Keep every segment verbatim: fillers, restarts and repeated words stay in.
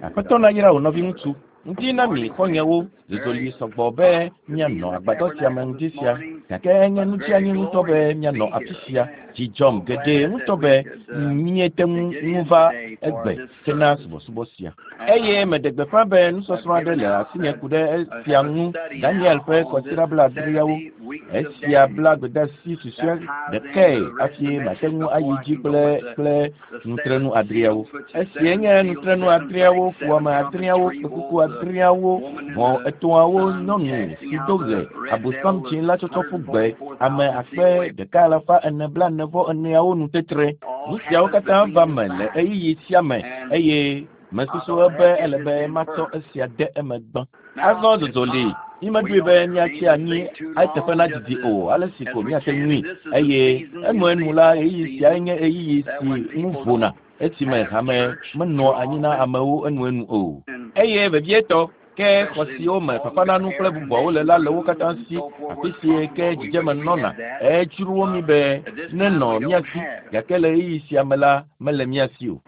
Aƒetɔ nayra wò nɔviŋutsu. Ŋdi na mi xɔ̃nyewo zozoli sɔgbɔ be míanɔ agbadɔ sia me ŋdi sia gake enye nutsianyi ŋutɔ be míanɔ afi sia. Dzi dzɔm geɖe ŋutɔ be míete ŋu va egbe hena subɔsubɔ sia. Eye meɖe gbeƒã be nusɔsrɔ̃ aɖe le asinye ku ɖe esia ŋu Daniel ƒe kɔsiɖa blaadreawo. Esia bla gbedeasi susɔe ɖekae hafi mate ŋu ayi dzi kple kple nutrenu adreawo. Esia nye nutrenu adreawo, fuwɔame adreawo, kpẽkuku adreawo, ʋɔ etɔ̃awo, nyɔnu si do ɣe, abosam dzi la tsɔtsɔ ƒu gbe, ame akpe ɖeka alafa ene blaene vɔ eneawo nu tetre. Nu siawo katã va me le ɣeyiɣi sia me eye mesusu be ele be matsɔ esia de eme gbã. Azɔ zozo li mímeɖoe be míatsi anyi eteƒe nadidi o ale si ko míate ŋui eye enuenu la ɣeyiɣi siae nye ɣeyiɣi si ŋu vona esime hame menɔa anyi na amewo enuenu o. Eye vevietɔ ke xɔ siwo me fafananu kple bubuawo le la le wo katã si afi si ke dzidzeme nɔna edzroa mí be nenɔ mía si gake le ɣeyiɣi sia me la mele mía si o.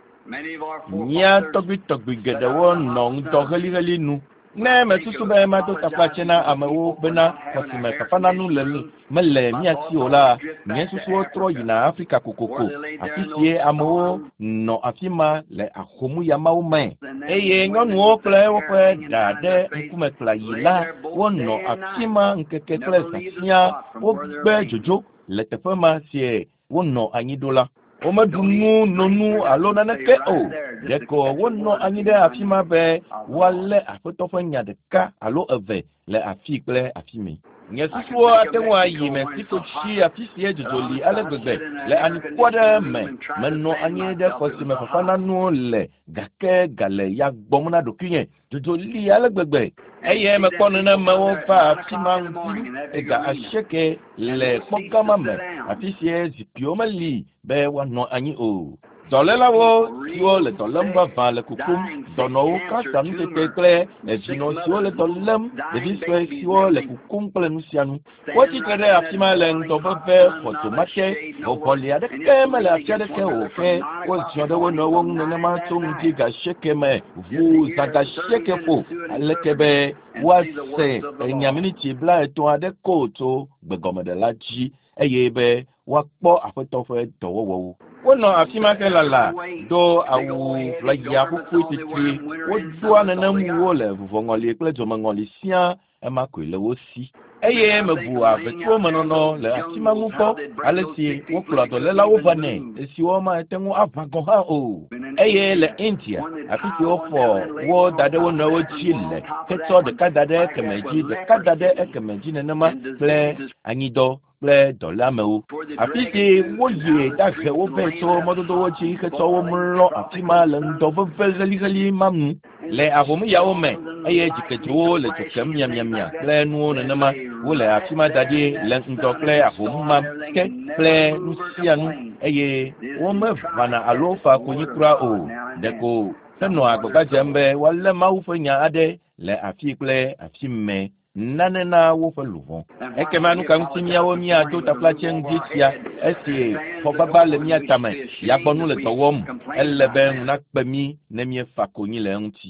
Mía tɔgbuitɔgbui geɖewo nɔ ŋdɔ heliheli nu. Ne mesusu be mado taflatse na amewo bena xɔ si me fafananu le mele mía si o la, nye susuwo trɔ yina Afrika kokoko, afi sie amewo nɔ afi ma le ahomuyamawo me. Eye nyɔnuwo kple woƒe ɖa ɖe ŋkume kplayi la, wonɔ afi ma ŋkeke kple zã siaa. Wogbe dzodzo le teƒe ma sie wonɔ anyi ɖo la. Womeɖu nu, no nu alo naneke o. Ɖeko wonɔ anyi ɖe afi ma be woalé Aƒetɔ ƒe nya ɖeka alo eve le afi kple afi mɛ. Nye susuwo ate ŋu ayi Mexico tsi afi sie dzodzo li ale gbegbe le anyikpo aɖe me. Menɔ anyi ɖe xɔ si me fafananuwo le gake gale ya gbɔm na ɖokuinye. Dzodzo li ale gbegbe eye mekpɔ nenemewo va afi ma ŋdi ega asieke le kpɔgama me afi sie zikpuiwo meli be woanɔ anyi o. Dɔlélawo siwo le dɔ lém vavã le kukum, dɔnɔwo, kansa nutete kple edzinɔ siwo le dɔ lém, ɖevi sue siwo le kukum kple nu sia nu. Wotsi tre ɖe afi ma le ŋdɔ veve xɔdomate, vɔvɔli aɖeke mele afi aɖeke o ke woziɔ ɖe wo nɔewo ŋu nenema tso ŋdi ga asieke me ʋuu zã ga asieke ƒo aleke be woase enya miniti blaetɔ̃ aɖe ko tso gbegɔmeɖela dzi eye be woakpɔ Aƒetɔ ƒe dɔwɔwɔwo. Wonɔ afi ma helala do awu ʋlaya ƒuƒui titri. Wodoa nenemwo le vuvɔŋɔli kple dzomeŋɔli siaa ema koe le wo si. Eye mebu avetsuwo me nɔnɔ le afi ma ŋu kpɔ ale si wokplɔa dɔlélawo vanɛ esiwo mate ŋu aʋã gɔ̃ hã o. Eye le India, afi si wofɔ wo da ɖe wo nɔewo dzi le hetsɔ ɖeka da ɖe ekeme dzi, ɖeka da ɖe ekeme dzi nenema kple anyidɔ kple dɔléamewo. Afi si woyi ɖahe wo vɛ tso mɔdodowo dzi hetsɔ wo mlɔ afi ma le ŋdɔ veve heliheli ma nu le ahomuyawo me eye dzikedzowo le dzo kem miamiamia kple nuwo nenema. Wole afi ma da ɖi le ŋdɔ kple ahomu ma ke kple nu sia nu eye womeʋãna alo fa konyi kura o. Ɖeko henɔa agbagba dzem be woalé Mawu ƒe nya aɖe le afi kple afi mɛ nane na woƒe luʋɔ. Ekema nu ka ŋuti míawo míado taflatse ŋdi sia esi xɔgbagba le mía tame, yagbɔnu le dɔ wɔm. Ele be ŋu nakpe mí ne míefa konyi le eŋuti.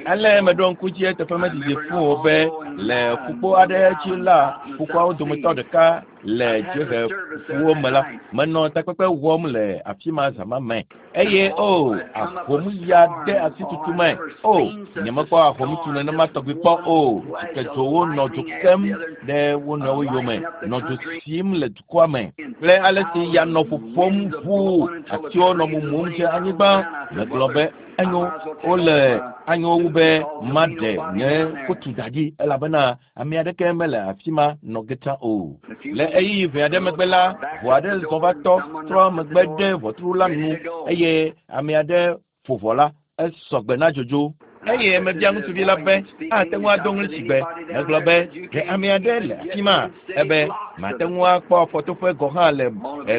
Ale meɖo ŋku dzi eteƒe medidi fũu o be le ƒukpo aɖe dzi la, ƒukpoawo dometɔ ɖeka le dziehe ƒuwo me la, menɔ takpekpe wɔm le afi ma zã ma me. Eye o ahomuya de asi tutu me. O nyemekpɔ ahomutu nenema tɔgbi kpɔ o. Dzikedzowo nɔ dzo kem ɖe wo nɔewo yome, nɔ dzo sim le dukɔa me kple ale si ya nɔ ƒoƒom ʋuu, atiwo nɔ mumum dze anyigba. Megblɔ be enyo wole anyo wu be maɖe nye kotu da ɖi elabena ame aɖeke mele afi ma nɔ ge tsã o. Le ɣeyiɣi ʋɛ aɖe megbe la, ʋu aɖe zɔ va tɔ trɔ megbe ɖe ʋɔtru la nu eye ame aɖe ƒo ʋɔ la, esɔ gbe na dzodzo. Eye mebia ŋutsuvi la be ate ŋu ado ŋlitsigbe. Megblɔ be ɖe ame aɖe le afi ma ebe mate ŋu akpɔ afɔtoƒe gɔ̃ hã le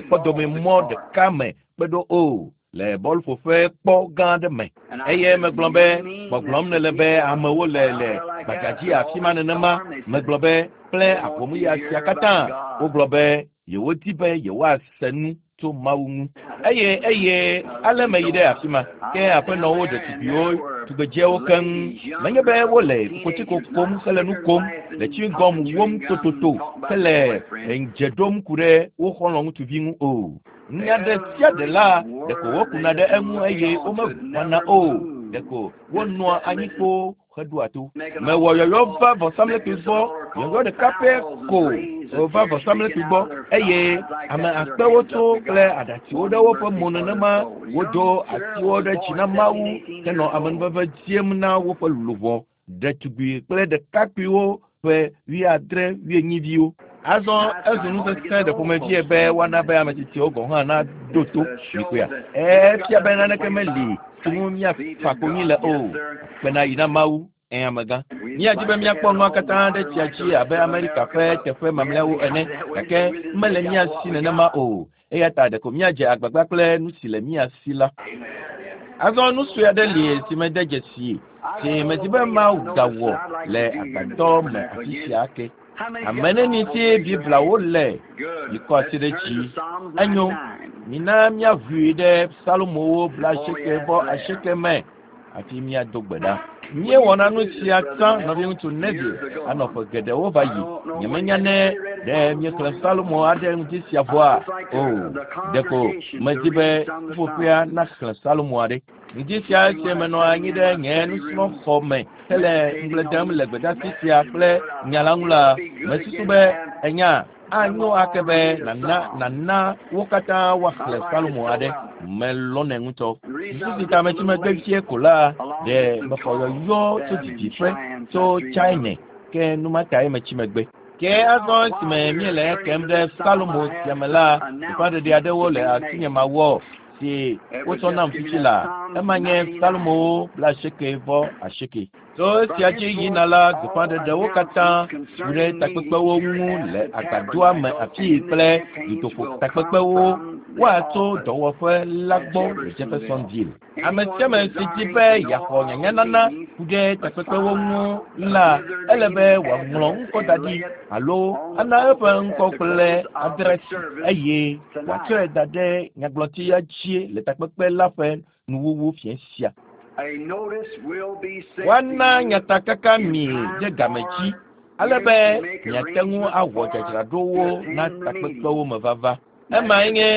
kpɔdomemɔ ɖeka me kpe ɖo o le bɔluƒoƒe kpɔ gã aɖe me. Eye megblɔ be gbɔgblɔm nele be amewo le le gbadzadzi afi ma nenema. Megblɔ be kple ahomuya sia katã wogblɔ be yewodi be yewoase nu tso Mawu ŋu. Eye eye ale meyi ɖe afi ma. Ke aƒenɔwo, ɖetugbiwo, tugbedzewo keŋ. Menye be wole kokotsiko kom hele nu kom, le chewing-gum wom tototo hele dze ɖom ku ɖe wo xɔlɔ̃ ŋutsuvi ŋu o. Nya ɖe sia ɖe la, ɖeko wokuna ɖe eŋu eye womeʋãna o. Ɖeko wonɔa anyi kpoo heɖoa to. Mewɔ yɔyɔ va vɔsamlekpui gbɔ, yɔyɔ ɖeka pɛ ko wòva vɔsamlekpui gbɔ eye ame akpewo tso kple aɖatsiwo ɖe woƒe mo nenema. Wodo asiwo ɖe dzi na Mawu henɔ amenuveve dziem na woƒe luʋɔ, ɖetugbui kple ɖekakpuiwo ƒe wuiadre wuienyiviwo. Azɔ ezu nu sesẽ ɖe ƒomevie be woana be ame tsitsiwo gɔ̃ hã naɖo to mikpɔea. Efia be naneke meli si ŋu míafa konyi le o. Kpena yi na Mawu. Ẽ amegã. Míadi be míakpɔ nua katã ɖe tsia dzi abe Amerika ƒe teƒe mamlɛawo ene, gake mele mía si nenema o. Eya ta ɖeko míadze agbagba kple nu si le mía si la. Azɔ nu sue aɖe li si mede dzesi si medi be magawɔ le agbadɔ me afi sia ke. Ame neni si Bibliawo le yikɔ asi ɖe dzi. Enyo, mina míaʋui ɖe Psalmowo blaasieke vɔ asieke me hafi míado gbe ɖa. Míewɔna nu sia tsã nɔviŋutsu Neville anɔ ƒe geɖewo va yi. Nyemenya ne ɖe míexlẽ Psalmo aɖe ŋuti sia vɔa o. Ɖeko medi be ƒuƒoƒea naxlẽ Psalmo aɖe. Ŋdi sia esi menɔ anyi ɖe nye nusrɔ̃xɔ me hele ŋugble dem le gbedeasi sia kple nya la ŋu la, mesusu be enya anyo ake be nana nana wo katã woaxlẽ Psalmo aɖe. Melɔ̃nɛ ŋutɔ. Susu si ta metsi megbe vie ko la, ɖe mexɔ yɔyɔ tso didiƒe tso China ke nu ma tae metsi megbe. Ke azɔ esime míele ekem ɖe Psalmo sia me la, gbeƒãɖeɖe aɖewo le asinye mawɔ si wotsɔ nam fifi la. Ema nye Psalmowo blaasieke vɔ asieke. Tso esia dzi yina la, gbeƒãɖeɖewo katã ku ɖe takpekpewo ŋu le agbadɔa me afii kple dutoƒo takpekpewo woatso dɔwɔƒe la gbɔ le Jeffersonville. Ame sia ame si di be yeaxɔ nyanyanana ku ɖe takpekpewo ŋu la, ele be wòaŋlɔ ŋkɔ da ɖi alo ana eƒe ŋkɔ kple adrɛsi eye wòatsɔe da ɖe nyagblɔtia dzi le takpekpe la ƒe nuwuwu fiẽ sia. Woana nyatakaka mi ɖe game dzi ale be miate ŋu awɔ dzadzraɖowo na takpekpewo me vava. Emae nye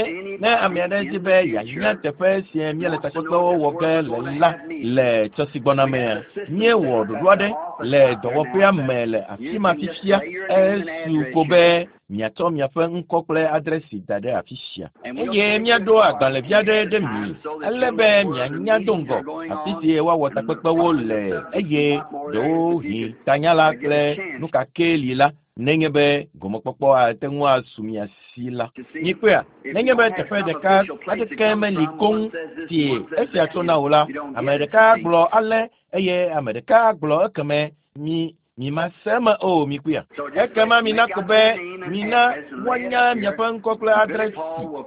ne ame aɖe di be yeanya teƒe si míele takpekpewo wɔ ge le la le tsɔ si gbɔna mea, míewɔ ɖoɖo aɖe le dɔwɔƒea me le afi ma fifia. Esu ko be miatsɔ miaƒe ŋkɔ kple adrɛsi da ɖe afi sia. Eye míaɖo agbalẽvi aɖe ɖe mi ale be mianya do ŋgɔ afi si woawɔ takpekpewo le eye ɖewohĩ tanyala kple nu ka ke li la nenye be gomekpɔkpɔ ate ŋu asu mia si la. Mikpɔea, nenye be teƒe ɖeka aɖeke meli koŋ si esia tsona o la, ame ɖeka gblɔ ale eye ame ɖeka gblɔ ekeme mi mi ma se eme o mikpɔea. Ekema mina ko be mina woanya miaƒe ŋkɔ kple adrɛsi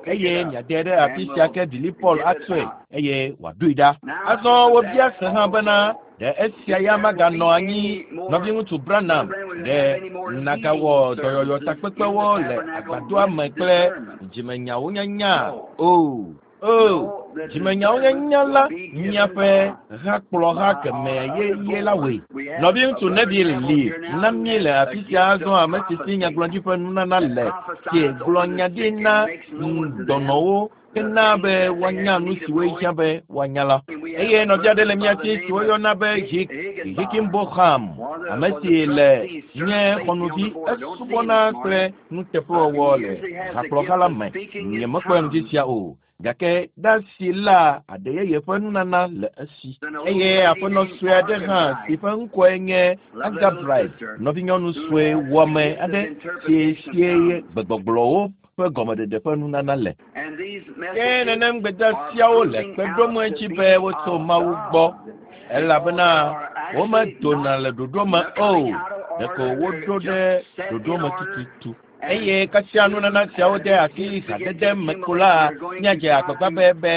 eye miade ɖe afi sia ke Billy Paul atsɔe eye wòaɖoe ɖa. Azɔ wobia se hã bena ɖe esia ya maganɔ anyi nɔviŋutsu Branham ɖe nagawɔ dɔyɔyɔ takpekpewo le agbadɔa me kple dzimenyawo nyanya o. O, dzimenyawo nyanya la miaƒe hakplɔha keme yeye la wɔe. Nɔviŋutsu Neville li na mí le afi sia azɔ ame si si nyagblɔɖi ƒe nunana le si gblɔ nya ɖi na dɔnɔwo hena be woanya nu siwo hiã be woanya la. Eye nɔvi aɖe le mía si si woyɔna be Hick Hickinbotham, ame si le nye xɔnuvi esubɔna kple nuteƒewɔwɔ le hakplɔha la me. Nyemekpɔe ŋdi sia o. Gake ɖasi la aɖe yeye ƒe nunana le esi. Eye aƒenɔ sue aɖe hã si ƒe ŋkɔe nye Agabright, nɔvinyɔnu sue wɔme aɖe si sie gbegbɔgblɔwo ƒe gɔmeɖeɖe ƒe nunana le. Ke nenem gbedeasiawo le kpe ɖom edzi be wotso Mawu gbɔ elabena womedona le ɖoɖo me o, ɖeko woɖo ɖe ɖoɖo me tututu. Eye kasia nunana siawo de asi hadede me ko la, míadze agbagba be be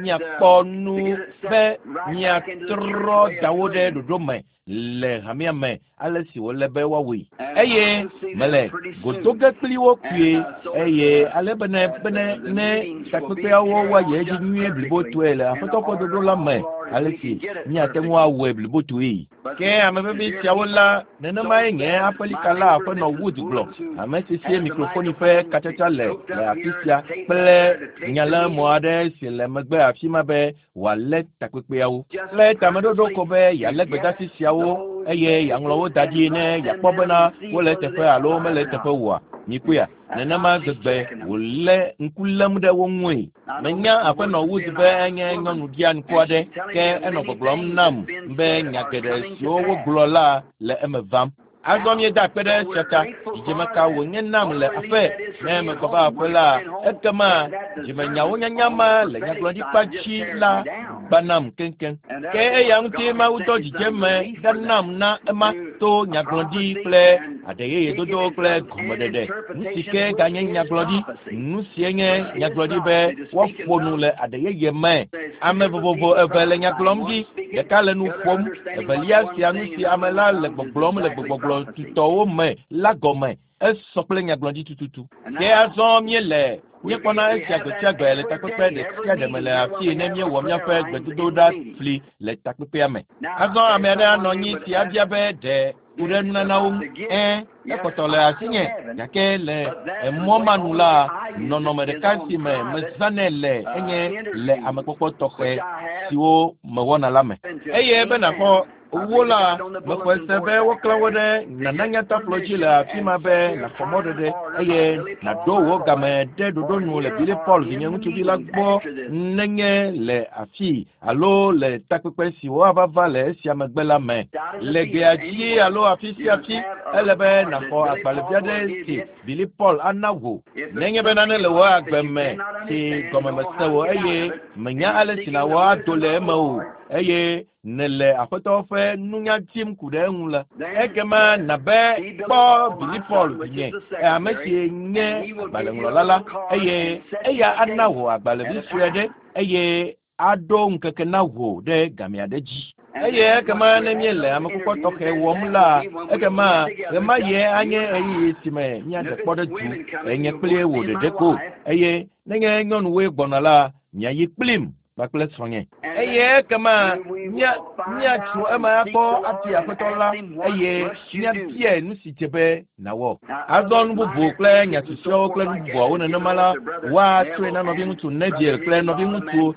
míakpɔ nu be míatrɔ da wo ɖe ɖoɖo me le hamea me ale si wòle be woawɔe. Eye mele godoge kpli wo kpuie eye ale bene bene ne takpekpeawo woayi edzi nyuie blibotoe le Aƒetɔ ƒe ɖoɖo la me ale si míate ŋu awɔe blibotoe. Ke ame vevi siawo la, nenemae nye aƒelika la Aƒenɔ Wood gblɔ, ame si sie mikrofoni ƒe katsatsa le le afi sia kple nyalémɔ aɖe si le megbe afi ma be wòalé takpekpeawo. Kple tameɖoɖo ko be yealé gbedeasi siawo eye yeaŋlɔ wo da ɖi ne yeakpɔ bena wole eteƒe alo mele eteƒe oa. Mikpɔea, nenema gbegbe wòlé ŋku lém ɖe wo ŋue. Menya Aƒenɔ Wood be enye nyɔnu ɖianuku aɖe, ke enɔ gbɔgblɔm nam be nya geɖe siwo wogblɔ la le eme vam. Azɔ míeda akpe ɖe esia ta. Dzidzeme ka wònye nam le aƒe ne megbɔ va aƒe la, ekema dzimenyawo nyanya ma le nyagblɔɖikpa dzi la gbanam keŋkeŋ. Ke eya ŋuti Mawu dɔ dzidzeme ɖa nam na ema to nyagblɔɖi kple aɖeyeyedodo kple gɔmeɖeɖe. Nu si ke ganye nyagblɔɖi, nu sie nye nyagblɔɖi be woaƒo nu le aɖeyeye me. Ame vovovo eve le nya gblɔm ɖi, ɖeka le nu ƒom, evelia sia nu si ame la le gbɔgblɔm le gbegbɔgblɔ tutɔwo me la gɔme. Esɔ kple nyagblɔɖi tututu. Ke azɔ míele míekpɔna esia gbe sia gbe le takpekpe ɖe sia ɖe me le afii ne míewɔ míaƒe gbedodoɖa fli le takpekpea me. Azɔ ame aɖe anɔ anyi si abia be ɖe ku ɖe nunanawo ŋu. Ẽ, ekpɔtɔ le asinye gake le emɔ ma nu la, nɔnɔme ɖeka si me mezãnɛ le enye le amekpɔkpɔ tɔxɛ siwo mewɔna la me. Eye be nàxɔ wo la, mexɔe se be woklã wo ɖe nananyataflo dzi le afi ma be nàxɔ mɔɖeɖe eye nàɖo wò game ɖe ɖoɖo nu le Billy Paul vinye ŋutsuvi la gbɔ nenye le afii alo le takpekpe si woava va le esia megbe la me. Le gbea dzi alo afi sia afi, ele be nàxɔ agbalẽvi aɖe si Billy Paul ana wò. Nenye be nane le wò agbe me si gɔme mese o eye menya ale si nàwɔ ado le eme o eye nele Aƒetɔ ƒe nunya dim ku ɖe eŋu la, ekema nabe kpɔ Billy Paul vinye, ame si nye agbalẽŋlɔla la, eye eya ana wò agbalẽvi sue aɖe eye aɖo ŋkeke na wò ɖe game aɖe dzi. Eye ekema ne míele amekpɔkpɔ tɔxɛ wɔm la, ekema ɣemaɣie anye ɣeyiɣi si me míaɖe kpɔ ɖe du enye kpli wò ɖeɖe ko eye nenye nyɔnuwoe gbɔna la, miayi kplim kpakple srɔ̃nye. Eye ekema mía míatso eme akpɔ ati Aƒetɔ la eye míabiae nu si dze be nàwɔ. Azɔ nu bubu kple nya susɔeawo kple nu bubuawo nenema la, woatsɔe na nɔviŋutsu Neville kple nɔviŋutsu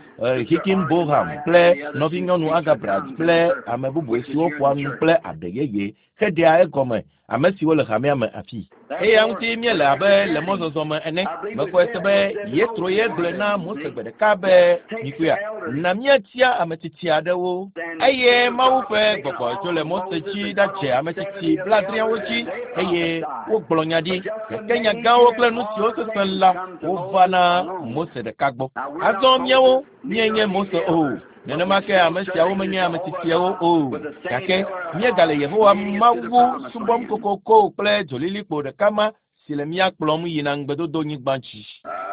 Hickinbotham kple nɔvinyɔnu Agabrat kple ame bubu siwo ƒoa nu kple aɖe yeye heɖea egɔme ame siwo le hamea me afii. Eya ŋuti míele abe le mɔzɔzɔ me ene. Mexɔe se be Yetro ye gblɔe na Mose gbe ɖeka be mikpɔea, na míatia ame tsitsi aɖewo. Eye Mawu ƒe gbɔgbɔ tso le Mose dzi ɖadze ame tsitsi blaadreawo dzi eye wogblɔ nya ɖi. Gake nya gãwo kple nu siwo sesẽ la wova na Mose ɖeka gbɔ. Azɔ míawo míenye Mose o. Nenema ke ame siawo menye ame tsitsiawo o. Gake míegale Yehowa Mawu subɔm kokoko kple dzolilikpo ɖeka ma si le mía kplɔm yina ŋugbedodonyigba dzi.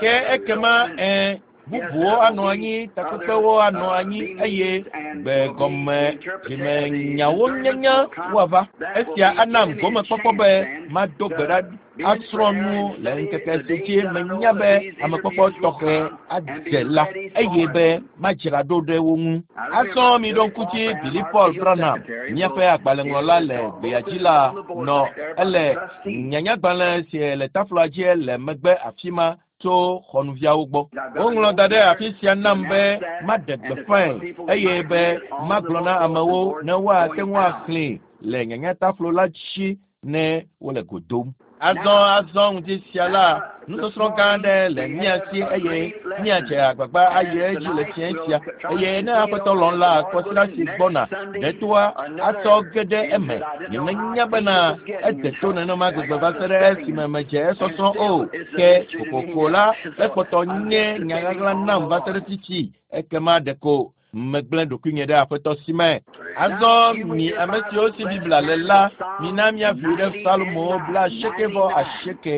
Ke ekema ẽ bubuwo anɔ anyi, takpekpewo anɔ anyi eye gbegɔme dzimenyawo nyanya woava. Esia anam gomekpɔkpɔ be mado gbe ɖa asrɔ̃ nu le ŋkeke si dzi menya be amekpɔkpɔ tɔxɛ adze la eye be madzra ɖo ɖe wo ŋu. Azɔ miɖo ŋku dzi Billy Paul Branham, míaƒe agbalẽŋlɔla le gbea dzi la nɔ ele nyanyagbalẽ si le tafloa dzi le megbe afi ma tso xɔnuviawo gbɔ. Woŋlɔ da ɖe afi sia nam be maɖe gbeƒãe eye be magblɔ na amewo ne woate ŋu axlẽe le nyanyataflo la dzi ne wole go dom. Azɔ azɔ ŋdi sia la, nusɔsrɔ̃ gã aɖe le mía si eye míadze agbagba ayi edzi le fiẽ sia eye ne Aƒetɔ lɔ̃ la, kɔsiɖa si gbɔna ɖetoa atsɔ ge ɖe eme. Nyemenya bena ede to nenema gbegbe va se ɖe esime medze esɔsrɔ̃ o. Ke kokoko la, ekpɔtɔ nye nya ɣaɣla nam va se ɖe fifi. Ekema ɖeko Megblẽ ɖokuinye ɖe Aƒetɔ si me. Azɔ mi ame siwo si Biblia le la, mina míaʋli ɖe Psalmo blaasieke vɔ asieke,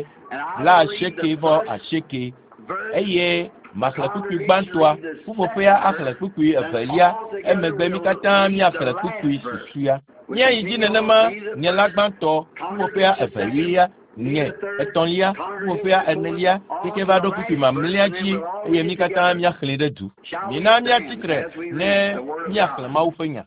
blaasieke vɔ asieke eye maxlẽ kpukpui gbãtɔa, ƒuƒoƒea axlẽ kpukpui evelia, emegbe mí katã míaxlẽ kpukpui susɔea. Míayi dzi nenema, nye la gbãtɔ, ƒuƒoƒea evelia, nye etɔ̃lia, ƒuƒoƒea enelia, keke va ɖo kpukpui mamlɛa dzi eye mí katã míaxlẽe ɖe du. Mina míatsi tre ne míaxlẽ Mawu ƒe nya.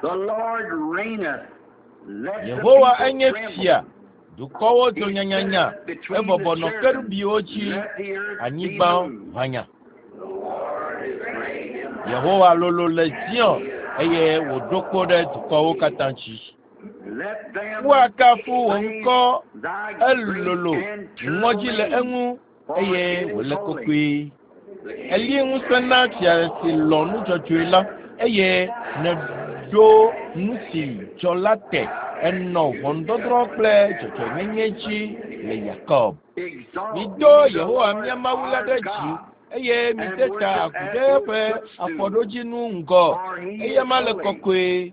The Lord reigneth. Let the Yehowa people enye tremble. fia, dukɔwo do nyanyanya, ebɔbɔ nɔ kerubiwo dzi, Let the earth be anyigba moved. ʋanya. Yehowa lolo le Zion eye wòɖo kpo ɖe dukɔwo katã dzi. Let them Woakafu wò praise ŋkɔ thy elolo, great and ŋɔdzi le terrible name, eŋu for eye it is wòle holy. kɔkɔe. Eli ŋusẽ na fia si lɔ̃ nu dzɔdzɔe la eye nèɖo nu si dzɔ la te. Enɔ ʋɔnudɔdrɔ̃ kple dzɔdzɔenyenye dzi le Yakob. Exalt Mido ye the Yehowa Lord mía Mawu la our ɖe dzi God, eye mide and ta worship agu at ɖe his eƒe footstool, afɔɖodzinu ŋgɔ. for he is Eyama le holy. kɔkɔe.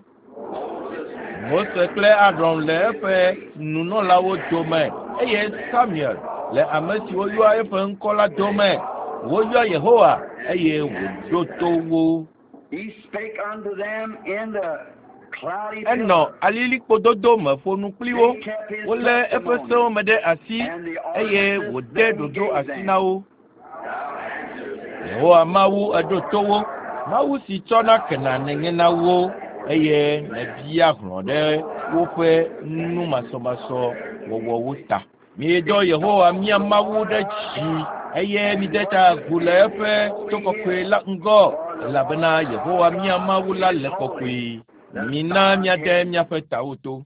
Mose kple Aron le eƒe nunɔlawo dome eye Samuel le ame siwo yɔa eƒe ŋkɔ la dome. Woyɔ Yehowa eye wòɖo to wo. He spake unto them in the cloudy Enɔ pillar. alilikpododo me ƒo nu kpli wo. They kept his Wolé eƒe sewo testimony me ɖe asi and the eye ordinances wòde that he ɖoɖo gave asi them. na wo. Yehowa Mawu eɖo to wo. Mawu si tsɔna kena nènye na wo eye nèbia hlɔ̃ ɖe woƒe numasɔmasɔ wɔwɔwo ta. Miedɔ Yehowa mía Mawu ɖe dzi eye mide ta agu le eƒe to kɔkɔe la ŋgɔ elabena Yehowa mía Mawu la le kɔkɔe. Mina míade míaƒe tawo to.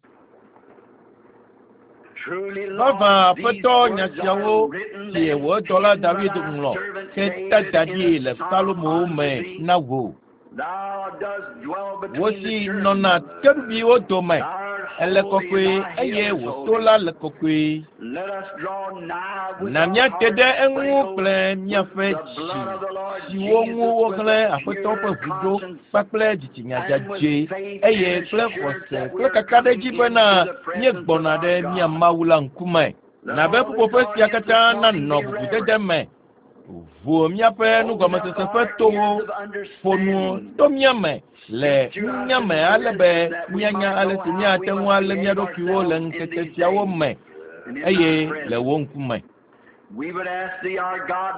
Truly, Lord, Vavã these Aƒetɔ nya words are siawo written si and wò dɔla penned by David thy ŋlɔ servant heta David da in ɖi a le psalm Salomo unto me thee. na wò. Thou dost dwell Wò between the si cherubims. nɔna kerubiwo dome, Thou art ele holy, kɔkɔe and thy eye hill is wò to holy. la le kɔkɔe. Let us draw nigh with Na our míate hearts ɖe eŋu sprinkled kple with míaƒe the dzi blood of the Lord siwo ŋu Jesus, with wohlẽ a Aƒetɔ ƒe pure ʋu ɖo conscience kpakple dzitsinya and with dzadzɛ faith eye and kple assurance xɔse that we kple are kakaɖedzi coming bena into the presence of míegbɔna our ɖe mía God. Mawu la ŋkume. Let Na be all this ƒuƒoƒe sia audience this katã morning nanɔ be bubudede reverent. me. Ʋu míaƒe Open up nugɔmesese ƒe our towo ears of ƒo nu understanding. to mía me le Speak to us nunya in me ale be wisdom that we míanya might ale know si how we míate ŋu must alé mía behave ɖokuiwo le ourselves in ŋkeke these siawo days me and in eye thy le presence. wò ŋkume. We would ask thee, our God,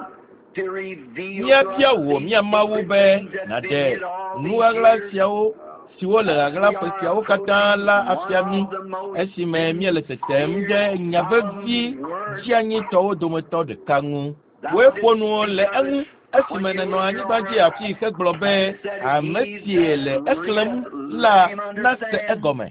to reveal to Míabia us wò these mía Mawu secret be things that's been nàɖe hid all nu these ɣaɣla years siawo siwo le as ɣaɣla we ƒe are siawo katã approaching la one afia mí of the most esime míele tetem ɖe sincere, nya vevi solemn words dzianyitɔwo dometɔ ɖeka ŋu. Thou Wòe didst ƒo nu speak le of eŋu it esime when you nènɔ were here anyigba on dzi earth afii hegblɔ be and said, ame He si that le exlẽm readeth, la let him nase understand. egɔme.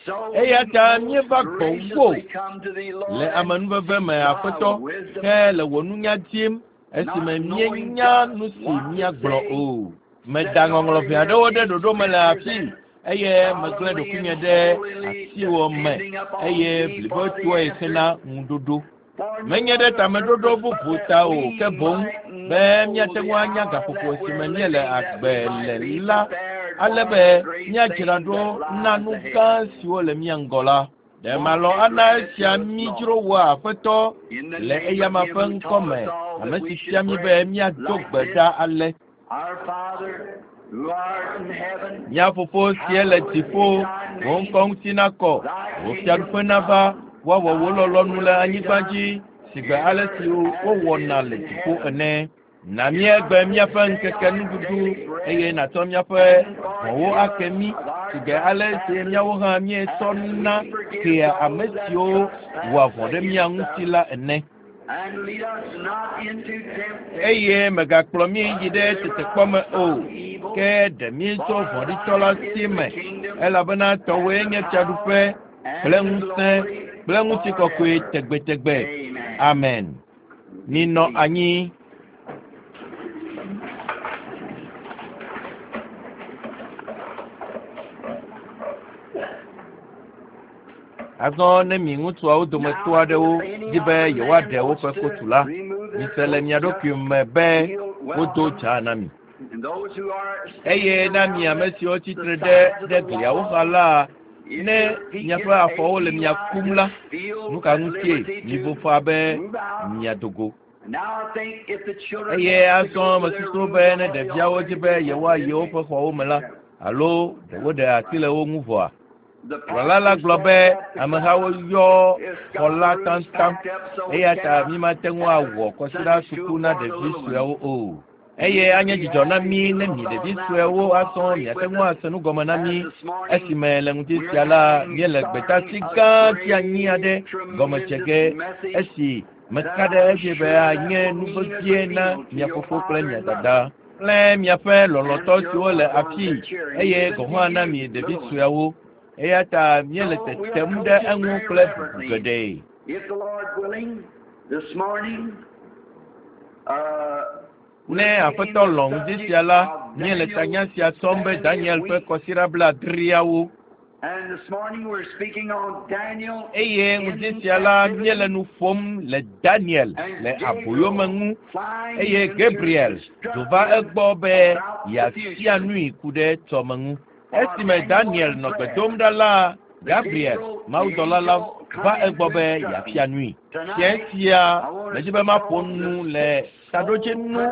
So we Eya ta most míeva gbɔwò graciously come to thee, le Lord, and amenuveve seek me, thy Aƒetɔ, wisdom, ke le wò nunya dim esime not knowing míenya just nu si what to míagblɔ say, o. Meda setting ŋɔŋlɔ our ʋɛ ear aɖewo ɖe these ɖoɖo me le scriptures afii and eye megblẽ solemnly ɖokuinye and ɖe holily asiwò me depending upon eye thee for the blibotɔe answer. hena ŋuɖoɖo. For no Menye ɖe other tameɖoɖo purpose but bubu that ta o, we ke boŋ might be know míate the ŋu anya hour gaƒoƒo that si me we're míele living, that agbe we might le be la, prepared ale for be the great míadzra things ɖo that na lies nu ahead. gã siwo le mía ŋgɔ la. Ɖe Won't malɔ̃ you ana grant it esia to us, mí Lord? dzro wò Aƒetɔ In the le name of eyama him ƒe who ŋkɔ taught me, us all ame that we si should fia mí be pray míado like gbe this, ɖa ale. Our Father, who art in heaven, Mía Fofo sie le hallowed dziƒo, be thy wò name. ŋkɔ ŋuti nakɔ, Thy wò kingdom fiaɖuƒe nava, come, woawɔ wò thy lɔlɔ̃nu will le be anyigba done dzi sigbe in ale earth si as it wowɔna is le in dziƒo heaven. ene. Na Give us míegbe this míaƒe day ŋkeke our nuɖuɖu daily bread, eye nàtsɔ míaƒe and vɔ̃wo forgive ake us mí of our sigbe ale si trespasses, míawo hã as míetsɔna we forgive kea ame those that siwo wɔa trespass vɔ̃ ɖe mía against ŋuti us. la ene. And lead us not into temptation, Eye mègakplɔ mí but yi ɖe deliver tetekpɔ us me o, from evil. ke ɖe mí tso For vɔ̃ɖitɔ la thine si is the me, kingdom, elabena tɔwòe and the nye power, fiaɖuƒe kple and the ŋusẽ glory kple ŋutikɔkɔe forever. tegbetegbe. Amen. Amen. Be Minɔ seated. anyi. Azɔ ne mi ŋutsuawo dometɔ aɖewo di be yewoaɖe woƒe kotu la, mise le mia ɖokui me be wodo dza na mi. Eye na mi ame siwo tsitre ɖe ɖe gliawo xa la, ne miaƒe afɔwo le mia kum la, nu ka ŋutie mivo fa be miado go. Eye azɔ mesusu be ne ɖeviawo dzi be yewoayi woƒe xɔwo me la, alo ɖe woɖe asi le wo ŋu vɔa. Kplɔla la gblɔ be amehawo yɔ xɔ la taŋtaŋ eya ta mímate ŋu awɔ kɔsiɖa suku na ɖevi sueawo o. Eye anye dzidzɔ na mí ne mi ɖevi suewo azɔ miate ŋu ase nu gɔme na mí esime le ŋdi sia la míele gbetasi gã tsianyi aɖe gɔme dze ge esi meka ɖe edzi be anye nu vevie na mia fofo kple mia dada kple miaƒe lɔlɔ̃tɔ siwo le afii eye gɔ̃ hã na mi ɖevi sueawo. Eya ta míele tetem ɖe eŋu kple bubu geɖe. If the Lord willing, this morning, uh, Ne aƒetɔ lɔ̃ ŋdi sia la, míele tanya sia tsɔm be Daniel ƒe kɔsiɖa blaadreawo. And this morning we're speaking on Daniel Eye ŋdi sia la, míele nu ƒom le Daniel le aboyome ŋu eye Gabriel do va egbɔ be yeafia nui ku ɖe tsɔme ŋu. Esime Daniel nɔ gbe dom ɖa la, Gabriel, mawudɔla la, va egbɔ be yeafia nui. Fiẽ sia, medzi be maƒo nu le taɖodzinu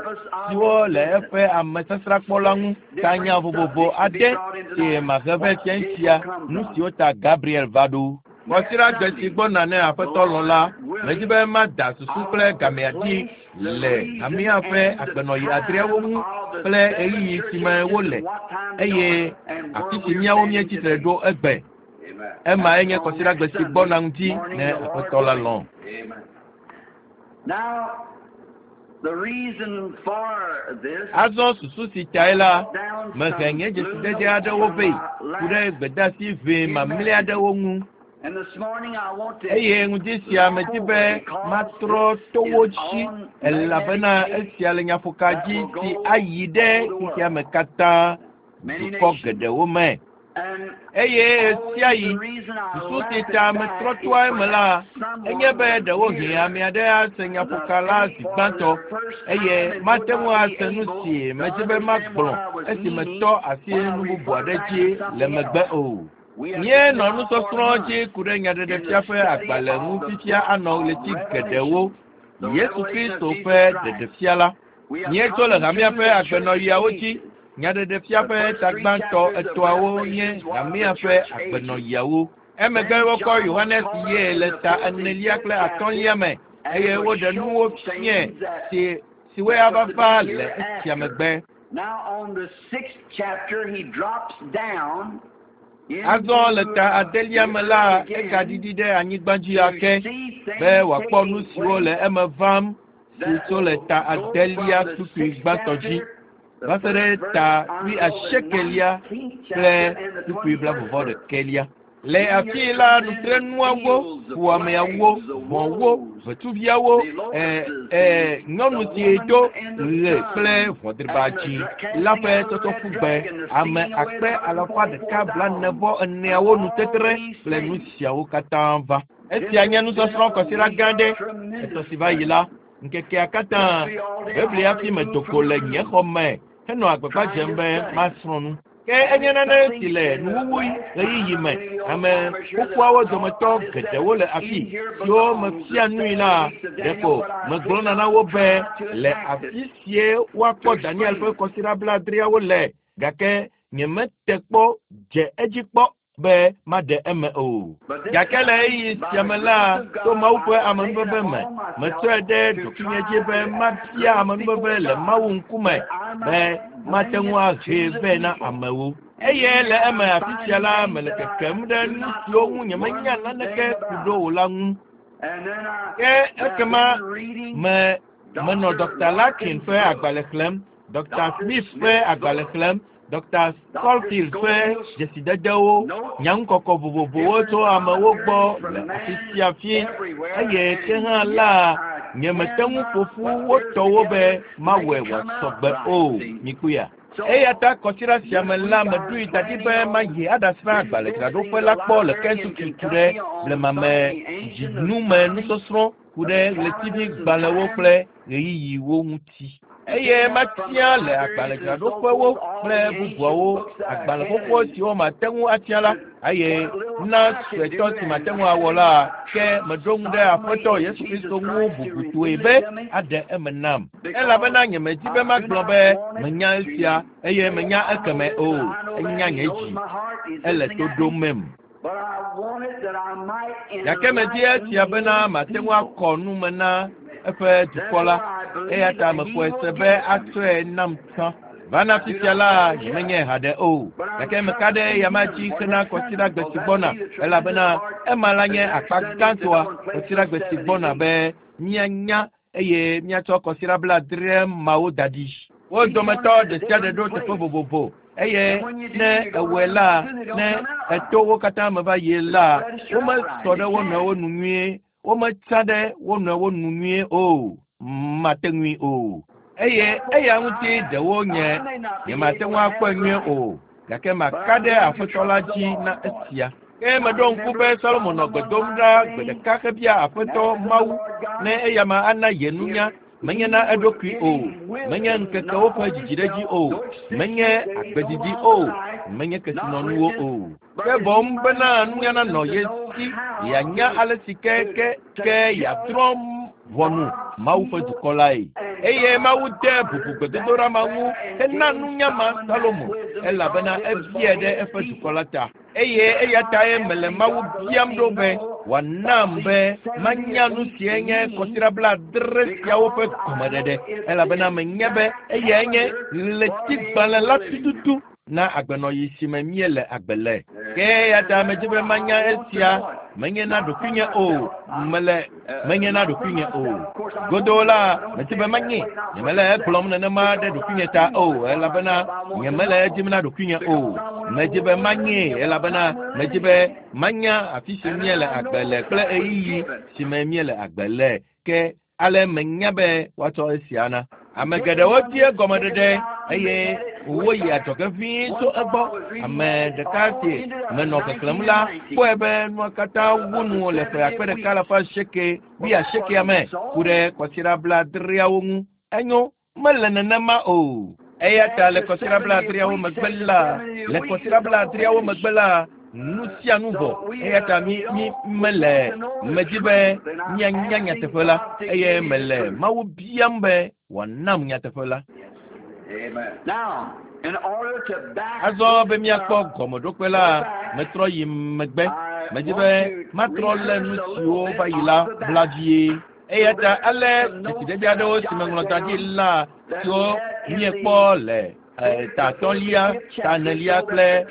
siwo le eƒe amesasrakpɔ la ŋu. Tanya vovovo aɖe si mahe vɛ fiẽ sia, nu siwo ta Gabriel va ɖo. Kɔsiɖagbe si gbɔna ne aƒetɔ lɔ̃ la, medzi be mada susu kple gamea dzi le hamea ƒe agbenɔɣi adreawo ŋu kple ɣeyiɣi si me wole eye afi si míawo míetsitre ɖo egbe. Ema enye kɔsiɖagbe si gbɔna ŋuti ne aƒetɔ la lɔ̃. Now, the reason for this Azɔ susu si tae la, mehe nye dzesidede aɖewo vɛ ku ɖe gbedeasi ʋɛ mamlɛ aɖewo ŋu. And this morning I want to Eye ŋdi sia medi be matrɔ to wo dzi elabena esia le nyaƒoka dzi si ayi ɖe xexea me katã dukɔ geɖewo me. and Eye ɣesiaɣi susu si ta metrɔ toa eme la, enye be ɖewohĩ ame aɖe ase nyaƒoka la zi gbãtɔ eye mate ŋu ase nu si medzi be magblɔ esi metɔ asi nu bubu aɖe dzi le megbe o. Míenɔ nusɔsrɔ̃ dzi ku ɖe nyaɖeɖefia ƒe agbalẽ ŋu fifia anɔ ɣleti geɖewo. Yesu Kristo ƒe ɖeɖefia la. Míetso le hamea ƒe agbenɔɣiawo dzi. Nyaɖeɖefia ƒe ta gbãtɔ etɔ̃awo nye hamea ƒe agbenɔɣiawo. Emegbe wokɔ Yohanes ye le ta enelia kple atɔ̃lia me eye woɖe nuwo fiae si siwoe ava va le esia megbe. Now on the sixth chapter he drops down Azɔ le ta adelia me la, egaɖiɖi ɖe anyigba dzi ake be wòakpɔ nu siwo le eme vam si tso le ta adelia kpukpui gbãtɔ dzi va se ɖe ta wuiasiekelia kple kpukpui blaeve ɖekɛlia. Le afii la, nutrenuawo, fuwɔameawo, ʋɔwo, ʋetsuviawo, ɛ ɛ nyɔnu si do ɣe kple ʋɔdriba dzi la ƒe tsɔtsɔƒugbe, ame akpe alafa ɖeka blaene vɔ eneawo nutetre kple nu siawo katã va. Esia nye nusɔsrɔ̃ kɔsiɖa gã ɖe etɔ si va yi la, ŋkekea katã Biblia hafi medo go le nye xɔ me henɔ agbagba dzem be masrɔ̃ nu. Ke enye nane si le nuwuwu ɣeyiɣi me. Ame xoxoawo dometɔ geɖewo le afi siwo mefia nui la, ɖeko megblɔna na wo be le afi sie woakpɔ Daniel ƒe kɔsiɖa blaadreawo le gake nyemete kpɔ dze edzi kpɔ be maɖe eme o. Gake le ɣeyiɣi sia me la, to Mawu ƒe amenuveve me, metsɔe ɖe ɖokuinye dzi be mabia amenuveve le Mawu ŋkume be mate ŋu ahee vɛ na amewo. Eye le eme afi sia la, mele kekem ɖe nu siwo ŋu nyemenya naneke ku ɖo o la ŋu. Ke ekema me menɔ Dr. Larkin ƒe agbalẽ xlẽm, Dr. Smith ƒe agbalẽ xlẽm, Dr. Scofield ƒe dzesidedewo, nyaŋukɔkɔ vovovowo tso amewo gbɔ le afi sia afi eye ke hã la nyemete ŋu ƒo ƒu wo tɔwo be mawɔe wòasɔ gbe o. Mikpɔea? Eya ta kɔsiɖa sia me la meɖoe da ɖi be mayi aɖasrã agbalẽdzraɖoƒe la kpɔ le Kentucky ku ɖe blemame dzinume nusɔsrɔ̃ ku ɖe ɣletivigbalẽwo kple ɣeyiɣiwo ŋuti. Eye matia le agbalẽdzraɖoƒewo kple bubuawo agbalẽ xoxo siwo mate ŋu atia la eye na suetɔ si mate ŋu awɔ la ke meɖo ŋu ɖe Aƒetɔ Yesu Kristo ŋu bubutɔe be aɖe eme nam. Elabena nyemedi be magblɔ be menya esia eye menya ekeme o. Enya nye dzi. Ele to ɖomem. Gake medi esia bena mate ŋu akɔ nu me na eƒe dukɔ la. Eya ta mexɔe se be atsɔe nam tsã. Vana fifia la nyemenye haɖe o. Gake meka ɖe eyama dzi hena kɔsiɖagbe si gbɔna elabena ema la nye akpa gãtɔa kɔsiɖagbe si gbɔna be míanya eye míatsɔ kɔsiɖa blaadre mawo da ɖi. Wo dometɔ ɖe sia ɖe ɖo teƒe vovovo eye ne ewɔe la ne eto wo katã me va yi la womesɔ ɖe wo nɔewo nu nyuie wometsa ɖe wo nɔewo nu nyuie o mate ŋui o. Eye eya ŋuti ɖewo nye nyemate ŋu akpɔe nyuie o gake maka ɖe Aƒetɔ la dzi na esia. Ke meɖo ŋku be Salomo nɔ gbe dom ɖa gbe ɖeka hebia Aƒetɔ Mawu ne eyama ana ye nunya menye na eɖokui o, menye ŋkekewo ƒe dzidziɖedzi o, menye agbedidi o, menye kesinɔnuwo o. Ke boŋ bena nunya nanɔ ye si yeanya ale si ke ke ke yeadrɔ̃ ʋɔnu Mawu ƒe dukɔ lae. Eye Mawu de bubu gbedodoɖa ma ŋu hena nunya ma Salomo elabena ebiae ɖe eƒe dukɔ la ta. Eye eya tae mele Mawu biam ɖo be wòanam be manya nu sie nye kɔsiɖa blaadre siawo ƒe gɔmeɖeɖe elabena menya be eyae nye ɣletigbalẽ la tututu na agbenɔɣi si me míele agbe le. Ke eya ta medzi be manya esia menye na ɖokuinye o mele menye na ɖokuinye o. Godoo la medzi be manye nyemele egblɔm nenema ɖe ɖokuinye ta o elabena nyemele edim na ɖokuinye o. Medzi be manye elabena medzi be manya afi si míele agbe le kple ɣeyiɣi si me míele agbe le. Ke ale menya be woatsɔ esia na. Ame geɖewo di egɔmeɖeɖe eye woyi adzɔge ʋĩi tso egbɔ. Ame ɖeka si menɔ xexlẽm la kpɔe be nua katã wu nu le ƒe akpe ɖeka alafa asieke wuiasiekea me ku ɖe kɔsiɖa blaadreawo ŋu. Enyo mele nenema o. Eya ta le kɔsiɖa blaadreawo megbe la le kɔsiɖa blaadreawo megbe la nu sia nu vɔ. Eya ta mi mi mele medzi be míanya nyateƒe la eye mele Mawu biam be wòanam nyateƒe la. Azɔ be míakpɔ gɔmeɖokpe la metrɔ yi megbe. Medzi be matrɔ lé nu siwo va yi la bla vie. Eya ta ale dzesiɖeɖe aɖewo si meŋlɔ da ɖi la siwo míekpɔ le ta atɔ̃lia, ta enelia kple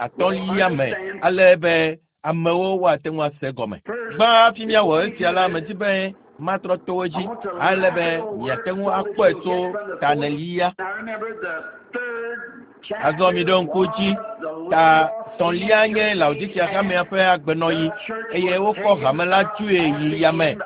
atɔ̃lia me ale be amewo woate ŋu ase gɔme. Gbã hafi míawɔ esia la medzi be matrɔ to wo dzi ale be miate ŋu akpɔe tso ta enelia. Azɔ miɖo ŋku dzi ta tɔ̃lia nye Laodikea hamea ƒe agbenɔɣi eye wokɔ hame la tsoe yi yame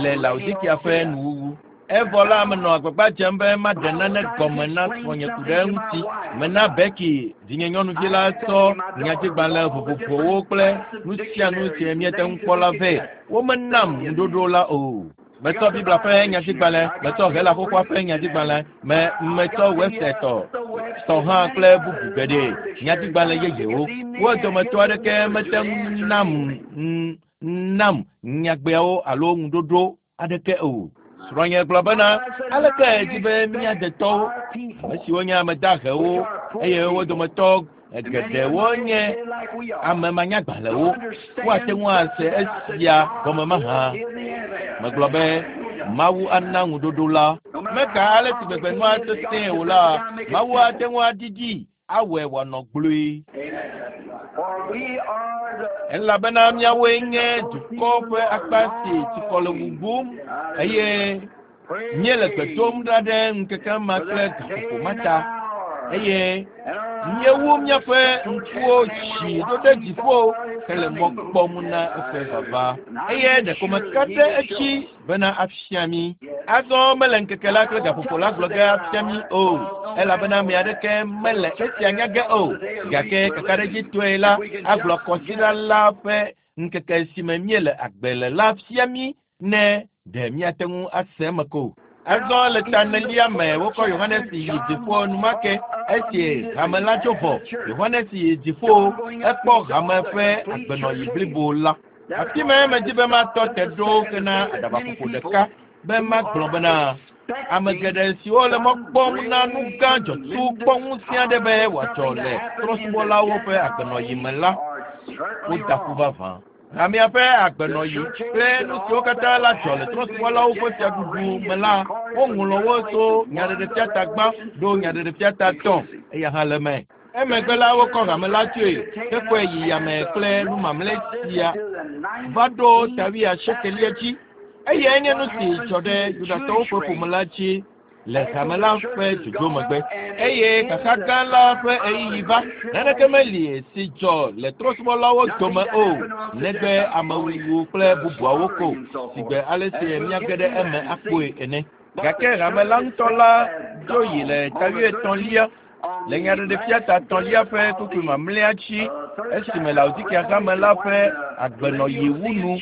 le Laodikea ƒe nuwuwu. Evɔ la menɔ agbagba dzem be maɖe nane gɔme na srɔ̃nye ku ɖe eŋuti. Mena Becky vinyenyɔnuvi la tsɔ nyadzigbalẽ vovovowo kple nu sia nu si míete ŋu kpɔ la vɛ. Womenam ŋuɖoɖo la o. Metsɔ Biblia ƒe nyadzigbalẽ, metsɔ Hela xoxoa ƒe nyadzigbalẽ, me metsɔ Webster tɔ tɔ hã kple bubu geɖe nyadzigbalẽ yeyewo. Wo dometɔ aɖeke mete ŋu nam nam nyagbeawo alo ŋuɖoɖo aɖeke o. Srɔ̃nye gblɔ bena aleke edzi be mía detɔwo ame siwo nye ame dahewo eye wo dometɔ geɖewo nye ame manyagbalẽwo woate ŋu ase esia gɔme mahã. Megblɔ be Mawu ana ŋuɖoɖo la. Meka ale si gbegbe nua sesẽe o la, Mawu ate ŋu aɖiɖi awɔe wòanɔ gblɔe. Elabena míawoe nye dukɔ ƒe akpa si tsikɔ le wùwum eye míele gbe dom ɖa ɖe ŋkeke ma kple gaƒoƒo ma ta eye Míewu míaƒe ŋkuwo dzi ɖo ɖe dziƒo hele mɔ kpɔm na eƒe vava. Eye ɖeko meka ɖe edzi bena afia mí. Azɔ mele ŋkeke la kple gaƒoƒo la gblɔ ge afia mí o, elabena ame aɖeke mele esia nya ge o. Gake kakaɖedzitɔe la agblɔ kɔsiɖa la ƒe ŋkeke si me míele agbe le la fia mí ne ɖe míate ŋu ase eme ko. Azɔ le ta enelia me wokɔ Yohanes yi dziƒo enumake esi hame la tso vɔ. Yohanes yi dziƒo ekpɔ hame ƒe agbenɔyi blibo la. Afi ma medzi be matɔ te ɖo hena aɖabaƒoƒo ɖeka be magblɔ bena ame geɖe siwo le mɔ kpɔm na nu gã dzɔtsu kpɔ ŋusẽ aɖe be wòadzɔ le trɔ̃subɔlawo ƒe agbenɔyi me la, woda ƒu vavã. Hamea ƒe agbenɔyi kple nu siwo katã la dzɔ le trɔ̃subɔlawo ƒe fiaɖuɖu me la, woŋlɔ wo tso Nyaɖeɖefia ta gbã ɖo Nyaɖeɖefia ta tɔ̃ eya hã le eme. Emegbe la wokɔ hame la tsoe hekɔe yi yame kple nu mamlɛ sia va ɖo ta wuiasiekelia dzi. Eyae nye nu si dzɔ ɖe Yudatɔwo ƒe ƒome la dzi le hame la ƒe dzodzo megbe. Eye xaxa gã la ƒe ɣeyiɣi va. Naneke meli si dzɔ le trɔ̃subɔlawo dome o, negbe amewuwu kple bubuawo ko, sigbe ale si míage ɖe eme akpɔe ene. Gake hame la ŋutɔ la dzo yi le ta wuietɔ̃lia le Nyaɖeɖefia ta tɔ̃lia ƒe kpukpui mamlɛa dzi esime Laodikea hame la ƒe agbenɔyi wu nu,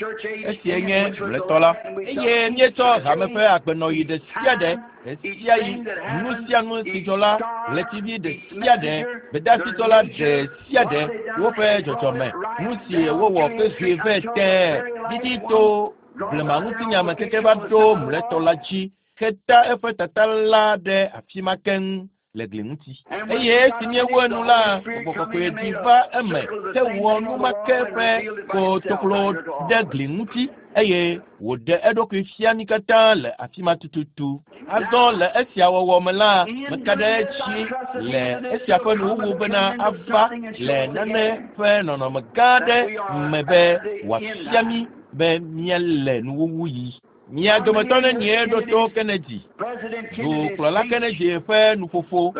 esie nye mlɔetɔ la. Eye míetsɔ hame ƒe agbenɔyi ɖe sia ɖe, ɖe sia yi, nu sia nu si dzɔ la, ɣletivi ɖe sia ɖe, gbedeasitɔ la ɖe sia ɖe, woƒe dzɔdzɔme, nu si wowɔ ƒe vɛ tẽe didi to blema ŋutinya me keke va ɖo mlɔetɔ la dzi heta eƒe tata la ɖe afi ma keŋ le gli ŋuti. Eye esi míewu enu la, Gbɔgbɔ Kɔkɔe ɖi va eme hewɔ nu ma ke ƒe kotoklo ɖe gli ŋuti eye wòɖe eɖokui fia mí katã le afi ma tututu. Azɔ le esia wɔwɔ me la, meka ɖe edzi le esia ƒe nuwuwu bena ava le nane ƒe nɔnɔme gã aɖe me be wòafia mí be míele nuwuwu yi. Mia dometɔ nenie ɖo to Kennedy, dukplɔla Kennedy ƒe nuƒoƒo,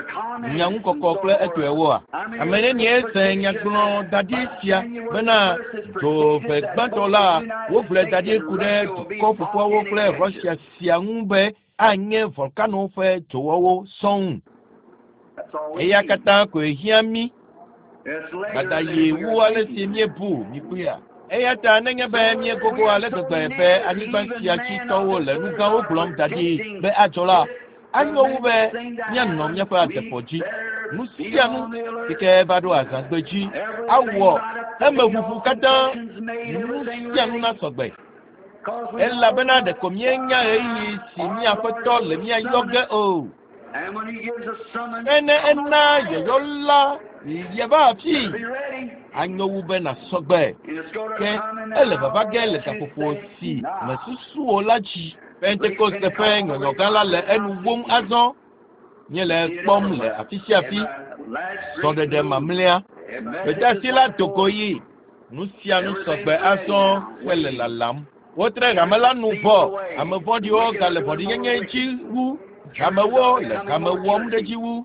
nyaŋukɔkɔ kple etɔewoa? Ame nenie se nyagblɔ da ɖi sia bena dzove gbãtɔ la wogblɔe da ɖi ku ɖe dukɔ ƒoƒuawo kple Russia sia ŋu be anye volkano ƒe dzowɔwo sɔŋ. Eya katã koe hiã mí. Dada yi wu ale si míebu míkpɔea. Eya ta nenye be míegogo ale gbegbe be anyigba sia dzi tɔwo le nu gãwo gblɔm da ɖi be adzɔ la, anyo wu be míanɔ míaƒe adefɔ dzi. Nu sia nu si ke va ɖo azãgbe dzi awɔ emeʋuʋu katã, nu sia nu nasɔgbe. Elabena ɖeko míenya ɣeyiɣi si mía Aƒetɔ le mía yɔ ge o. Ke ne ena yɔyɔ la yeva afii, anyo wu be nasɔgbe. Ke ele vava ge le gaƒoƒo si mesusu o la dzi. Pentekoste ƒe nyɔnyɔgã la le enu wum azɔ. Míele ekpɔm le afi sia afi. Srɔ̃ɖeɖe mamlɛa. Gbedeasi la do go yi. Nu sia nu sɔgbe azɔ hele lalam. Wotre hame la nu vɔ. Ame vɔ̃ɖiwo gale vɔ̃ɖinyenye dzi wu. Hamewo le hame wɔm ɖe dzi wu.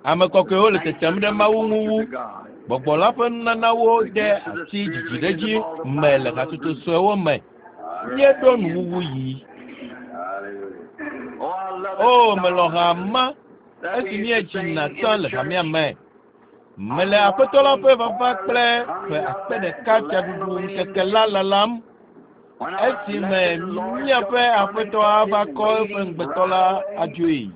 Ame kɔkɔewo le tetem ɖe Mawu ŋu wu. Gbɔgbɔ la ƒe nunanawo de asi dzidziɖedzi me le hatsotso suewo me. Míeɖo nuwuwu yi. O, melɔ̃ hama esi míedzina tsã le hamea me. Mele Aƒetɔ la ƒe vava kple ƒe akpe ɖeka fiaɖuɖu ŋkeke la lalam. Esime míaƒe Aƒetɔ ava kɔ eƒe ŋugbetɔ la adzoe.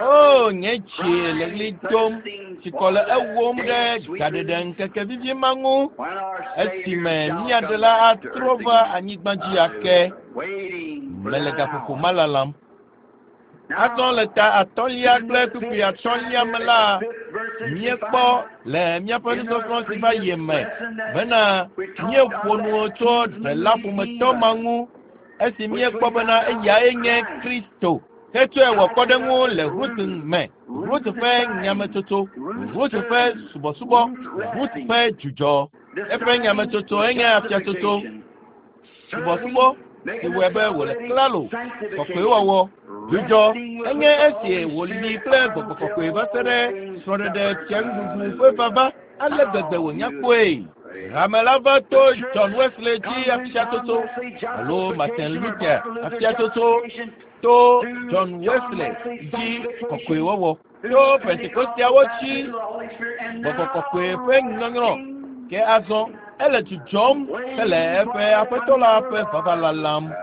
O, nye dzi le ɣli dom, tsikɔ le ewom ɖe gaɖeɖe ŋkeke vivi ma ŋu, esime mía Ɖela atrɔ va anyigba dzi ake. Mele gaƒoƒo ma lalam. Azɔ le ta atɔ̃lia kple kpukpui atɔ̃lia me la, míekpɔ le míaƒe nusɔsrɔ̃ si va yi me bena míeƒo nu tso ɖela ƒometɔ ma ŋu esi míekpɔ bena eyae nye Kristo. Hetsɔe wɔ kpɔɖeŋu le Rut me, Rut ƒe nyametsotso, Rut ƒe subɔsubɔ, Rut ƒe dzudzɔ. Eƒe nyametsotso enye afiatsotso, subɔsubɔ si wɔe be wòle klalo, kɔkɔewɔwɔ, Dzudzɔ enye esi wòli kple gbɔgbɔ kɔkɔe va se ɖe srɔ̃ɖeɖe fianuɖuɖu ƒe vava ale gbegbe wònya kpɔe. Hame la va to John Wesley dzi afiatsotso alo Martin Luther afiatsotso to John Wesley dzi kɔkɔewɔwɔ to Pentekosteawo dzi gbɔgbɔ kɔkɔe ƒe nyɔnyrɔ ke azɔ ele dzudzɔm hele eƒe aƒetɔ la ƒe vava lalam.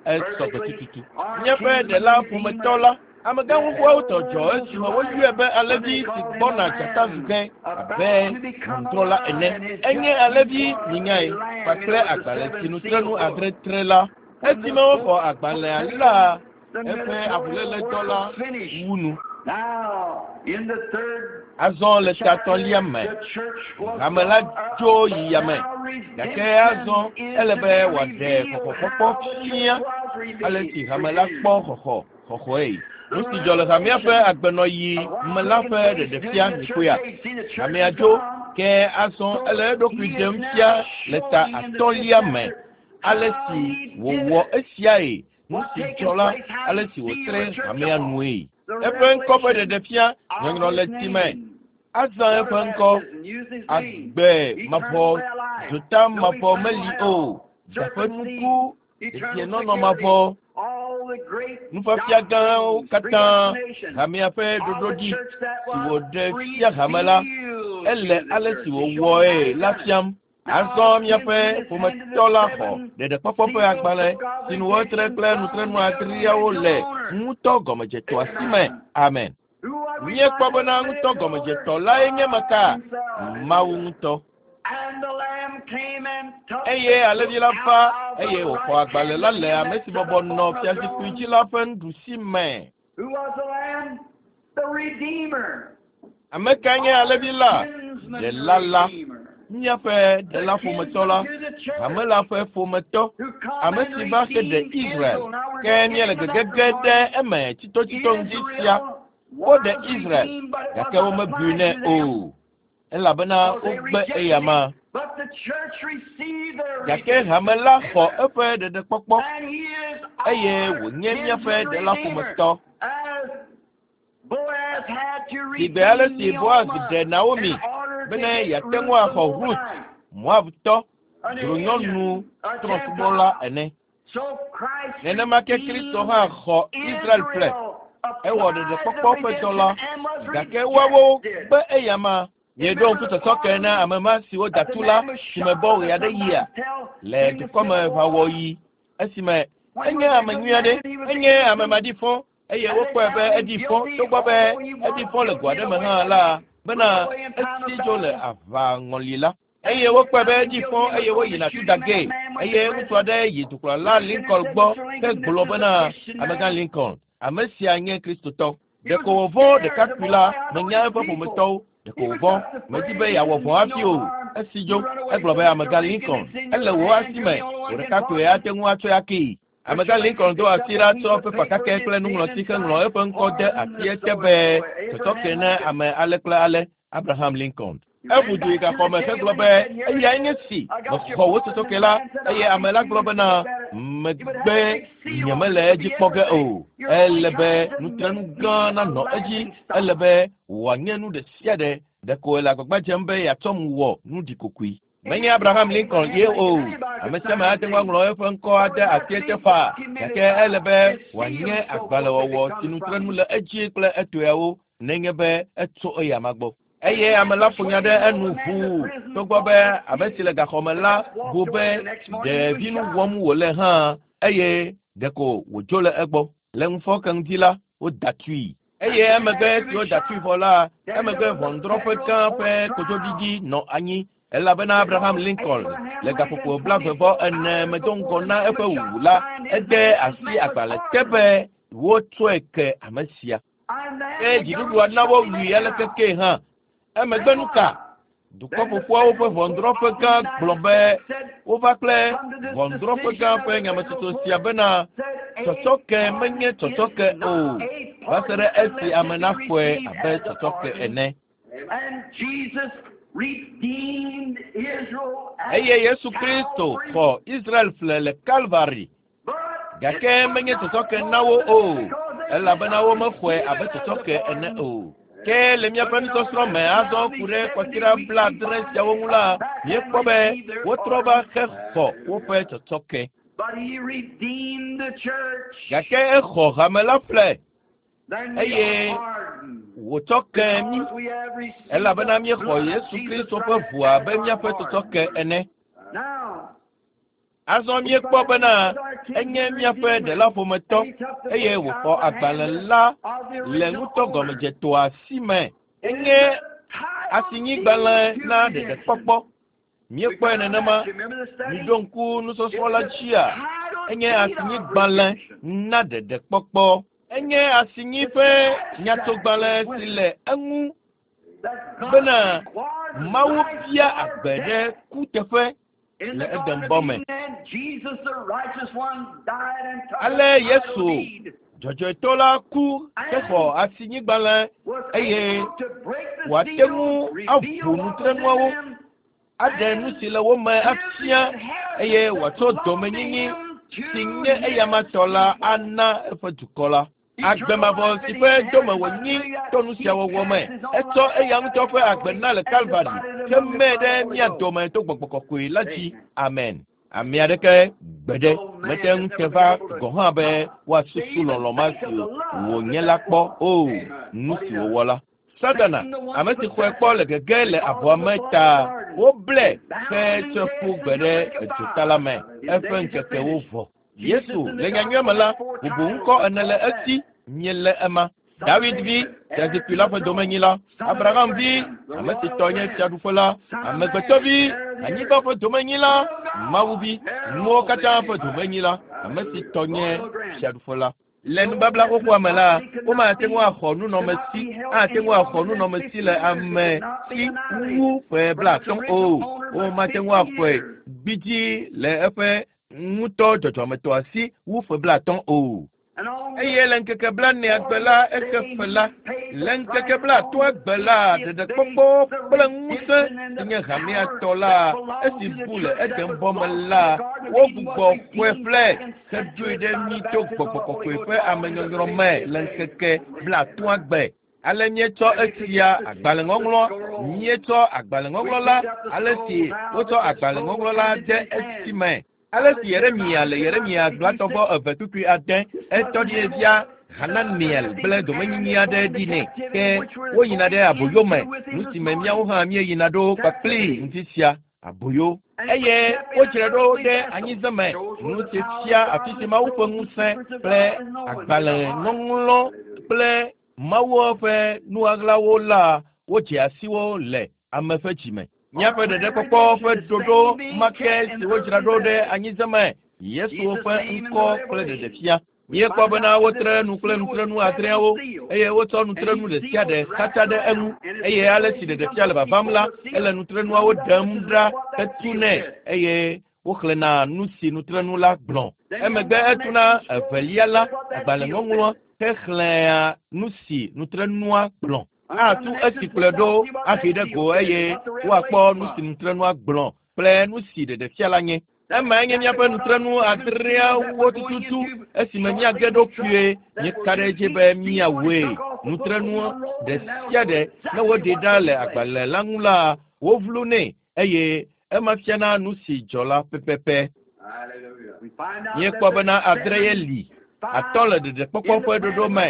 Esɔgbe tututu. Míaƒe ɖela ƒometɔ la, amegã xoxoawo tɔ dzɔ esime woyɔe be alẽvi si gbɔna dzata zu ge abe ʋɔnudrɔ̃la ene. Enye alẽvi minyae kpakple agbalẽ si nutrenu adre tre la. Esime woxɔ agbalẽa la, eƒe avuléledɔ la wu nu. Azɔ le tatɔlia me, hame la dzo yi yame, gake azɔ ele be wòaɖe xɔxɔkpɔkpɔ fia ale si hame la kpɔ xɔxɔ xɔxɔe. Nu si dzɔ le hamea ƒe agbenɔyi me la ƒe ɖeɖefia nikoea. Hamea dzo, ke azɔ ele eɖokui ɖem fia le ta atɔ̃lia me ale si wòwɔ esiae, nu si dzɔ la, ale si wòtre hamea nue. Eƒe ŋkɔ ƒe ɖeɖefia nyɔnyrɔ le tsi me. Azã eƒe ŋkɔ agbe mavɔ, dzota mavɔ meli o, dzaƒe nuku, dedienɔnɔ mavɔ, nufiafia gãwo katã, hamea ƒe ɖoɖoɖi si wòɖe fia hame la, ele ale si wòwɔe la fiam. Azɔ míaƒe ƒometɔ la xɔ ɖeɖekpɔkpɔ ƒe agbalẽ si nu wotre kple nutrenu adreawo le ŋutɔ gɔmedzetɔa si me. Amen. Míekpɔ bena ŋutɔ gɔmedzetɔ lae nye meka? Mawu ŋutɔ. Eye alẽvi la va eye wòxɔ agbalẽ la le ame si bɔbɔ nɔ fiazikpui dzi la ƒe nuɖusi me. Ame kae nye alẽvi la? Ɖela la. Míaƒe ɖela ƒometɔ la, hame la ƒe ƒometɔ, ame si va xe ɖe Israel. Ke míele gegege ɖe eme tsitotsito ŋdi sia. Woɖe Israel, gake womebui nɛ o, elabena wogbe eyama. Gake hame la xɔ eƒe ɖeɖekpɔkpɔ, eye wònye míaƒe ɖela ƒometɔ. Sigbe ale si Boaz ɖe Naomi bene yeate ŋu axɔ Rut, Moabtɔ, dzronyɔnu trɔ̃subɔla ene. Nenema ke Kristo hã xɔ Israel ƒle. Ewɔ ɖeɖekpɔkpɔ ƒe dɔ la, gake woawo gbe eyama. Mieɖo ŋku sɔsɔke na ame ma si woda tu la si mebɔ ɣe aɖe yia le dukɔmeʋawɔɣi esime enye ame nyui aɖe, enye ame maɖifɔ eye wokpɔe be eɖi fɔ togbɔ be eɖi fɔ le go aɖe me hã la bena esi dzo le aʋaŋɔli la. Eye wokpɔe be eɖi fɔ eye woyina tu da gee eye ŋutsu aɖe yi dukplɔla Lincoln gbɔ hegblɔ bena amegã Lincoln, ame sia nye Kristotɔ. Ɖeko wòvɔ̃ ɖekakpui la menya eƒe ƒometɔwo. Ɖeko wòvɔ̃, medi be yeawɔ vɔ̃ hafi o. Esi dzo, egblɔ be amegã Lincoln, ele wò asi me, wò ɖekakpuie ate ŋu atsɔe akee. Amegã Lincoln do asi ɖa tsɔ pepa kakɛ kple nuŋlɔti heŋlɔ eƒe ŋkɔ de asie te be sɔsɔke na ame ale kple ale, Abraham Lincoln. Eʋu du yi gaxɔme hegblɔ be eyae nye si mexɔ wò sɔsɔke la, eye ame la gblɔ bena megbe nyemele edzi kpɔ ge o. Ele be nutrenu gã nanɔ edzi, ele be wòanye nu ɖe sia ɖe. Ɖeko ele agbagba dzem be yeatsɔm wɔ nu ɖikokoe. Menye Abraham Lincoln ye o. Ame sia ame ate ŋu aŋlɔ eƒe ŋkɔ ade asie te faa, gake ele be wòanye agbalẽwɔwɔ si nutrenu le edzi kple etoeawo nenye be etso eyama gbɔ. Eye ame la ƒo nya ɖe enu ʋuu togbɔ be ame si le gaxɔme la bu be ɖevinu wɔm wòle hã eye ɖeko wòdzo le egbɔ. Le ŋufɔke ŋdi la, woda tui. Eye emegbe si woda tui vɔ la, emegbe ʋɔnudrɔ̃ƒe gã ƒe kodzoɖiɖi nɔ anyi elabena Abraham Lincoln le gaƒoƒo blaeve vɔ ene me do ŋgɔ na eƒe wuwu la, ede asi agbalẽ te be wotsɔe ke ame sia. Ke dziɖuɖua na wowui aleke kee hã. Emegbe nu ka? Dukɔ ƒoƒuawo ƒe ʋɔnudrɔ̃ƒe gã gblɔ be wova kple ʋɔnudrɔ̃ƒe gã ƒe nyametsotso sia bena tsɔtsɔke menye tsɔtsɔke o, va se ɖe esi ame naxɔe abe tsɔtsɔke ene. Eye Yesu Kristo xɔ Israel ƒle le Kalvari, gake menye tsɔtsɔke na wo o, Elabena womexɔe abe tsɔtsɔke ene o. Ke le míaƒe nusɔsrɔ̃ me azɔ ku ɖe kɔsiɖa blaadre siawo ŋu la, míekpɔ be wotrɔ va hexɔ woƒe tsɔtsɔke. Gake exɔ hame la ƒle eye wòtsɔ ke mí elabena míexɔ Yesu Kristo ƒe ʋu abe míaƒe tsɔtsɔke ene. Azɔ míekpɔ bena enye míaƒe ɖela ƒometɔ eye wòxɔ agbalẽ la le ŋutɔ gɔmedzetoa si me. Enye asinyigbalẽ na ɖeɖekpɔkpɔ. Míekpɔe nenema. Miɖo ŋku nusɔsrɔ̃ la dzia? Enye asinyigbalẽ na ɖeɖekpɔkpɔ. Enye asinyi ƒe nyatogbalẽ si le eŋu bena Mawu bia agbe ɖe kuteƒe le Edenbɔ me. Ale Yesu dzɔdzɔetɔ la ku hexɔ asinyigbalẽ eye wòate ŋu aʋu nutrenuawo, aɖe nu si le wo me afia eye wòatsɔ dɔmenyinyi si nye eyama tɔ la ana eƒe dukɔ la. Agbe mavɔ si ƒe dome wònyi to nu sia wɔwɔ me. Etsɔ eya ŋutɔ ƒe agbe na le Kalvari hemee ɖe mía dome to gbɔgbɔ kɔkɔe la dzi. Amen. Ame aɖeke gbeɖe mete ŋu te va gɔ̃ hã be woasusu lɔlɔ̃ ma si wònye la kpɔ o nu si wòwɔ la. Satana, ame si xɔe kpɔ le gege le abɔa me ta, woblɛ hetsɔe ƒu gbe ɖe edzota la me. Eƒe ŋkekewo vɔ. Yesu le nyanyuia me la, bubu ŋkɔ ene le esi míelé ema. David vi, fiazikpui la ƒe domenyila, Abraham vi, ame si tɔ nye fiaɖuƒe la, amegbetɔ vi, anyigba ƒe domenyila, Mawu vi, nuwo katã ƒe domenyila, ame si tɔ nye fiaɖuƒe la. Le nubabla xoxoa me la, womate ŋu axɔ nunɔmesi, ate ŋu axɔ nunɔmesi le ame si wu ƒe blaatɔ̃ o. Womate ŋu axɔe gbidzi le eƒe ŋutɔ dzɔdzɔmetɔa si wu ƒe blaatɔ̃ o. Eye le ŋkeke blaenea gbe la exe fe la. Le ŋkeke blaatɔ̃a gbe la ɖeɖekpɔkpɔ kple ŋusẽ si nye hamea tɔ la esi bu le Edenbɔ me la wogbugbɔ xɔe ƒle heɖoe ɖe mí to gbɔgbɔ kɔkɔe ƒe amenyɔnyrɔ me le ŋkeke blaatɔ̃a gbe. Ale míetsɔ esia agbalẽŋɔŋlɔ, míetsɔ agbalẽŋɔŋlɔ la ale si wotsɔ agbalẽŋɔŋlɔ la de esi me. Ale si Yeremia le Yeremia gblɔatɔ eve kpukpui ade etɔ ɖi fia Hananiel kple domenyinyi aɖe ɖi nɛ ke woyina ɖe aboyo me nu si me míawo hã míeyina ɖo kpakpli ŋuti sia aboyo eye wodzrae ɖo ɖe anyize me nu si fia afi si Mawu ƒe ŋusẽ kple agbalẽŋɔŋlɔ kple Mawu ƒe nuɣaɣlawo la wodze asi wo le ame ƒe dzime. Míaƒe ɖeɖekpɔkpɔ ƒe ɖoɖo ma ke si wodzra ɖo ɖe anyize me Yesu ƒe ŋkɔ kple ɖeɖefia. Míekpɔ bena wotre nu kple nutrenu adreawo eye wotsɔ nutrenu ɖe sia ɖe xatsa ɖe eŋu eye ale si ɖeɖefia le vavam la ele nutrenuawo ɖem ɖa hetu nɛ eye woxlẽna nu si nutrenu la gblɔ. Emegbe etuna evelia la agbalẽŋɔŋlɔ hexlẽa nu si nutrenua gblɔ. Atu esi kplɔe ɖo ahi ɖe go eye woakpɔ nu si nutrenua gblɔ kple nu si ɖeɖefia la nye. Emae nye míaƒe nutrenu adreawo tututu esime míage ɖo kpuie míeka ɖe edzi be míawɔe. Nutrenu ɖe sia ɖe ne woɖe ɖa le agbalẽ la ŋu la wovlu nɛ eye ema fiana nu si dzɔ la pɛpɛpɛ. Míekpɔ bena adre ye li. Atɔ̃ le ɖeɖekpɔkpɔ ƒe ɖoɖo me.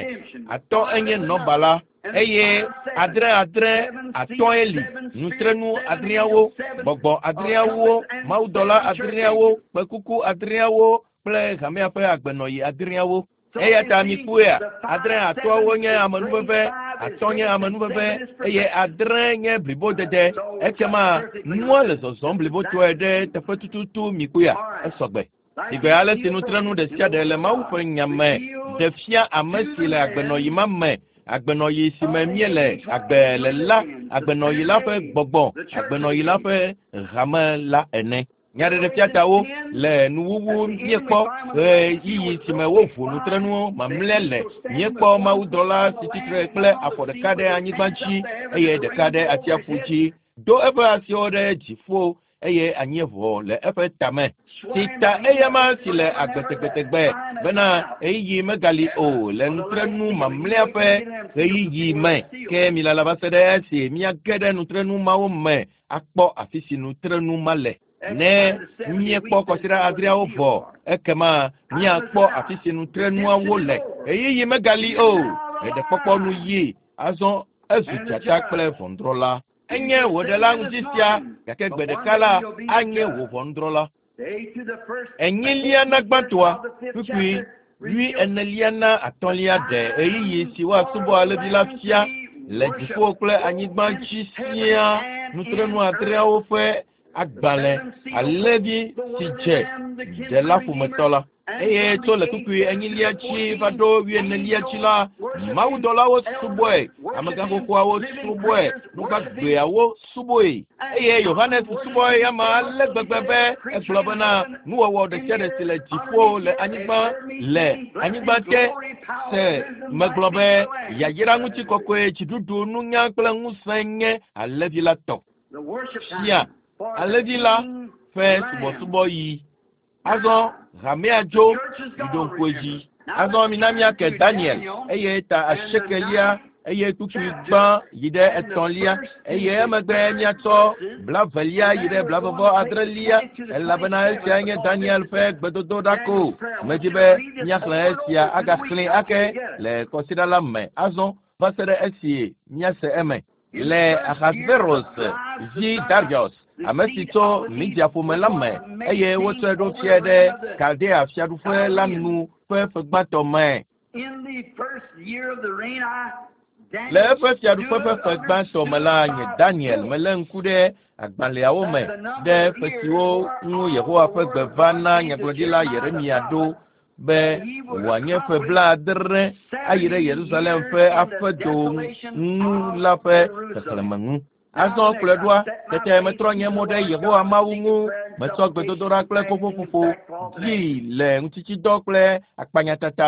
Atɔ̃ enye nɔba la eye adre adre atɔ̃e li. Nutrenu adreawo, gbɔgbɔ adreawo, mawudɔla adreawo, kpekuku adreawo kple hamea ƒe agbenɔyi adreawo. Eya ta mikpɔea, adre atɔ̃awo nye amenuveve, atɔ̃ nye amenuveve eye adre nye blibodede. Ekema nua le zɔzɔm blibotɔe ɖe teƒe tututu mikpɔea, esɔgbe. Sigbe ale si nutrenu ɖe sia ɖe le Mawu ƒe nya me ɖe fia ame si le agbenɔyi ma me, agbenɔyi si me míele agbe le la, agbenɔyi la ƒe gbɔgbɔ, agbenɔyi la ƒe hame la ene. Nyaɖeɖefiatawo le nuwuwu míekpɔ ɣeyiɣi si me woʋu nutrenuwo mamlɛ le. Míekpɔ mawudɔla si tsitre kple afɔ ɖeka ɖe anyigba dzi eye ɖeka ɖe atsiaƒu dzi do eƒe asiwo ɖe dziƒo eye anyieʋɔ le eƒe tame. Si ta eyama si le agbe tegbetegbe bena ɣeyiɣi megali o le nutrenu mamlɛa ƒe ɣeyiɣi me. Ke milala va se ɖe esi míage ɖe nutrenu mawo me akpɔ afi si nutrenu ma le. Ne míekpɔ kɔsiɖa adreawo vɔ, ekema míakpɔ afi si nutrenuawo le. Ɣeyiɣi megali o. Ɖeɖekpɔkpɔ nu yi. Azɔ ezu dzata kple ʋɔnudrɔ̃la. Enye wò ɖela ŋuti sia, gake gbe ɖeka la anye wò ʋɔnudrɔ̃la. Enyilia na gbãtɔa, kpukpui wui enelia na atɔ̃lia ɖe ɣeyiɣi si woasubɔ alẽvi la fia le dziƒo kple anyigba dzi siaa nutrenu adreawo ƒe agbalẽ alẽvi si dze ɖela ƒometɔ la. Eye tso le kpukpui enyilia dzi va ɖo wuienelia dzi la, mawudɔlawo subɔe, amegãxoxoawo subɔe, nugbagbeawo subɔe. Eye Yohanes subɔ eyama ale gbegbe be egblɔ bena nuwɔwɔ ɖe sia ɖe si le dziƒo le anyigba le anyigba te se megblɔ be yayra ŋutikɔkɔe, dziɖuɖu, nunya kple ŋusẽ nye alẽvi la tɔ. Fia alẽvi la ƒe subɔsubɔɣi. Azɔ hamea dzo miɖo ŋku edzi. Azɔ mina míake Daniel eye ta asiekelia eye kpukpui gbã yi ɖe etɔ̃lia eye emegbe míatsɔ blavelia yi ɖe blavevɔ adrelia elabena esia nye Daniel ƒe gbedodoɖa ko. Medzi be míaxlẽ esia agaxlẽe ake le kɔsiɖa la me azɔ va se ɖe esi míase eme. Le Ahasveros vi Darius, ame si tso Media ƒome la me eye wotsɔe ɖo fiae ɖe Kaldea fiaɖuƒe la nu ƒe ƒe gbãtɔ me. Le eƒe fiaɖuƒe ƒe ƒe gbãtɔ me la, nye Daniel melé ŋku ɖe agbalẽawo me ɖe ƒe siwo ŋu Yehowa ƒe gbe va na nyagblɔɖila Yeremia ɖo be wòanye ƒe blaadre ayi ɖe Yerusalem ƒe aƒedo ŋu la ƒe xexlẽme ŋu. Azɔ kplɔe ɖoa, tete metrɔ nye mo ɖe Yehowa Mawu ŋu, metsɔ gbedodoɖa kple kokoƒoƒo dii le ŋutitsidɔ kple akpanyatata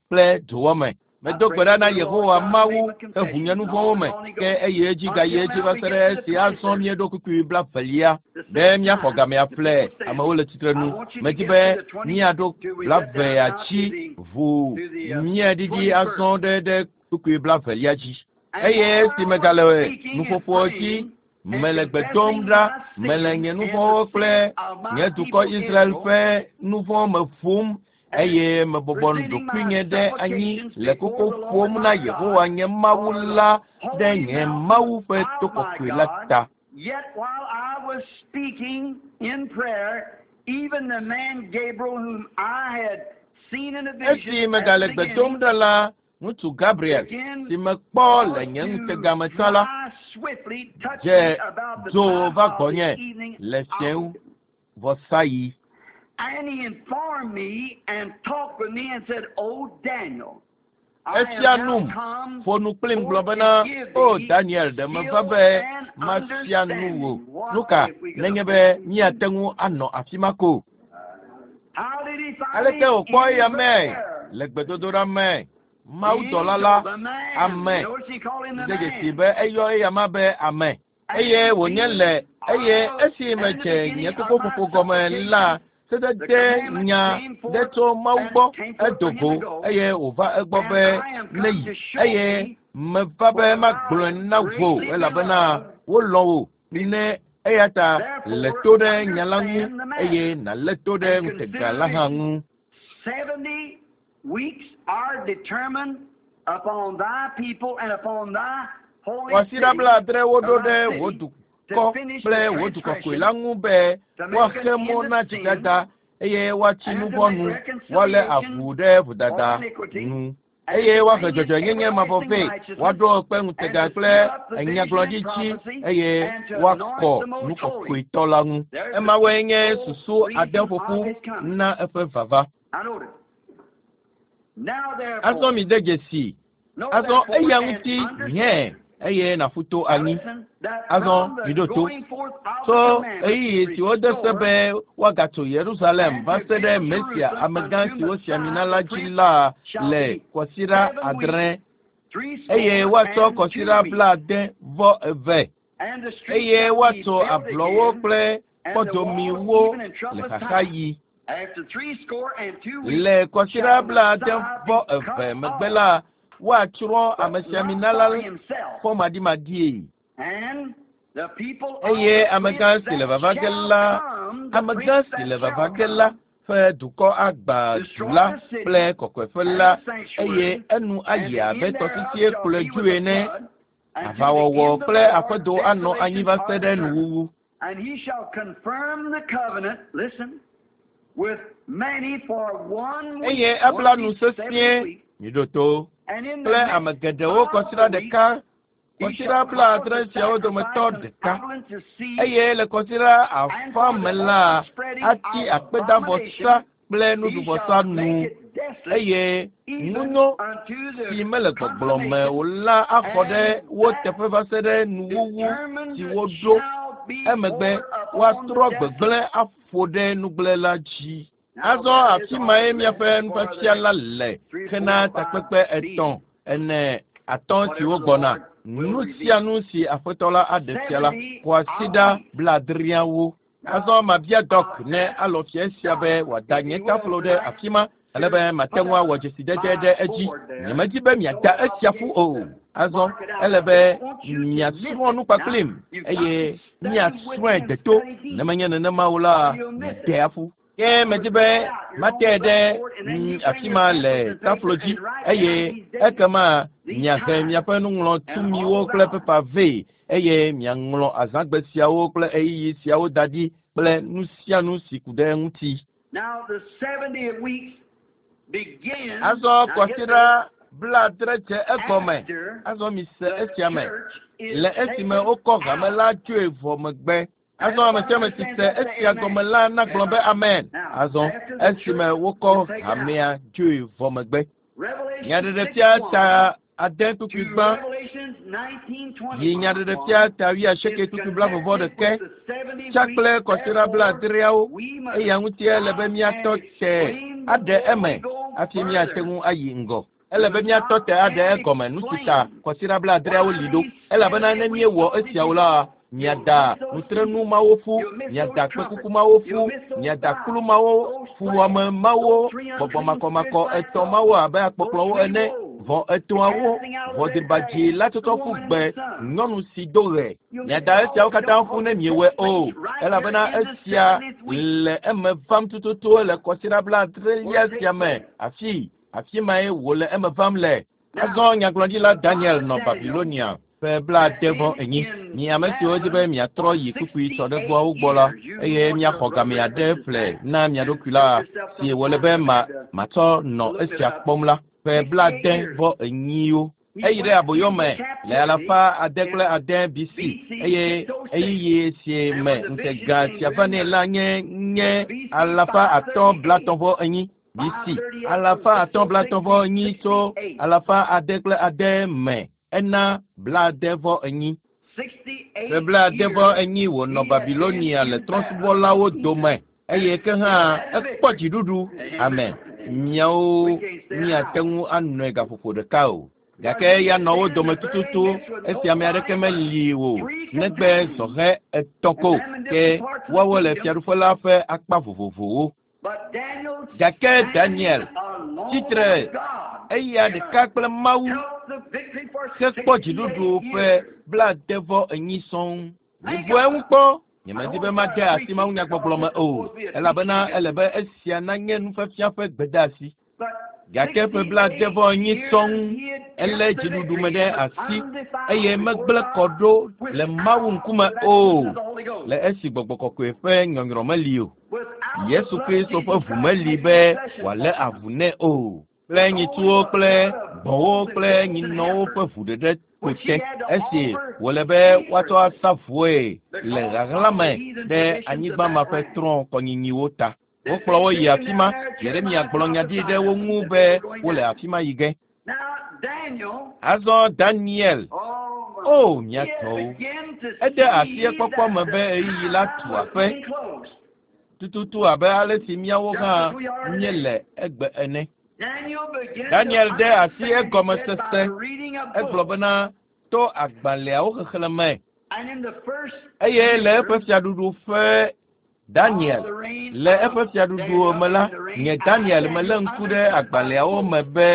kple dzowɔ me. Medo gbe ɖa na Yehowa Mawu heʋu nye nu vɔ̃wo me, ke eye edzi gayi edzi va se ɖe esi azɔ míeɖo kpukpui blavelia be míaxɔ gamea ƒle amewo le tsitrenu. Medzi be míaɖo blavea dzi ʋu míaɖiɖi azɔ ɖe ɖe kpukpui blavelia dzi. Eye esi megale nuƒoƒoa dzi, mele gbe dom ɖa, mele nye nu vɔ̃wo kple nye dukɔ Israel ƒe nu vɔ̃ me ƒom eye mebɔbɔ ɖokuinye ɖe anyi le koko ƒom na Yehowa nye Mawu la ɖe nye Mawu ƒe to kɔkɔe la ta. Yet while I was speaking in prayer, even the man Gabriel, whom I had seen in a vision, Esi megale gbe dom ɖa la, ŋutsu Gabriel si mekpɔ le nye ŋutega me tsã la, dze dzo va gbɔnye le fiẽwu vɔsaɣi. And he informed me and talked with me and said, "Oh Daniel, I Efia am now num, come ƒo nu kplim gblɔ bena, O Daniel, ɖe meva be mafia nu wò. Nu ka nenye be míate ŋu anɔ afi ma ko? How did he find Aleke me? wòkpɔ In eya mee? prayer. Le gbedodoɖa me. Mawudɔla la, ame. Notice he called him the De dzesi man. be eyɔ eyama be ame. Eye wònye le eye esi medze nye kokoƒoƒo gɔme la, sedede nya ɖe tso Mawu gbɔ edo go eye wòva egbɔ be neyi eye meva be magblɔe na wò elabena wolɔ̃ wò ne eya ta lé to ɖe nya la ŋu eye nàlé to ɖe ŋutega la hã ŋu. Seventy weeks are determined upon thy people and upon thy holy Kwasiɖa city blaadre woɖo ɖe wò dukɔ kple wò du kɔkɔe la ŋu be woaxe mɔ na dzidada eye woatsi nu vɔ̃ nu, woalé avu ɖe vodada nu eye woahe dzɔdzɔenyenye mavɔ vɛ, woaɖo kpe ŋutega kple enyagblɔɖi dzi eye woakɔ nu kɔkɔetɔ la ŋu. Emawoe nye susu ade ƒoƒu na eƒe vava. I notice. Now Azɔ therefore, mi de dzesi. know Azɔ therefore eya and ŋuti understand. hɛ eye nàƒu to anyi. Listen, that Azɔ from the miɖo to. going forth of Tso the commandment ɣeyiɣi si wode se restore be woagatso Yerusalem va se ɖe Mesia amegã si wosi ami na la dzi la le kɔsiɖa adre three score eye woatsɔ and kɔsiɖa two weeks. blaade vɔ eve And the streets eye shall be woatso built ablɔwo again kple kpɔdomiwo le xaxaɣi. Le kɔsiɖa blaade vɔ eve megbe la, woatsrɔ̃ amesiamina la fɔmaɖimaɖie. Eye amegã si le vava ge la, amegã si le vava ge la ƒe dukɔ agbã du la kple kɔkɔeƒe la, eye enu ayi abe tɔsisie kplɔe dzoe ene. Aʋawɔwɔ kple aƒedo anɔ anyi va se ɖe nuwuwu. And he shall confirm the covenant, listen, with many for one week. Eye ebla nu sesĩe, miɖo to, kple ame geɖewo kɔsiɖa ɖeka, kɔsiɖa blaadre siawo dometɔ ɖeka. Eye le kɔsiɖa afã me la, ati akpedavɔsa kple nuɖuvɔsa nu, eye ŋunyɔ si mele gbɔgblɔ me o la axɔ ɖe wo teƒe va se ɖe nuwuwu si woɖo. Emegbe woatrɔ gbegblẽ aƒo ɖe nugblẽla dzi. Azɔ afi mae miaƒe nufiafia la le hena takpekpe etɔ̃, ene, atɔ̃ siwo gbɔna. Nu sia nu si Aƒetɔ la aɖe fia la, kwasiɖa blaadreawo. Azɔ mabia Dɔk ne alɔ fia esia be wòada nye taflo ɖe afi ma, ale be mate ŋu awɔ dzesidede ɖe edzi. Nyemedi be miada esia ƒu o. Azɔ ele be miasrɔ̃ nu kpakplim eye miasrɔ̃e deto. Ne menye nenema o la, miade aƒu. Ke medi be mate ɖe afi ma le taflo dzi, eye ekema miahe miaƒe nuŋlɔtumiwo kple pepa vɛ, eye miaŋlɔ azãgbe siawo kple ɣeyiɣi siawo da ɖi kple nu sia nu si ku ɖe eŋuti. Now the seventy weeks begin. Azɔ kɔsiɖa blaadre dze egɔme. Azɔ mise esia me. Le esime wokɔ hame la tsoe vɔ megbe. Azɔ ame sia ame si se esia gɔme la nagblɔ be amen. Azɔ esime wokɔ hamea tsoe vɔ megbe. Nyaɖeɖefia ta ade kpukpui gbã yi nyaɖeɖefia ta wuiasieke kpukpui blaeve vɔ ɖeke tsa kple kɔsiɖa blaadreawo. Eya ŋuti ele be míatɔ te aɖe eme hafi míate ŋu ayi ŋgɔ. Ele be míatɔ te aɖe egɔme nu si ta kɔsiɖa blaadreawo li ɖo. Elabena ne míewɔ esiawo la, miada nutrenu mawo ƒu, miada kpekuku mawo ƒu, miada kplu mawo, fuwɔame mawo, gbɔgbɔ makɔmakɔ etɔ̃ mawo abe akpɔkplɔwo ene, vɔ etɔ̃awo, ʋɔdribadzi la tsɔtsɔ ƒu gbe nyɔnu si do ɣe. Miada esiawo katã ƒu ne miewɔe o, elabena esia le eme vam tututu le kɔsiɖa blaadrelia sia me. Afi, afi mae wòle eme vam le. Azɔ nyagblɔɖila Daniel nɔ Babilonia ƒe blaade vɔ enyi. Mi ame siwo di be miatrɔ yi kpukpui sɔɖegoawo gbɔ la, eye miaxɔ game aɖe ƒle na mia ɖokui la, si wòle be ma matsɔ nɔ esia kpɔm la, ƒe blaade vɔ enyiwo. Eyi ɖe aboyo me le alafa ade kple ade B C, eye ɣeyiɣi si me ŋutega sia va nɛ la nye nye alafa atɔ̃ blatɔ̃ vɔ enyi B C. Alafa atɔ̃ blatɔ̃ vɔ enyi tso alafa ade kple ade me ena blaade vɔ enyi. Ƒe blaade vɔ enyi wònɔ Babilonia le trɔ̃subɔlawo dome, eye ke hã ekpɔ dziɖuɖu. Amen. Miawo miate ŋu anɔe gaƒoƒo ɖeka o. Gake eya nɔ wo dome tututu esi ame aɖeke meli o negbe zɔhɛ etɔ̃ ko, ke woawo le fiaɖuƒe la ƒe akpa vovovowo. Gake Daniel tsitre eya ɖeka kple Mawu hekpɔ dziɖuɖu ƒe blaade vɔ enyi sɔŋ. Mibu eŋu kpɔ. Nyemedi be made asi mawunyagbɔgblɔ me o, elabena ele be esia nanye nufiafia ƒe gbedeasi. Gake ƒe blaade vɔ enyi sɔŋ elé dziɖuɖu me ɖe asi eye megblẽ kɔ ɖo le Mawu ŋkume o, le esi gbɔgbɔ kɔkɔe ƒe nyɔnyrɔ meli o. Yesu Kristo ƒe ʋu meli be wòalé avu nɛ o. Kple nyitsuwo kple gbɔ̃wo kple nyinɔwo ƒe ʋu ɖeɖe ko te, esi wòle be woatsɔ asa vɔe le ɣaɣla me ɖe anyigba ma ƒe trɔ̃ kɔnyinyiwo ta. Wokplɔ wo yi afi ma. Yeremia gblɔ nya ɖi ɖe wo ŋu be wole afi ma yi ge. Azɔ Daniel, o mia tɔwo, ede asi ekpɔkpɔ me be ɣeyiɣi la tu aƒe tututu abe ale si míawo hã míele egbe ene. Daniel de asi egɔmesese. Egblɔ bena to agbalẽawo xexlẽ me, eye le eƒe fiaɖuɖu ƒe Daniel le eƒe fiaɖuɖu me la, nye Daniel melé ŋku ɖe agbalẽawo me be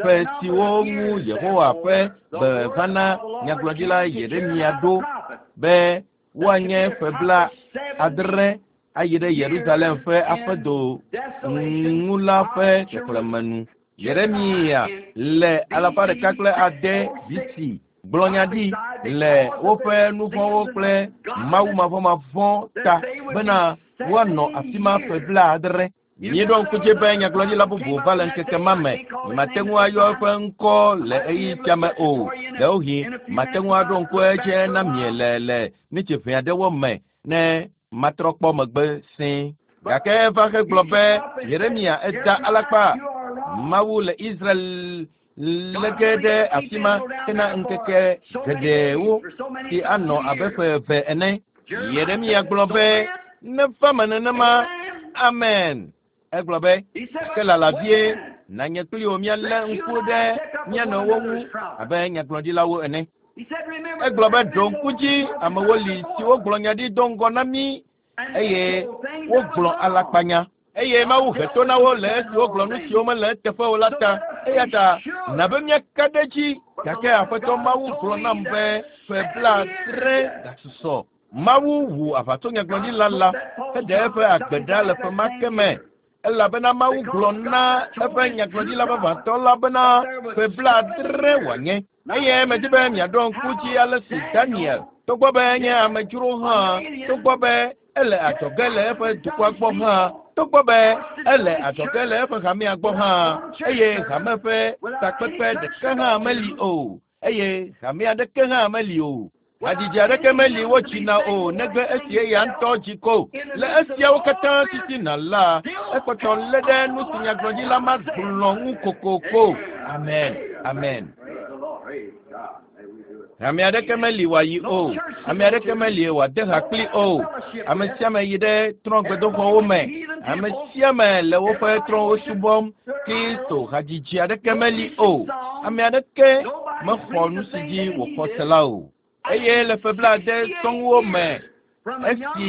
ƒe siwo ŋu Yehowa ƒe gbe va na nyagblɔɖila Yeremia ɖo be woanye ƒe bla adre ayi ɖe Yerusalem ƒe aƒedo ŋu la ƒe xexlẽme nu. Yeremia le alafa ɖeka kple ade B C gblɔ nya ɖi le woƒe nuvɔ̃wo kple mawumavɔmavɔ̃ ta bena woanɔ afi ma ƒe bla adre. Míeɖo ŋku dzi be nyagblɔɖila bubu va le ŋkeke ma me. Mate ŋu ayɔ eƒe ŋkɔ le ɣeyiɣi sia me o. Ɖewohĩ mate ŋu aɖo ŋku edzi na mi le le nitsi ʋɛ aɖewo me ne matrɔ kpɔ megbe sẽe. Gake eva hegblɔ be Yeremia eda alakpa. Mawu le Israel lege ɖe afi ma hena ŋkeke geɖewo si anɔ abe ƒe eve ene. Yeremia gblɔ be neva me nenema. Amen. Egblɔ be ke lala vie na nye kpli wò míalé ŋku ɖe mía nɔewo ŋu abe nyagblɔɖilawo ene. Egblɔ be ɖo ŋku dzi amewo li siwo gblɔ nya ɖi do ŋgɔ na mí eye wogblɔ alakpanya. Eye Mawu he to na wo le esi wogblɔ nu siwo mele eteƒe o la ta. Eya ta na be míaka ɖe edzi gake Aƒetɔ Mawu gblɔ nam be ƒe bla adre gasusɔ. Mawu wu aʋatsonyagblɔɖila la heɖe eƒe agbe ɖa le ƒe ma ke me. Elabena Mawu gblɔ na eƒe nyagblɔɖila vavãtɔ la bena ƒe bla adre wòanye. Eye medi be miaɖo ŋku dzi ale si Daniel, togbɔ be enye amedzro hã, togbɔ be ele adzɔge le eƒe dukɔa gbɔ hã, togbɔ be ele adzɔge le eƒe hamea gbɔ hã, eye hame ƒe takpekpe ɖeke hã meli o, eye hame aɖeke hã meli o. Hadzidzi aɖeke meli wodzina o negbe esi eya ŋutɔ dzi ko. Le esiawo katã titina la, ekpɔtɔ lé ɖe nu si nyagblɔɖila ma gblɔ ŋu kokoko. Amen. Amen. Ame aɖeke meli wòayi o. Ame aɖeke meli wòade ha kpli o. Ame sia ame yi ɖe trɔ̃gbedoxɔwo me. Ame sia ame le woƒe trɔ̃wo subɔm. Kristo hadzidzi aɖeke meli o. Ame aɖeke mexɔ nu si dzi wòxɔ se la o. Eye le ƒe blaade sɔŋwo me, esi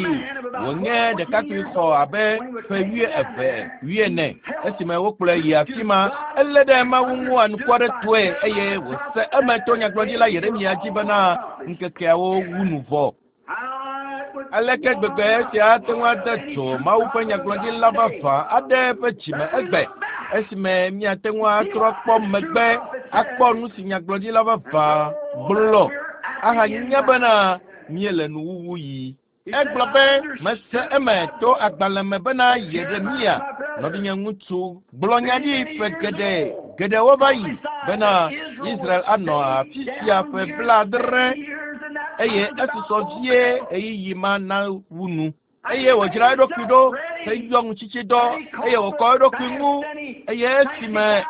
wònye ɖekakpui xɔ abe ƒe wuieve wuiene esime wokplɔe yi afi ma, elé ɖe Mawu ŋu anukuaretɔe eye wòse eme to nyagblɔɖila Yeremia dzi bena ŋkekeawo wu nu vɔ. Aleke gbegbe esia ate ŋu ade dzo Mawu ƒe nyagblɔɖila vavã aɖe eƒe dzime egbe esime míate ŋu atrɔ kpɔ megbe akpɔ nu si nyagblɔɖila vavã gblɔ ahanya bena míele nuwuwu yi. Egblɔ be mese eme to agbalẽ me bena Yeremia nɔvinye ŋutsu gblɔ nya ɖi ƒe geɖe geɖewo va yi bena Israel anɔ afi sia ƒe blaadre eye esusɔ vie ɣeyiɣi ma na wu nu. Eye wòdzra eɖokui ɖo heyɔ ŋutsitsidɔ eye wòkɔ eɖokui ŋu eye esime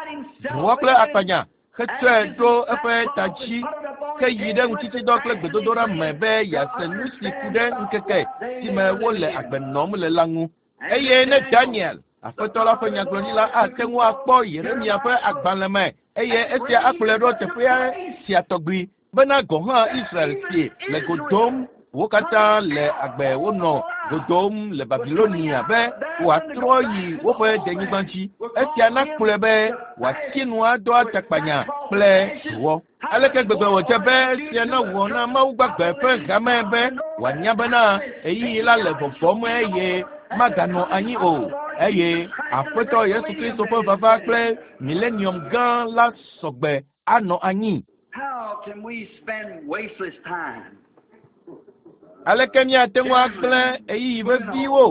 dowɔ kple akpanya hetsɔe ɖo eƒe ta dzi ke yi ɖe ŋutsitsidɔ kple gbedodoɖa me be yease nu si ku ɖe ŋkeke si me wole agbe nɔm le la ŋu. Eye ne Daniel, Aƒetɔ la ƒe nyagblɔɖila ate ŋu akpɔ Yeremia ƒe agbalẽ me eye esia akplɔe ɖo teƒea sia tɔgbi bena gɔ̃ hã Israel si le go dom wo katã le agbe wonɔ go dom le Babilonia be wòatrɔ yi woƒe denyigba dzi. Esia nakplɔe be wòati nu adɔ atakpanya kple dowɔ. Aleke gbegbe wòdze be esia nawɔ na Mawu gbagbe ƒe hame be wòanya bena ɣeyiɣi la le vɔvɔm eye maganɔ anyi o. Eye Aƒetɔ Yesu Kristo ƒe vava kple milenium gã la sɔgbe anɔ anyi. How can we spend wasteless time? Aleke míate ŋu agblẽ ɣeyiɣi veviwo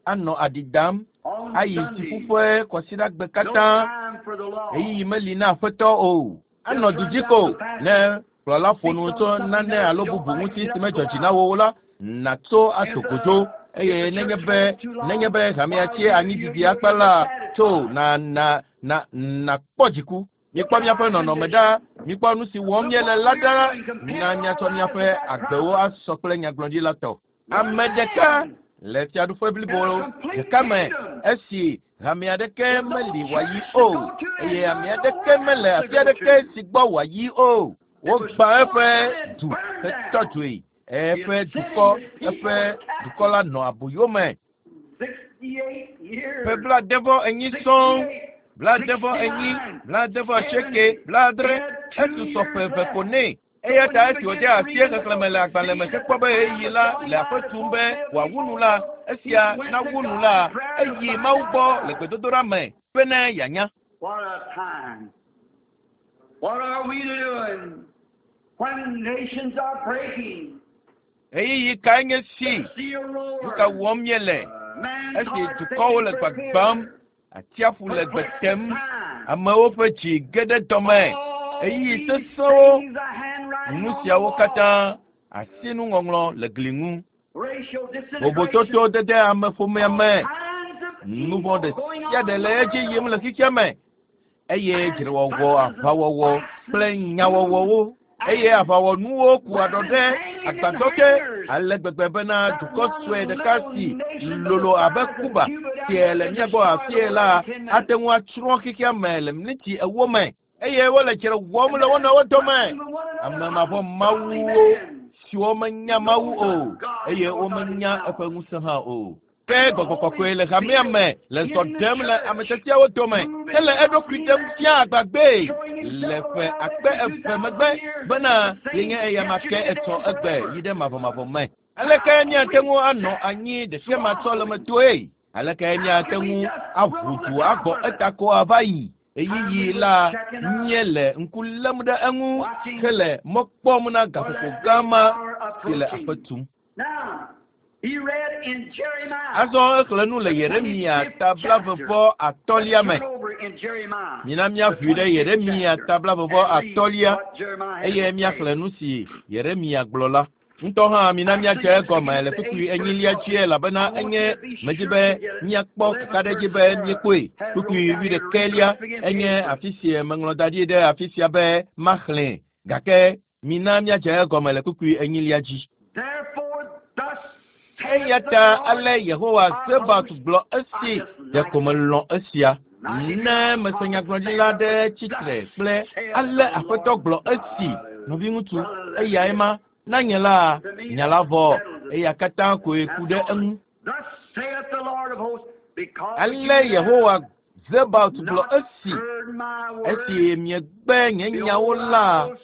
anɔ aɖi dam On ayi Sunday, tsiƒuƒe kɔsiɖagbe no katã time for the law. ɣeyiɣi meli na Aƒetɔ o. Anɔ du dzi ko ne kplɔla ƒo nu tso nane alo bubu ŋuti si medzɔ dzi na wo o la, nàtso ato godzo eye nenye be nenye be hamea tsi anyi didi akpa la, tso na na na nakpɔ dziku. Mikpɔ míaƒe nɔnɔme ɖa, mikpɔ nu si wɔm míele la ɖa, na míatsɔ míaƒe agbewo asɔ kple nyagblɔɖila tɔ. Ame ɖeka le fiaɖuƒe blibo ɖeka me esi hame aɖeke meli wòayi o eye ame aɖeke mele afi aɖeke si gbɔ wòayi o. Wogbã eƒe du hetɔ dzoe. Eƒe dukɔ eƒe dukɔ la nɔ aboyo me. Ƒe blaadevɔ enyi sɔŋ, blaadevɔ enyi, blaadevɔ asieke, blaadre, esusɔ ƒe eve ko nɛ. Eya ta esi wòde asi xexlẽme le agbalẽ me hekpɔ be ɣeyiɣi la le aƒe tum be wòawu nu la, esia nawu nu la, eyi Mawu gbɔ le gbedodoɖa me bene yeanya. What a time. What are we doing when nations are breaking? Ɣeyiɣi kae nye si? The sea Nu ka roars. wɔm míele? Man's Esi heart dukɔwo le taken for gbagbam, fear. atsiaƒu le gbe Perplexed tem, time. amewo ƒe dzi ge ɖe dɔme. All Ɣeyiɣi these sesẽwo, things, the handwriting nu on the siawo wall. katã, asinuŋɔŋlɔ le gli ŋu. Racial disintegration. Vovototo dede ameƒomea me. All kinds of Nu evil vɔ̃ ɖe going sia on ɖe in le the edzi yim le world. xexea me eye dzrewɔwɔ, aʋawɔwɔ kple nyawɔwɔwo eye aʋawɔnuwo ku aɖɔ ɖe agbadɔ te ale gbegbe bena dukɔ sue ɖeka si lolo abe Kuba sie le mía gbɔ afie la ate ŋu atsrɔ̃ xexea me le miniti ewo me eye wole dzre wɔm le wo nɔewo dome. Ame mavɔ mawuwo siwo menya Mawu o eye womenya eƒe ŋusẽ hã o. Ke gbɔgbɔ kɔkɔe le hamea me le zɔ ɖem le ame tiatiawo dome hele eɖokui ɖem fia agbagbee le ƒe akpe eve megbe bena yenye eyama ke etsɔ egbe yi ɖe mavɔmavɔ me. Aleke míate ŋu anɔ anyi ɖesiamatsɔlemetoe? Aleke míate ŋu aʋu du agbɔ eta ko ava yi? Ɣeyiɣi la míele ŋku lém ɖe eŋu hele mɔ kpɔm na gaƒoƒo gã ma si le aƒe tum. Now, he read in Jeremiah. Azɔ exlẽ nu le Yeremia ta blaeve-vɔ atɔ̃lia me. Turn over in Jeremiah. Mina míaʋui ɖe Yeremia ta blaeve-vɔ atɔ̃lia eye míaxlẽ nu si Yeremia gblɔ la. Ŋutɔ hã mina míadze egɔme le kpukpui enyilia dzi elabena enye medzi be míakpɔ kakaɖedzi be míekpɔe. Kpukpui wuiɖekɛlia enye afi si meŋlɔ da ɖi ɖe afi sia be maxlẽe gake mina míadze egɔme le kpukpui enyilia dzi. Therefore, thus saith Eya the ta Lord ale Yehowa of Zebaot hosts, gblɔ esi ɖeko melɔ̃ esia. Ne mese nyagblɔɖila ɖe tsitre kple ale Aƒetɔ gblɔ esi nɔviŋutsu eyae ma na nye la nya la vɔ eya katã koe ku ɖe eŋu. Thus saith the Lord of hosts, because Ale you have Yehowa Zebaot gblɔ not esi heard my word, esi miegbe nye nyawo behold, la I will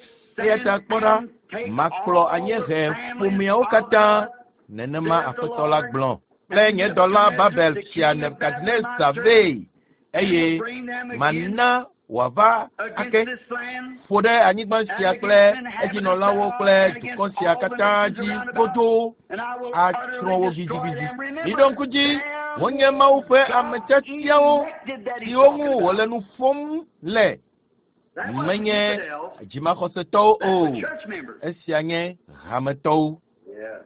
eya send ta kpɔ ɖa and take makplɔ all the anyiehe families ƒomeawo of katã the nenema Aƒetɔ la gblɔ kple nye dɔla Babel fia Nebukadnezar vɛ eye and will bring them again mana wòava ake against this land ƒo ɖe anyigba sia kple edzinɔlawo kple dukɔ sia katã dzi godoo and I will atsrɔ̃ utterly wo destroy gidigidi. them. Remember, Miɖo ŋku dzi, wonye Mawu ƒe ame tiatiawo elected that he's siwo ŋu talking about. wòle nu ƒom le That wasn't menye infidels. dzimaxɔsetɔwo That's o. the church members. Esia nye hametɔwo. Yeah.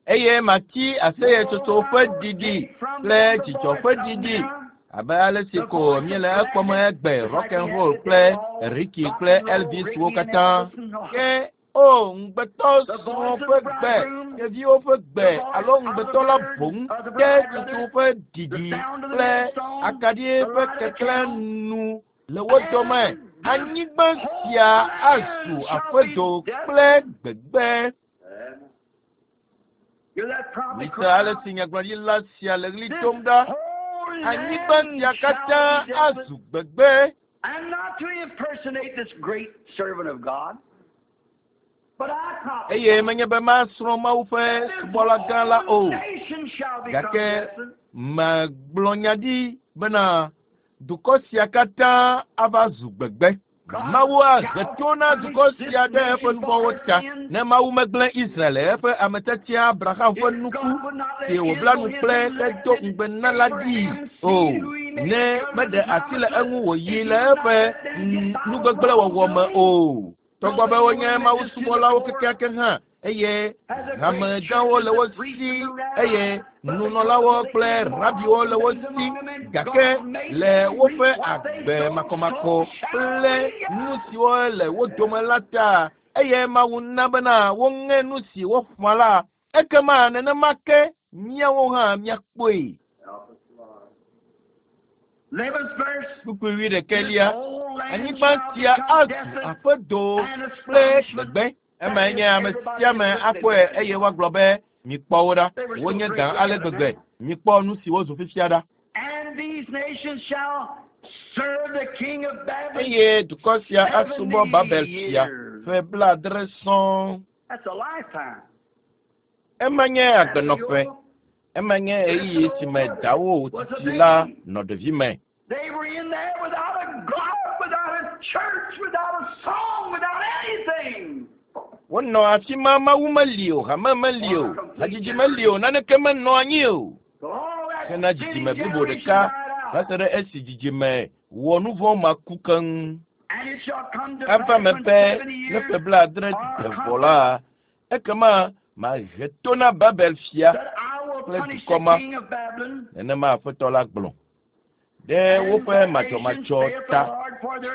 Eye mati aseyetsotso ƒe ɖiɖi kple dzidzɔ ƒe ɖiɖi abe ale si ko míele ekpɔm egbe rock and roll kple Ricky kple Elvis wo katã. Ke o ŋugbetɔ srɔ̃ ƒe gbe, ɖeviwo ƒe gbe alo ŋugbetɔ la boŋ ke tutu ƒe ɖiɖi kple akaɖi ƒe keklẽ nu le wo dome. Anyigba sia azu aƒedo kple gbegbe. Hear that prophet Mise cry ale out, si nyagblɔɖila sia le ɣli This dom ɖa. whole Anyigba land sia shall katã be desolate. azu gbegbe. And not to impersonate this great servant of God, but I prophesy Eye menye be masrɔ̃ Mawu ƒe that this subɔla gã la whole o. nation shall become Gake desolate. megblɔ nya ɖi bena dukɔ sia katã ava zu gbegbe. Mawu ahe to na dukɔ sia ɖe eƒe nuvɔ̃wo ta. Ne Mawu megblẽ Israel eƒe ame tiatia Abraham ƒe If nuku God would not si let wòbla nu Israel, his kple hedo elected ŋugbe na la ɖi Abraham o. seed who he made Ne a covenant meɖe with asi le eŋu wòyi if le he would not eƒe let them get by nugbegblẽwɔwɔ me wrongdoing, o. Togbɔ though be they were wonye Mawu religious to the subɔlawo core, kekeake hã eye has a great hamegãwo church le and wo the priests si and the eye rabbis, but because nunɔlawo of the kple rabiwo immoral le wo things si among them, and gake God made le them woƒe reap what they agbe sowed, makɔmakɔ so shall kple we. nu siwo le wo dome la ta eye Mawu na bena woŋe nu si woƒã la ekema nenema ke míawo hã míakpɔe. Help us, Lord. Eleventh verse. Kpukpui This wuiɖekɛlia whole land anyigba shall sia become azu desolate aƒedo and kple astonishment gbegbe Ema nye ame sia ame akpɔe eye woagblɔ be mikpɔ wo ɖa. Wonye gã ale gbegbe. Mikpɔ nu si wozu fifia ɖa. Eye dukɔ sia asubɔ Babel fia ƒe blaadre sɔŋ. Ema nye agbenɔƒe. Ema nye ɣeyiɣi si me dawo titi la nɔ ɖevime. They were in there without a God, without a church, without a song, without anything. Wonɔ afi ma Mawu meli o, hame meli o, hadzidzi meli o, naneke menɔ anyi o. Hena dzidzime blibo ɖeka va se ɖe esi dzidzime wɔ nu vɔ̃ ma ku keŋ. Eva me be ne ƒe blaadre de vɔ la, ekema mahe to na Babel fia kple dukɔ ma. Nenema Aƒetɔ la gblɔ. Ɖe woƒe madzɔmadzɔ ta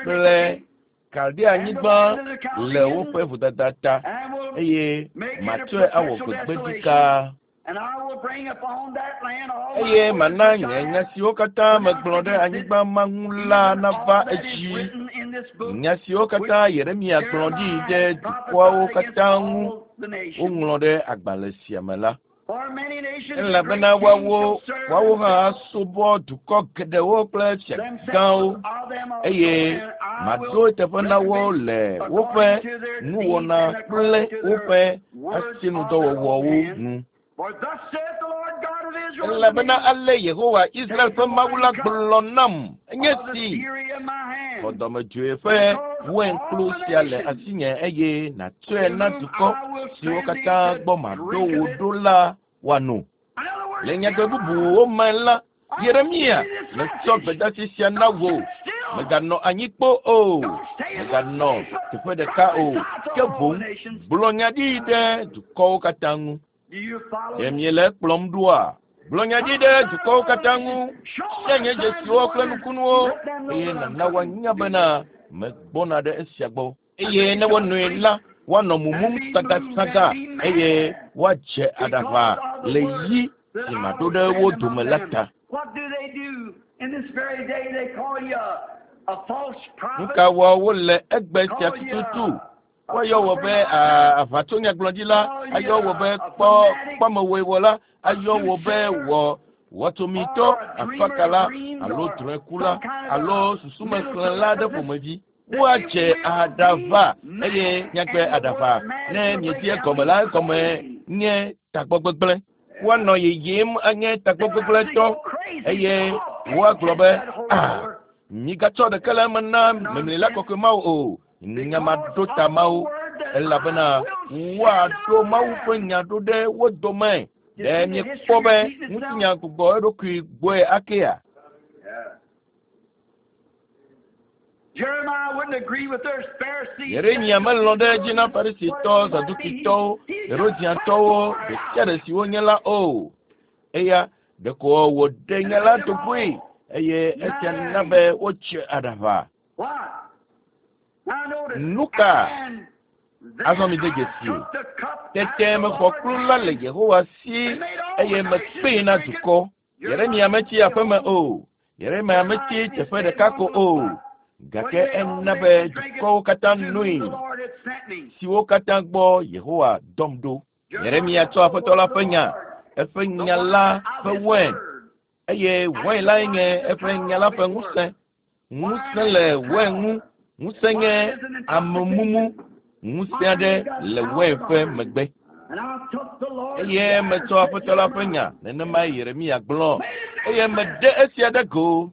kple Kaldea-nyigba le woƒe vodada ta, eye matsɔe awɔ gbegbeɖika. Eye mana nye nya siwo katã megblɔ ɖe anyigba ma ŋu la nava edzi. Nya siwo katã Yeremia gblɔ ɖi ɖe dukɔawo katã ŋu woŋlɔ ɖe agbalẽ sia me la. Elabena woawo woawo hã asubɔ dukɔ geɖewo kple fia gãwo, eye maɖo eteƒe na wo le woƒe nuwɔna kple woƒe asinudɔwɔwɔwo nu. Elabena ale Yehowa Israel ƒe Mawu la gblɔ nam enye si xɔ dɔmedzoe ƒe wainkplu sia le asinye eye nàtsɔe na dukɔ siwo katã gbɔ maɖo wò ɖo la woano. Le nyagbe bubuwo me la, Yeremia metsɔ gbedeasi sia na wò. Mèganɔ anyi kpo o, mèganɔ teƒe ɖeka o, ke boŋ gblɔ nya ɖi ɖe dukɔwo katã ŋu. Ɖe miele ekplɔm ɖoa? Gblɔ nya ɖi ɖe dukɔwo katã ŋu, fia nye dzesiwo kple nukunuwo, eye nàna woanya bena megbɔna ɖe esia gbɔ. Eye ne wonoe la, woanɔ mumum sagasaga eye woadze aɖaʋa le yi si maɖo ɖe wo dome la ta. Nu ka wɔ wole egbe sia tututu? Woayɔ wò be aʋatsonyagblɔɖila, ayɔ wò be kpɔ kpɔmewɔewɔla, ayɔ wò be wɔ wɔtsomitɔ, afakala alo drɔ̃ekula alo susumexlẽla aɖe ƒomevi. Woadze aɖaʋa eye nyagbe aɖaʋa ne miedi egɔme la egɔme nye tagbɔgbegblẽ. Woanɔ yiyim anye tagbɔgbegblẽtɔ eye woagblɔ be ah migatsɔ ɖeke le eme na memlila kɔkɔe mawo o. Nya maɖo ta mawo elabena woaɖo Mawu ƒe nya ɖo ɖe wo dome. Ɖe miekpɔ be ŋutinya gbugbɔ eɖokui gbɔe akea? Yeremia melɔ̃ ɖe edzi na Farisitɔ, Zadukitɔwo, Herodiatɔwo ɖe sia ɖe si wonye la o. Eya ɖeko wòɖe nya la do goe eye esia na be wotse aɖaʋa. Nu ka? Azɔ mi de dzesi. Tete mexɔ kplu la le Yehowa si eye mekpee na dukɔ. Yeremia metsi aƒeme o. Yeremia metsi teƒe ɖeka ko o. Gake ena be dukɔwo katã noe siwo katã gbɔ Yehowa dɔm ɖo. Yeremia tsɔ Aƒetɔ la ƒe nya, eƒe nya la ƒe wain, eye wain lae nye eƒe nya la ƒe ŋusẽ. Ŋusẽ le wain ŋu. Ŋusẽ nye amemumu. Ŋusẽ aɖe le wain ƒe megbe. Eye metsɔ Aƒetɔ la ƒe nya, nenemae Yeremia gblɔ, eye meɖe esia ɖe go.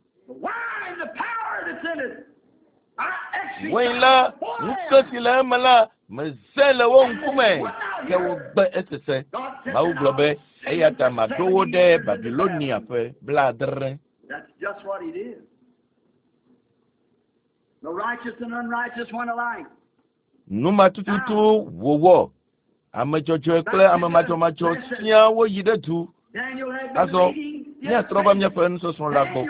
Wain la, ŋusẽ si le eme la, meze le wo ŋkume, ke wogbe esese. Mawu gblɔ be, eya ta maɖo wo ɖe Babilonia ƒe blaadre. That's just what he did. The righteous and unrighteous one alike. Nu ma tututu wòwɔ. Ame dzɔdzɔe kple ame madzɔmadzɔ siaa woyi ɖe du. Daniel had been Azɔ reading míatrɔ va míaƒe nusɔsrɔ̃ la gbɔ.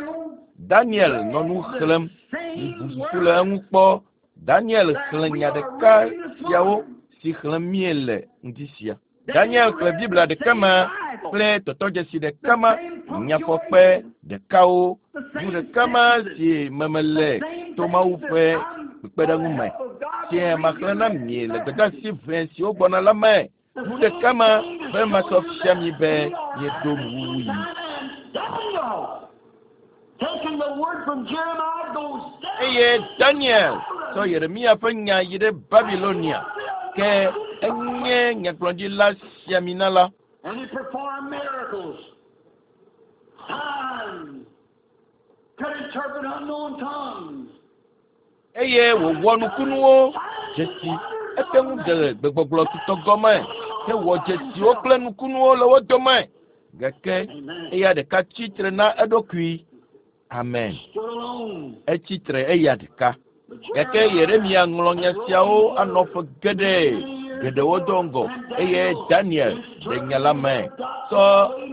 Daniel nɔ nu xlẽm. Mibu susu le eŋu kpɔ. Daniel xlẽ nya ɖeka siawo si xlẽm míele ŋdi sia. Daniel xlẽ Biblia ɖeka ma kple tɔtɔdzesi ɖeka ma, nyafɔkpe ɖekawo, nu ɖeka ma si me mele to Mawu ƒe kpekpeɖeŋu me, sia maxlẽ na mi le gbedeasi ʋɛ siwo gbɔna la me. Nu ɖeka ma be masɔ fia mi be míeɖo nuwuwu yi. Eye Daniel sɔ Yeremia ƒe nya yi ɖe Babilonia ke enye nyagblɔɖila siamina la. And he performed miracles, signs, could interpret unknown tongues. Eye wòwɔ nukunuwo dzesi ete ŋu ɖe gbegbɔgblɔ tutɔ gɔme hewɔ dzesiwo kple nukunuwo le wo dome. Gake eya ɖeka tsitre na eɖokui. Amen. Stood alone. Etsitre eya ɖeka. Gake Yeremia ŋlɔ nya siawo anɔ ƒe geɖe geɖewo do ŋgɔ eye Daniel ɖe nya la me. Sɔ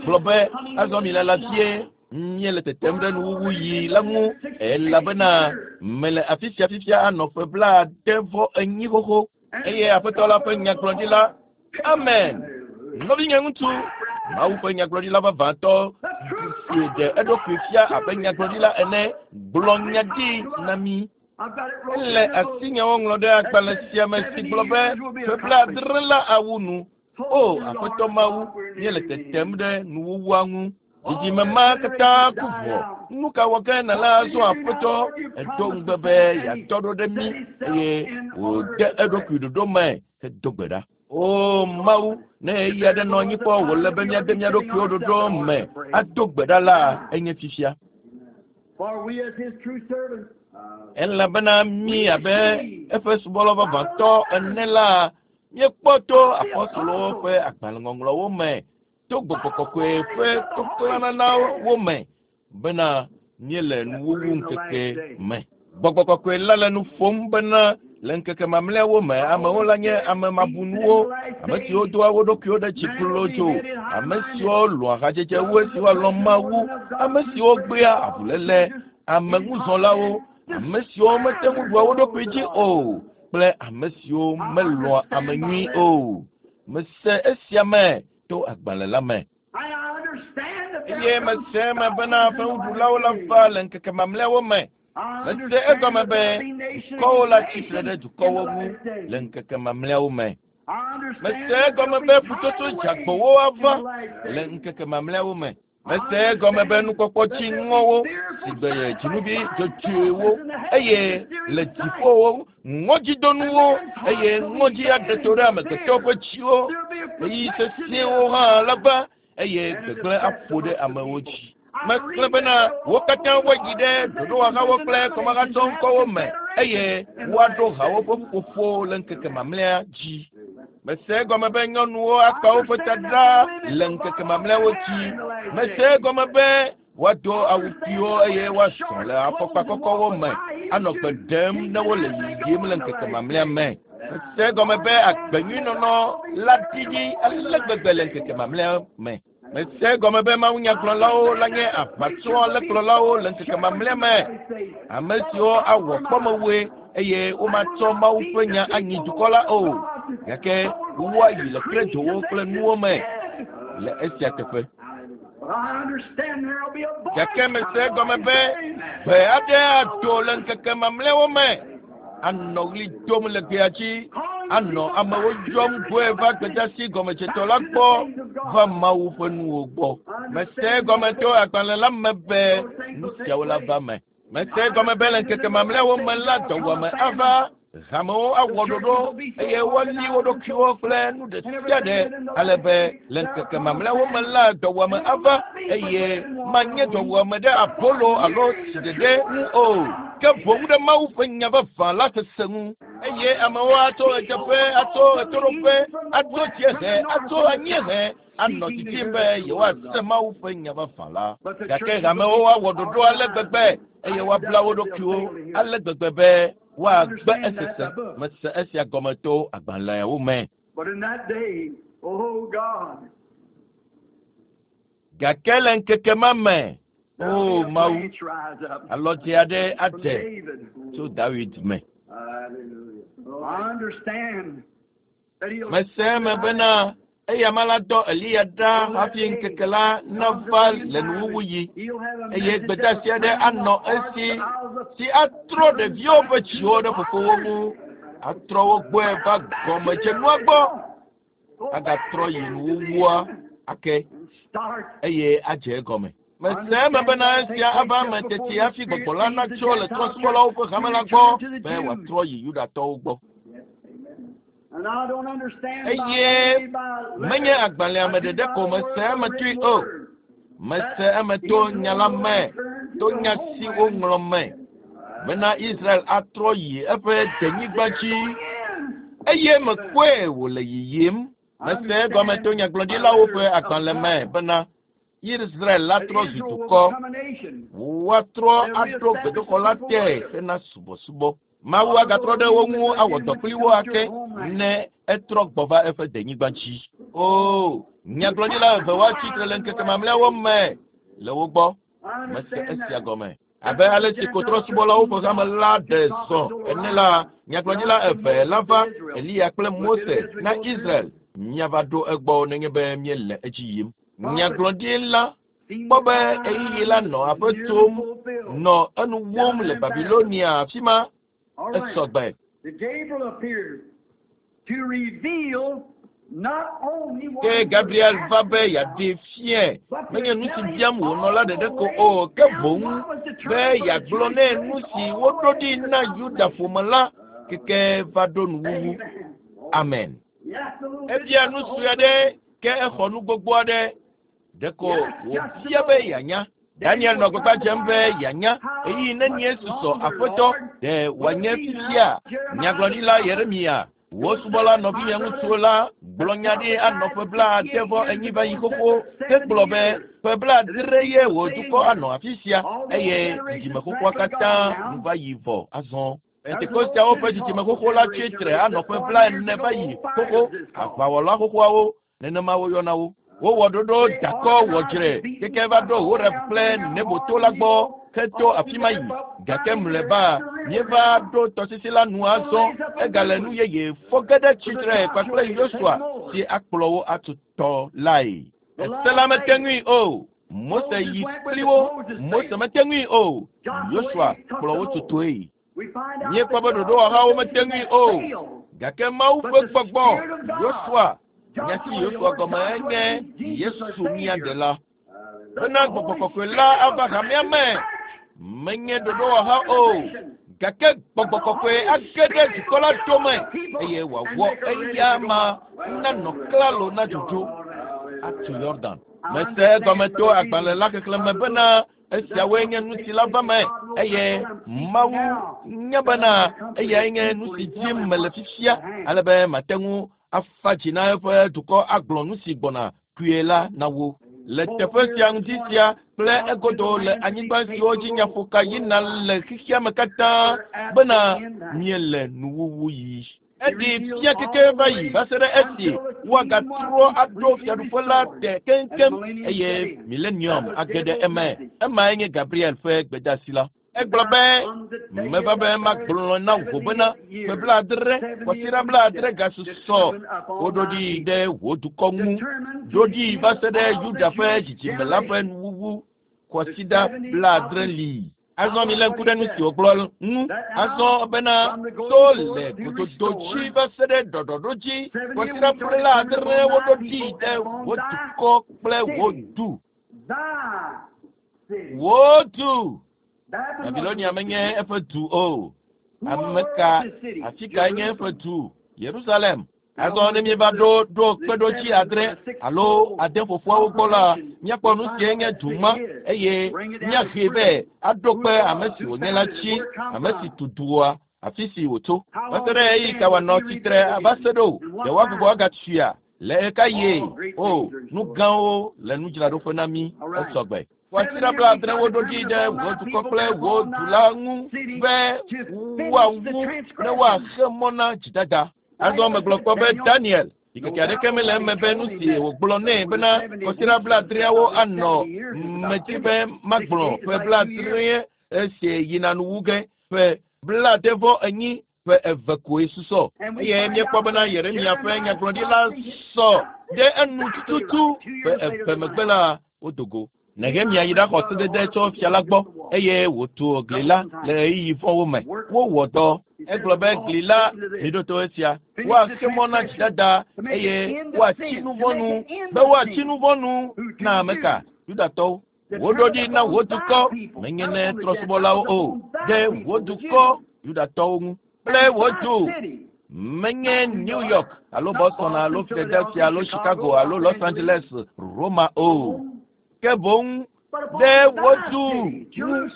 gblɔ be azɔ mi le la fie míele tetem ɖe nuwuwu yi la ŋu elabena mele afi sia fifia anɔ ƒe blaade vɔ enyi xoxo eye aƒetɔ la ƒe nyagblɔɖila. Amen. Nɔvinye ŋutsu, Mawu ƒe nyagblɔɖila vavãtɔ si ɖe eɖokui fia abe nyagblɔɖila ene gblɔ nya ɖi na mí. I've got it wrote Ele in the book. asinyewo ŋlɔ ɖe agbalẽ sia me si gblɔ be ƒe blaadre la awu nu. O Aƒetɔ Mawu, míele tetem ɖe nuwuwua ŋu. Dzidzime ma katã ku vɔ. Nu ka wɔ ke nala azɔ Aƒetɔ? Edo ŋugbe be yeatɔ ɖo ɖe mí eye wòde eɖokui ɖoɖo me hedo gbe ɖa. O Mawu, ne ɣeyiɣi aɖe nɔ anyi kpɔ wòle be míade mía ɖokuiwo ɖoɖo me ado gbe ɖa la, enye fifia. For we as his true servants, Elabena mí abe eƒe subɔla vavãtɔ ene la, míekpɔ to apɔstolowo ƒe agbalẽŋɔŋlɔwo me, to gbɔgbɔ kɔkɔe ƒe toklãnanawo me bena míele nuwuwu ŋkeke me. Gbɔgbɔ kɔkɔe la le nu ƒom bena le ŋkeke mamlɛawo me amewo la nye ame mabunuwo, ame siwo doa wo ɖokuiwo ɖe dzi kplodzo, ame siwo lɔ̃a hadzedze wu esi woalɔ̃ Mawu, ame siwo gbea avuléle, ameŋuzɔlawo, ame siwo mete ŋu ɖua wo ɖokui dzi o kple ame siwo melɔ̃a ame nyui o. Mese esia me to agbalẽ la me. And I understand that there Eye mese eme bena ƒe ŋuɖulawo la va le ŋkeke mamlɛawo me. I Mese understand egɔme that be there'll be nation dukɔwo la against tsitre ɖe nation dukɔwo in the ŋu last days. le ŋkeke mamlɛawo me. I understand Mese that egɔme there'll be be ƒutsotso tidal dzeagbowo waves in ava the last le days. ŋkeke mamlɛawo me. Mese egɔme be nukpɔkpɔ dziŋɔwo si gbe dzinuvi dzodzoewo eye le dziƒowo ŋɔdzidonuwo eye ŋɔdzi aɖe to ɖe amegbetɔwo ƒe dziwo. There'll be a Ɣeyiɣi protection sesẽwo hã la va eye gbegblẽ aƒo ɖe amewo dzi. Mexlẽ bena wo katã woayi ɖe ɖoɖowɔhawo kple kɔmahatsɔ ŋkɔwo me eye woaɖo hawo ƒe ƒuƒoƒo le ŋkeke mamlɛa dzi. Mese egɔme be nyɔnuwo akpa woƒe ta ɖa le ŋkeke mamlɛawo dzi. Mese egɔme be woado awu kpuiwo eye woazɔ le afɔkpa kɔkɔwo me anɔ gbe ɖem ne wole yiyim le ŋkeke mamlɛa me. Mese egɔme be agbenyuinɔnɔ la ɖiɖi ale gbegbe le ŋkeke mamlɛa me. Mese egɔme be mawunyagblɔlawo la nye aʋatso alẽkplɔlawo le ŋkeke mamlɛa me. Ame siwo awɔ kpɔmewoe eye womatsɔ Mawu ƒe nya anyi dukɔ la o. Gake woayi le kredowo kple nuwo me le esia teƒe. But I understand there'll be a voice Gake mese egɔme be gbe aɖe ado le ŋkeke mamlɛawo me. Anɔ ɣli dom le gbea dzi, anɔ amewo yɔm gbɔe va gbedeasi gɔmedzetɔ la gbɔ va Mawu ƒe nuwo gbɔ. Mese egɔme to agbalẽ la me be nu siawo la va me. Mese egɔme be le ŋkeke mamlɛawo me la dɔwuame ava, hamewo awɔ ɖoɖo eye woali wo ɖokuiwo kple nu ɖe sia ɖe ale be le ŋkeke mamlɛawo me la dɔwuame ava eye manye dɔwuame ɖe abolo alo tsi ɖeɖe ŋu o ke boŋ ɖe Mawu ƒe nya vavã la sese ŋu. Eye amewo atso ɣedzeƒe, atso ɣetoɖoƒe, atso dziehe, atso anyiehe anɔ didim be yewoase Mawu ƒe nya vavã la. Gake hamewo awɔ ɖoɖo ale gbegbe eye woabla wo ɖokuiwo ale gbegbe be woagbe esese. Mese esia gɔme to agbalẽawo me. But in that day, oh God, Gake le ŋkeke ma me, there'll o be a Mawu, branch rise up alɔdze aɖe from adze David. tso Dawid me. Hallelujah. I understand that he'll Mese eme bena eya ma la dɔ Eliya ɖa hafi ŋkeke la nava le nuwuwu yi he'll have a eye message gbedeasi that'll aɖe turn anɔ the hearts esi out of si atrɔ ɖeviwo ƒe dziwo ɖe fofowo ŋu Atrɔ wo gbɔe va gɔmedzenua gbɔ. Agatrɔ yi nuwuwua ake eye adze egɔme. Mese eme bena esia ava eme teti hafi gbɔgbɔ la natso le trɔ̃subɔlawo ƒe hame la gbɔ be wòatrɔ yi Yudatɔwo gbɔ. Eye menye agbalẽa me ɖeɖe ko mese eme toe o. Mese eme to nya la me, to nya si woŋlɔ me bena Israel atrɔ yi eƒe denyigba dzi eye mekpɔe wòle yiyim. Mese egɔme to nyagblɔɖilawo ƒe agbalẽ me bena Israel la trɔ zu dukɔ. Woatrɔ aɖo gbedoxɔ la te hena subɔsubɔ. Mawu agatrɔ ɖe wo ŋu awɔ dɔ kpli wo ake ne etrɔ gbɔ va eƒe denyigba dzi. O, nyagblɔɖila eve woatsi tre le ŋkeke mamlɛawo me le wo gbɔ. Mese esia gɔme. Abe ale si ko trɔ̃subɔlawo ƒe hame la ɖe zɔ ene la, nyagblɔɖila eve la va, Eliya kple Mose na Israel. Míava ɖo egbɔ nenye be míele edzi yim. Nyagblɔɖila kpɔ be ɣeyiɣi la nɔ aƒe tsom, nɔ enu wom le Babilonia afi ma. Esɔgbe. Ke Gabriel va be yeaɖee fiae menye nu si biam wònɔ la ɖeɖe ko o, ke boŋ be yeagblɔ nɛ nu si woɖo ɖi na Yuda ƒome la keke va ɖo nuwuwu. Amen. Ebia nu sue aɖe ke exɔ nu gbogbo aɖe. Ɖeko wòbia be yeanya. Daniel nɔ gbagba dzem be yeanya ɣeyiɣi nenie susɔ aƒetɔ ɖe wòanye fifia. Nyagblɔɖila Yeremia, wò subɔla nɔvinye ŋutsuwo la gblɔ nya ɖi anɔ ƒe blaade vɔ enyi va yi xoxo. Ke gblɔ be ƒe blaadre ye wò dukɔ anɔ afi sia eye dzidzime xoxoa katã nu va yi vɔ azɔ. Pentekosteawo ƒe dzidzime xoxo la tsi tre anɔ ƒe blaene va yi xoxo. Aʋawɔla xoxoawo nenema woyɔna wo. Wowɔ ɖoɖo dakɔ wɔdzre keke va ɖo Horeb kple Neboto la gbɔ heto afi ma yi. Gake mlɔeba míeva ɖo tɔsisi la nu azɔ. Egale nu yeye fɔ ge ɖe tsitre kpakple Yosua si akplɔ wo atu tɔ lae. Ese la mete ŋui o. Mose yi kpli wo. Mose mete ŋui o. Yosua kplɔ wo tutoe. Míekpɔ be ɖoɖowɔhawo mete ŋui o. Gake Mawu ƒe gbɔgbɔ Yosua, nya si Yosua gɔme enye Yesu mía ɖela. Bena gbɔgbɔ kɔkɔe la ava hamea me. Menye ɖoɖowɔha o. Gake gbɔgbɔ kɔkɔe age ɖe dukɔ la dome eye wòawɔ eya ma nanɔ klalo na dzodzo atu Yordan. Mese egɔme to agbalẽ la xexlẽme bena esiawoe nye nu si la va me eye Mawu nya bena eyae nye nu si dim mele fifia ale be mate ŋu afa dzi na eƒe dukɔ agblɔ nu si gbɔna kpuie la na wo. Le teƒe sia ŋdi sia kple egodo le anyigba siwo dzi nyaƒoka yina le xexea me katã bena míele nuwuwu yi. Eɖi fia keke va yi va se ɖe esi woagatrɔ aɖo fiaɖuƒe la te keŋkeŋ eye milenium age ɖe eme. Emae nye Gabriel ƒe gbedeasi la. Egblɔ be meva be magblɔ na wò bena ƒe blaadre kɔsiɖa blaadre gasusɔ woɖo ɖi ɖe wò dukɔ ŋu. Ɖo ɖi va se ɖe Yuda ƒe dzidzime la ƒe nuwuwu kɔsiɖa blaadre li. Azɔ mi lé ŋku ɖe nu si wògblɔ ŋu. Azɔ bena to le gododo dzi va se ɖe ɖɔɖɔɖo dzi kɔsiɖa blaadre woɖo ɖi ɖe wò dukɔ kple wò du. Wò du. Babilonia menye eƒe du o. Ame ka afi kae nye eƒe du? Yerusalem. Azɔ ne míeva ɖo ɖo kpeɖodzi adre alo ade ƒoƒoawo gbɔ la, míakpɔ nu sie nye du ma eye míahee vɛ aɖo kpe ame si wònye la dzi, ame si tu dua, afi si wòtso. Va se ɖe ɣeyiɣi ka wòanɔ tsitre va se ɖo? Ɖe woagbugbɔ agatuia? Le ɣeka ɣie? O, nu gãwo le nudzraɖoƒe na mí esɔgbe. Kɔsiɖa blaadre woɖo ɖi ɖe wò dukɔ kple wò du la ŋu be woawu ne woaxe mɔ na dzidada. Azɔ megblɔ kpɔ be Daniel, ɖikeke aɖeke mele eme be nu si wògblɔ nɛ bena kɔsiɖa blaadreawo anɔ medi be magblɔ ƒe blaadre esi yina nuwu ge ƒe blaade vɔ enyi ƒe eve koe susɔ. Eye míekpɔ bena Yeremia ƒe nyagblɔɖi la sɔ ɖe enu tututu ƒe eve megbe la wodo go. Nehemia yi ɖaxɔ sedede tso fia la gbɔ eye wòtu gli la le ɣeyiɣi vɔ̃wo me. Wowɔ dɔ. Egblɔ be gli la miɖo to esia. Woaxe mɔ na dzidada eye woatsi nu vɔ̃ nu be woatsi nu vɔ̃ nu na ame ka? Yudatɔwo. Woɖo ɖi na wò dukɔ, menye ne trɔ̃subɔlawo o, ɖe wò dukɔ Yudatɔwo ŋu kple wò du. Menye New York alo Boston alo Philadelphia alo Chicago alo Los Angeles, Roma o. Ke boŋ ɖe wò du ŋu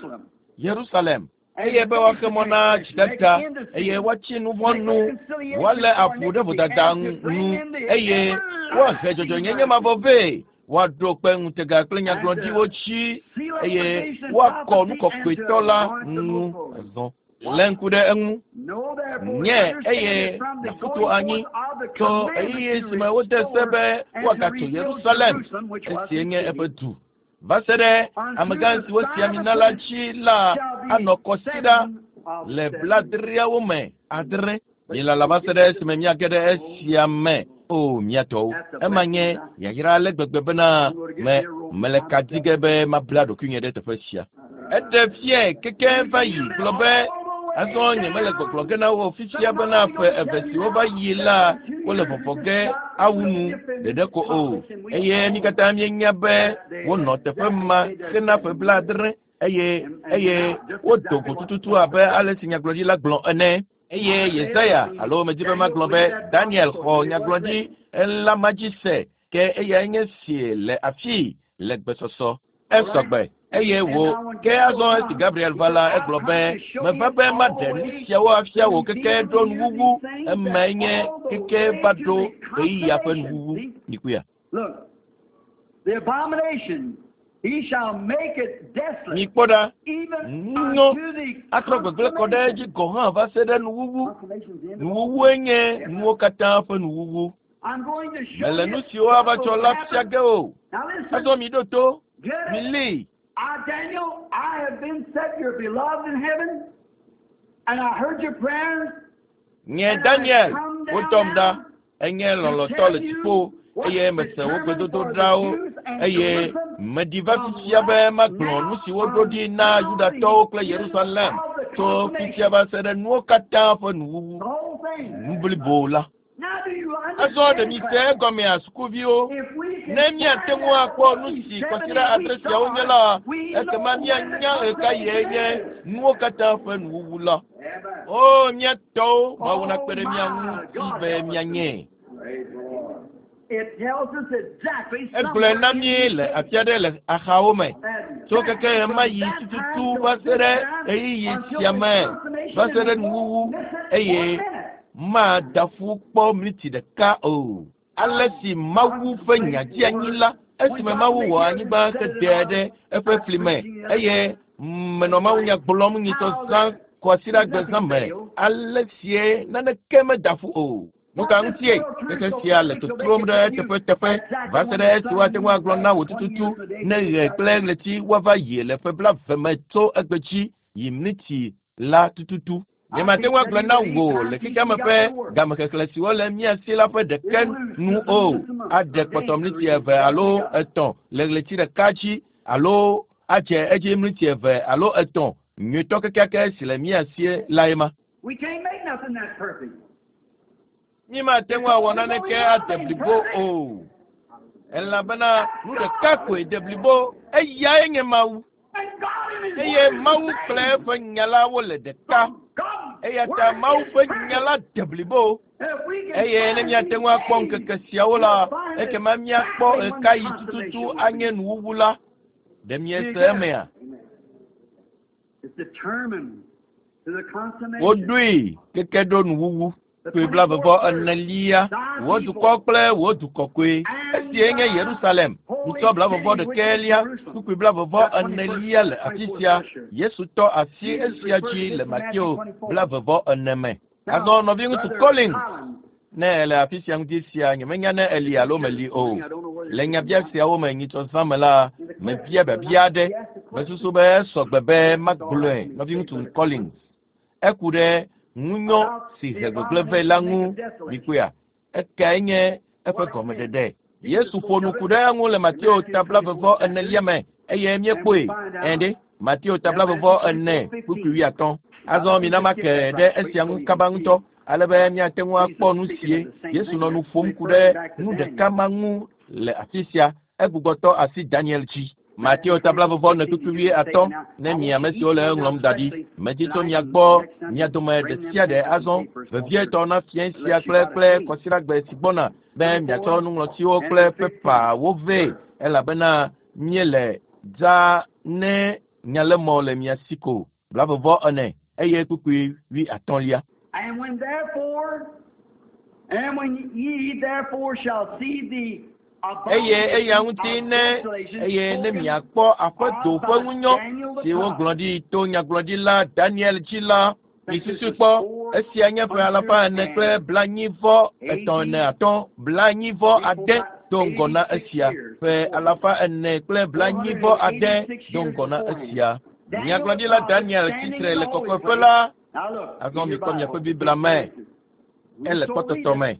Yerusalem. Eye be woaxe mɔ na dzidada eye woatsi nu vɔ̃ nu, woalé avu ɖe vodada nu eye woahe dzɔdzɔenyenye mavɔ vɛ. Woaɖo kpe ŋutega kple nyagblɔɖiwo dzi eye woakɔ nu kɔkɔetɔ la ŋu azɔ. Lé ŋku ɖe eŋu. Nye eye nàƒu anyi tso ɣeyiɣi si me wode se be woagatso Yerusalem, esie nye eƒe du. Va se ɖe amegã si wosi ami na la dzi la anɔ kɔsiɖa le blaadreawo me adre. Milala va se ɖe esime míage ɖe esia me. O mía tɔwo, ema nye yayra ale gbegbe bena me mele ka di ge be mabla ɖokuinye ɖe teƒe sia. Eɖe fiae keke va yi gblɔ be azɔ nye mele gbɔgblɔ ge na wo fifia bena ƒe eve siwo va yi la wole vɔvɔ ge awu nu ɖeɖe ko o. Eye mí katã míenya be wonɔ teƒe ma hena ƒe blaadre eye eye wodo go tututu abe ale si nyagblɔɖila gblɔ ene. Eye Yesaya alo medi be magblɔ be Daniel xɔ nyagblɔɖi la ma dzi se ke eyae nye si le afii le gbesɔsɔ. Esɔgbe eye wò ke azɔ esi Gabriel va la egblɔ be meva be maɖe nu siawo afia wò keke ɖo nuwuwu emae nye keke va ɖo ɣeyiɣia ƒe nuwuwu. Mikuya. Look, the abomination, he shall make it desolate, Mikpɔ ɖa, even ŋunyɔ unto the atrɔ gbegblẽ kɔ ɖe edzi gɔ̃ hã va se ɖe nuwuwu. Consummation's the end of all. Nuwuwue nye nuwo katã ƒe nuwuwu. I'm going to show Mele you nu siwo ava tsɔ la fia ge o. Now listen, Azɔ mi ɖo to, get it. mili. I, Daniel, I have been set your beloved in heaven, and I heard your prayers. Nye Daniel, wodɔm ɖa. Enye lɔlɔ̃tɔ le dziƒo eye mese wò gbedodoɖawo eye meɖi va fifia be magblɔ nu si woɖo ɖi na Yudatɔwo kple Yerusalem tso fifia va se ɖe nuwo katã ƒe nuwuwu. The whole thing. Nu blibo la. Now do you Azɔ ɖe mi understand? se egɔmea sukuviwo. If we can Ne míate ŋu akpɔ nu si kɔsiɖa adre siawo nye la, ekema míanya ɣekaɣie nye nuwo katã ƒe nuwuwu la. Amen. O mía tɔwo, Mawu nakpe ɖe mía ŋuti be míanye. Praise the Lord. It tells us exactly Egblɔe na mí le afi aɖe le axawo me. Tso keke ɣemaɣi tututu va se ɖe ɣeyiɣi sia me, va se ɖe nuwuwu eye mada ƒu kpɔ miniti ɖeka o. Ale si Mawu ƒe nya dzi anyi la, esime Mawu wɔ anyigba hedae ɖe eƒe fli me eye menɔ mawunya gblɔm nyitsɔ zã kɔsiɖagbe zã me. Ale sie naneke meda ƒu o. Nu ka ŋutie xexe sia le totrom ɖe teƒeteƒe va se ɖe esi woate ŋu agblɔ na wò tututu ne ɣe kple ɣleti woava yi le ƒe blaeve me tso egbe dzi yi miniti la tututu. Nyemate ŋu agblɔ na wò le xexea me ƒe gamexexlẽ siwo le mía si la ƒe ɖeke nu o. Aɖe kpɔtɔ miniti eve alo etɔ̃ le ɣleti ɖeka dzi alo adze edzi miniti eve alo etɔ̃. Nyuietɔ kekeake si le mía si lae ma. We can't make nothing that perfect. Mímate ŋu awɔ naneke ade blibo o. Elabena nu ɖeka koe de blibo, eyae nye Mawu. And God in His Eye Word is Mawu the kple same. eƒe nya la wole ɖeka. God Eya ta Mawu ƒe nya la de blibo. If we can Eye ne find míate these ŋu akpɔ days, ŋkeke siawo la, ekema míakpɔ ɣekaɣi tututu anye nuwuwu la. Ɖe miese emea? Amen. It's determined to the consummation. Woɖoe keke ɖo nuwuwu. Kpui blaeve-vɔ enelia, wò dukɔ kple wò du kɔkɔe. Esie nye Yerusalem. Ŋutɔ blaeve-vɔ ɖekɛlia, kpukpui blaeve-vɔ enelia le afi sia. Yesu tɔ asi esia dzi le Mateo blaeve-vɔ ene me. Azɔ nɔviŋutsu Collins, ne ele afi sia ŋuti sia, nyemenya ne eli alo meli o. Le nyabia siawo me nyitsɔ zã me la, mebia biabia aɖe. Mesusu be esɔgbe be magblɔe nɔviŋutsu Collins. Eku ɖe ŋunyɔ si he gbegblẽ vɛ la ŋu mikpɔea. Ekae nye eƒe gɔmeɖeɖe. Yesu ƒo nu ku ɖe eŋu le Mateo ta blaeve-vɔ enelia me. Eye míekpɔe ɛ ɖe Mateo tablavɔvɔ ene kpukpui wuiatɔ̃. Azɔ mina make ɖe esia ŋu kaba ŋutɔ ale be míate ŋu akpɔ nu sie Yesu nɔ nu ƒom ku ɖe nu ɖeka ma ŋu le afi sia. Egbugbɔtɔ asi Daniel dzi. Mateo tablavɔvɔ ene kpukpui wuiatɔ̃ ne mi ame siwo le eŋlɔm da ɖi. Medi tso mia gbɔ mia dome ɖe sia ɖe azɔ vevietɔ na fiẽ sia kple kple kɔsiɖagbe si gbɔna be miatsɔ nuŋlɔtiwo kple pepawo vɛ elabena míele dza ne nyalemɔ le mia si ko. Blavɔvɔ ene eye kpukpui wuiatɔ̃lia. And when therefore, and when ye therefore shall see the Eye eya ŋuti ne eye ne miakpɔ aƒedo ƒe ŋunyɔ si wogblɔ ɖi to nyagblɔɖila Daniel dzi la, misusu kpɔ esia nye ƒe alafa ene kple blaenyi-vɔ etɔ̃ ene atɔ̃ blaenyi-vɔ ade do ŋgɔ na esia ƒe alafa ene kple blaenyi-vɔ ade do ŋgɔ na esia. Nyagblɔɖila Daniel tsitre le kɔkɔeƒe la. Azɔ mikpɔ miaƒe Biblia me. Ele kpɔtɔtɔ me.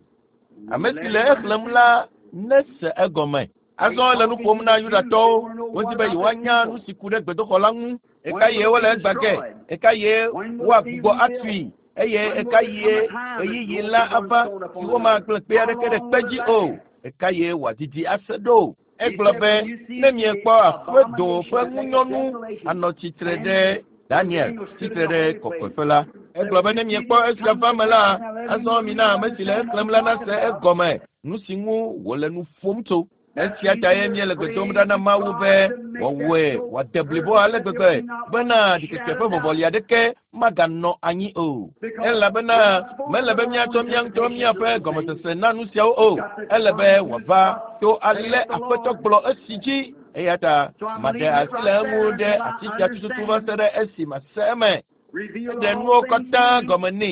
Ame si le exlẽm la nese egɔme. Azɔ le nu ƒom na Yudatɔwo. Wodi be yewoanya nu si ku ɖe gbedoxɔ la ŋu. Eka ye wole egbã ge? Eka ye woagbugbɔ atui? Eye eka ye ɣeyiɣi la ava si womagblẽ kpe aɖeke ɖe kpe dzi o? Eka ye wòadidi ase ɖo? Egblɔ be ne miekpɔ aƒedo ƒe ŋunyɔnu anɔ tsitre ɖe Daniel tsitre ɖe kɔkɔeƒe la. Egblɔ be ne miekpɔ esia va me la, azɔ mina ame si le exlẽm la nase egɔme nu si ŋu wòle nu ƒom tso. Esia ta ye míele gbe dom ɖa na Mawu be wòawɔe wòade blibo ale gbegbe bena ɖikeke ƒe vɔvɔli aɖeke maganɔ anyi o. Elabena mele be míatsɔ mía ŋutɔ míaƒe gɔmesese na nu siawo o. Ele be wòava to ale Aƒetɔ gblɔ esi dzi. Eya ta maɖe asi le eŋu ɖe ati sia tututu va se ɖe esi mase eme. Eɖe nuwo katã gɔme nɛ.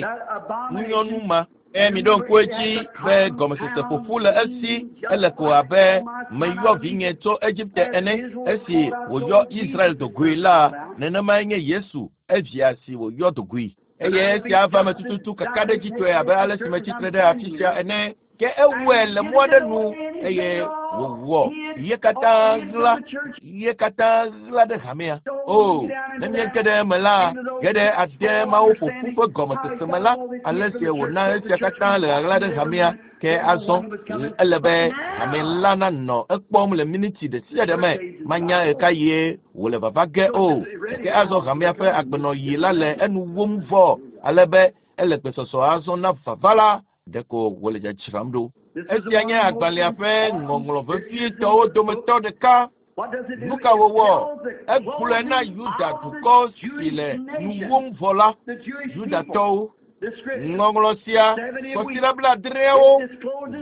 Ŋunyɔnu ma. Eye miɖo ŋku edzi be gɔmesese ƒoƒu le esi ele ko abe meyɔ vinye tso Egipte ene esi wòyɔ Israel dogoe la nenemae nye Yesu evia si wòyɔ dogoe. Eye esia va me tututu kakaɖedzitɔe abe ale si metsitre ɖe afi sia ene. Ke ewɔe le mɔ aɖe nu eye wòwɔ ye katã ɣla ye katã ɣla ɖe hamea. O, ne míege ɖe eme la, ge ɖe ade mawo ƒoƒu ƒe gɔmesese me la, ale si wòna esia katã le ɣaɣla ɖe hamea. Ke azɔ ele be hame la nanɔ ekpɔm le miniti ɖe sia ɖe me. Manya ɣeka ye wòle vava ge o. Ke azɔ hamea ƒe agbenɔɣi la le enu wom vɔ ale be ele gbesɔsɔ azɔ na vava la ɖeko wòle dzadzram ɖo. Esia nye agbalẽa ƒe ŋɔŋlɔ vevietɔwo dometɔ ɖeka. Nu ka wòwɔ? Egblɔe na Yuda dukɔ si le nu wom vɔ la, Yudatɔwo. Ŋɔŋlɔ sia kɔsiɖa blaadreawo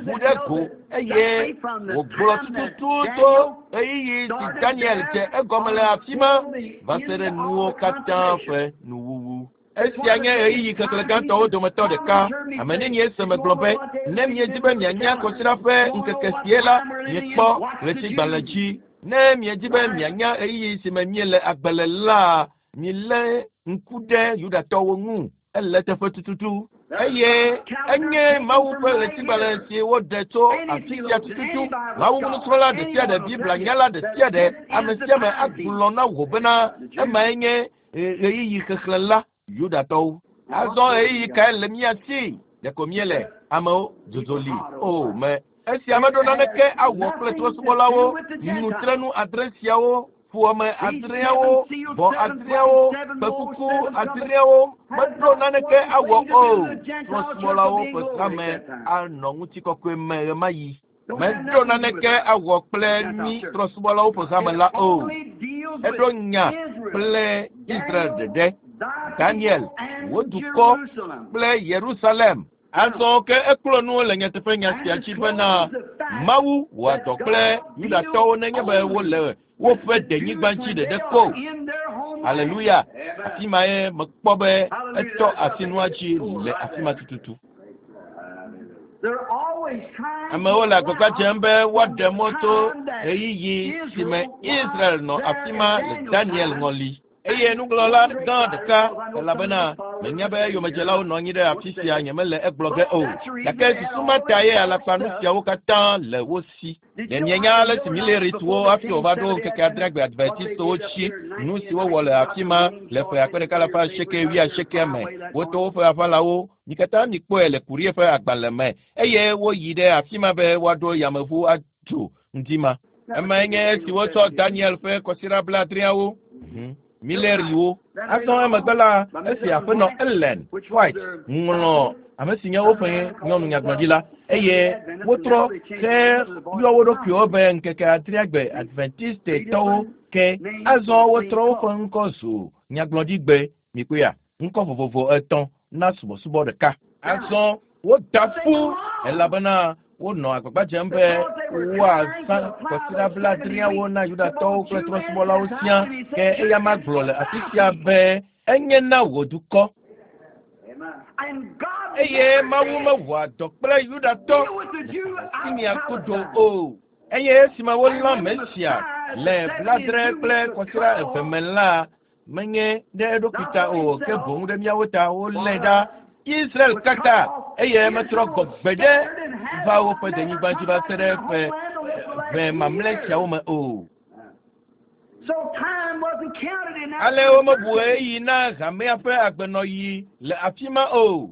ʋu ɖe go eye wògblɔ tututu to ɣeyiɣi si Daniel dze egɔme le afi ma va se ɖe nuwo katã ƒe nuwuwu. Esia nye ɣeyiɣi xexlẽ gãtɔwo dometɔ ɖeka. Ame nenie se megblɔ be ne miedi be mianya kɔsiɖa ƒe ŋkeke sie la, miekpɔ ɣletigbalẽ dzi. Ne miedi be mianya ɣeyiɣi si me miele agbe le la, milé ŋku ɖe Yudatɔwo ŋu. Ele teƒe tututu. Eye enye Mawu ƒe ɣletigbalẽ si woɖe tso afi sia tututu. Mawu nusrɔ̃la ɖe sia ɖe, Biblia nyala ɖe sia ɖe, ame sia ame agblɔ na wò bena emae nye ɣeyiɣi xexlẽ la Yudatɔwo. Azɔ ɣeyiɣi kae le mía si? Ɖeko míele amewo dzodzoli o me. Esia meɖo naneke awɔ kple trɔ̃subɔlawo, nutrenu adre siawo, ƒome adreawo, vɔ adreawo, kpekuku adreawo meɖo naneke awɔ o. Trɔ̃subɔlawo ƒe hame anɔ ŋutikɔkɔe me ɣemaɣi. Meɖo naneke awɔ kple mí trɔ̃subɔlawo ƒe hame la o. Eɖo nya kple Israel ɖeɖe, Daniel, wò dukɔ kple Yerusalem. Azɔ ke ekplɔ nu le nyateƒe nya sia dzi bena Mawu wɔa dɔ kple Yudatɔwo nenye be wole woƒe denyigba dzi ɖeɖe ko. Aleluya. Afi ma ye mekpɔ be etɔ asi nua dzi le afi ma tututu. Amewo le agbagba dzem be woaɖe mɔ tso ɣeyiɣi si me Israel nɔ afi ma le Daniel ŋɔli. Eye nugblɔla gã ɖeka elabena menya be yomedzelawo nɔ anyi ɖe afi sia nyemele egblɔ ge o. Gake susu ma ta ye alakpanu siawo katã le wo si. Ɖe mienya ale si Milleritewo hafi wòva ɖo ŋkeke adreagbe Adventistewo tsi nu si wowɔ le afi ma le ƒe akpe ɖeka alafa asieke wuiasiekea me. Woto woƒe aʋalawo mi katã mikpɔe le Kurie ƒe agbalẽ me eye woyi ɖe afi ma be woaɖo yameʋu adzo ŋdi ma. Emae nye esi wotsɔ Daniel ƒe kɔsiɖa blaadreawo. Milleriwo. Azɔ emegbe la esi aƒenɔ Ellen White ŋlɔ ame si nye woƒe nyɔnu nyagblɔɖila eye wotrɔ he yɔ wo ɖokuiwo be ŋkeke adreagbe Adventistetɔwo ke azɔ wotrɔ woƒe ŋkɔ zu nyagblɔɖigbe mikpɔea ŋkɔ vovovo etɔ̃ na subɔsubɔ ɖeka. Azɔ woda ƒu elabena wonɔ agbagba dzem be woazã kɔsiɖa blaadreawo na Yudatɔwo kple trɔ̃subɔlawo siaa ke eya ma gblɔ le afi sia be enye na wò dukɔ. Eye Mawu mewɔa dɔ kple Yudatɔ le mia kodo o. Eye esime wolã Mesia le bladre kple kɔsiɖa eve me la menye ɖe eɖokui ta o ke boŋ ɖe míawo ta wolé ɖa Israel katã eye metrɔ gbɔ gbeɖe va woƒe denyigba dzi va se ɖe ƒe ʋe mamlɛ siawo me o. Ale womebu ɣeyiɣi na hamea ƒe agbenɔɣi le afi ma o.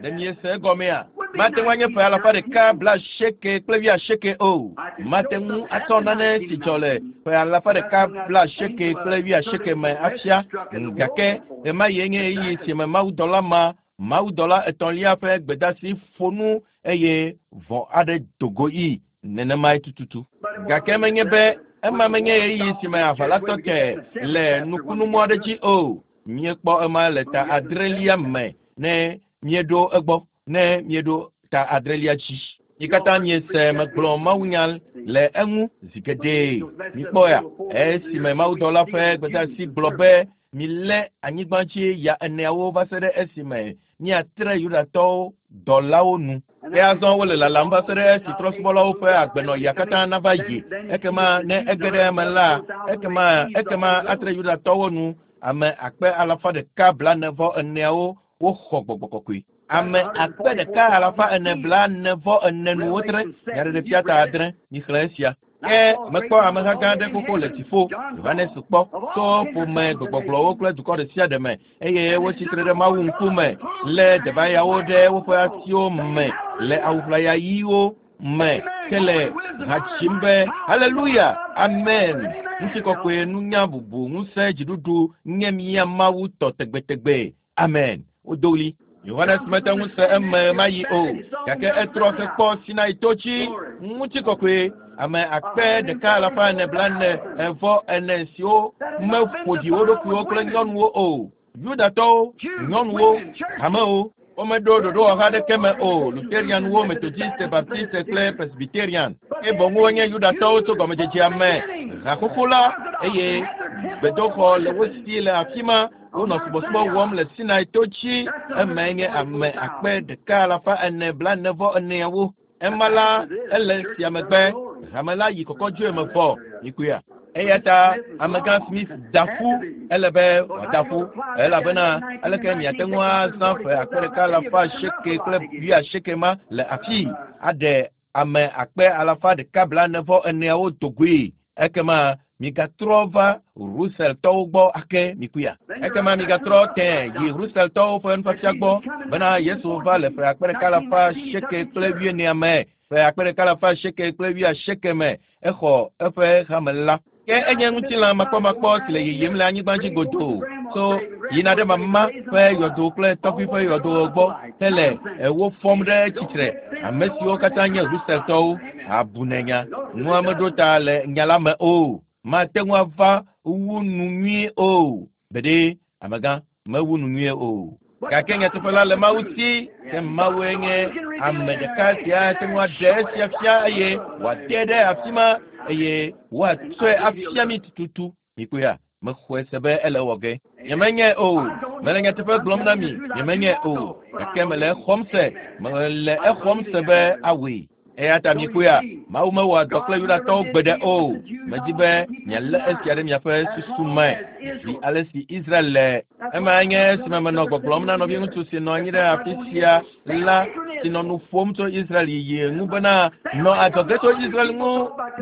Ɖe miese egɔmea? Mate ŋu anye ƒe alafa ɖeka blaasieke kple wuiasieke o. Mate ŋu atsɔ nane si dzɔ le ƒe alafa ɖeka blaasieke kple wuiasieke me afia. Gake ɣemaɣie nye ɣeyiɣi si me mawudɔla ma mawudɔla etɔ̃lia ƒe gbedasi ƒo nu eye vɔ̃ aɖe do go yi nenemae tututu. Gake menye be ema menye ɣeyiɣi si me aʋa la tɔ te le nukunumɔ aɖe dzi o. Míekpɔ ema le ta adrelia me ne míeɖo egbɔ ne míeɖo ta adrelia dzi. Mi katã miese megblɔ mawunya le eŋu zi geɖe. Mikpɔa esime mawudɔla ƒe gbedasi gblɔ be milé anyigba dzi ya eneawo va se ɖe esime míatre Yudatɔwo dɔlawo nu. Ke azɔ wole lalam va se ɖe esi trɔ̃subɔlawo ƒe agbenɔɣia katã nava yi. Ekema ne ege ɖe eme la, ekema ekema atre Yudatɔwo nu ame akpe alafa ɖeka blaene vɔ eneawo woxɔ gbɔgbɔ kɔkɔe. Ame akpe ɖeka alafa ene blaene vɔ ene nu wotre nyaɖeɖefia ta adre mixlẽ esia. Ke mekpɔ ameha gã aɖe xoxo le dziƒo. Yohanes kpɔ tso ƒome gbegbɔgblɔwo kple dukɔ ɖe sia ɖe me eye wotsi tre ɖe Mawu ŋkume lé debayawo ɖe woƒe asiwo me le awu ʋlaya ɣiwo me ke le ha dzim be haleluya amen. Ŋutikɔkɔe nunya bubu ŋusẽ dziɖuɖu nye mía Mawu tɔ tegbetegbe amen. Wodo ɣli. Yohanes mete ŋu se eme mayi o gake etrɔ hekpɔ Sinai to dzi ŋutikɔkɔe ame akpe ɖeka alafa ene blaene evɔ ene siwo meƒo ɖi wo ɖokuiwo kple nyɔnuwo o. Yudatɔwo, nyɔnuwo, hamewo womeɖo ɖoɖowɔha aɖeke me o. Lutherianwo, Methodiste, Baptiste kple Presbyterian. Ke boŋ wonye Yudatɔwo tso gɔmedzedzea me. Haxoxo la eye gbedoxɔ le wo si le afi ma. Wonɔ subɔsubɔ wɔm le Sinai to dzi. Emae nye ame akpe ɖeka alafa ene blaene vɔ eneawo. Ema la ele sia megbe. Hame la yi kɔkɔdzoe me vɔ. Mikpɔea? Eya ta amegã Smith da ƒu ele be wòada ƒu elabena aleke miate ŋu azã ƒe akpe ɖeka alafa asieke kple wuiasieke ma le afii aɖe ame akpe alafa ɖeka blaene vɔ eneawo do goe. Ekema migatrɔ va Russelltɔwo gbɔ ake mikpɔea? Ekema migatrɔ tẽ yi Russelltɔwo ƒe nufiafia gbɔ bena Yesu va le ƒe akpe ɖeka alafa asieke kple wuienea me ƒe akpe ɖeka alafa asieke kple wuiasieke me exɔ eƒe hame la. Ke enye ŋutilã makpɔmakpɔ si le yiyim le anyigba dzi godoo so yina ɖe mama ƒe yɔdo kple tɔgbui ƒe yɔdowo gbɔ hele wo fɔm ɖe tsitre. Ame siwo katã nye Russelltɔwo abunenya nua meɖo ta le nya la me o. Mate ŋu ava wu nu nyuie o. Gbeɖe amegã mewu nu nyuie o. Gake nyateƒe la le Mawu si ke Mawue nye ame ɖeka si ate ŋu aɖe esia fia eye wòate ɖe afi ma eye wòatsɔe afia mi tututu. Mikpɔea? Mexɔe se be ele wɔ ge. Nyemenye o. Mele nyateƒe gblɔm na mi. Nyemenye o. Gake mele exɔm se. Mele exɔm se be awɔe. Eya ta mikpɔea, Mawu mewɔa dɔ kple Yudatɔwo gbeɖe o. Medi be mialé esia ɖe miaƒe susu me zi ale si Israel le. Ema nye esime menɔ gbɔgblɔm na nɔviŋutsu si nɔ anyi ɖe afi sia la si nɔ nu ƒom tso Israel yiyi ŋu bena nɔ adzɔge tso Israel ŋu,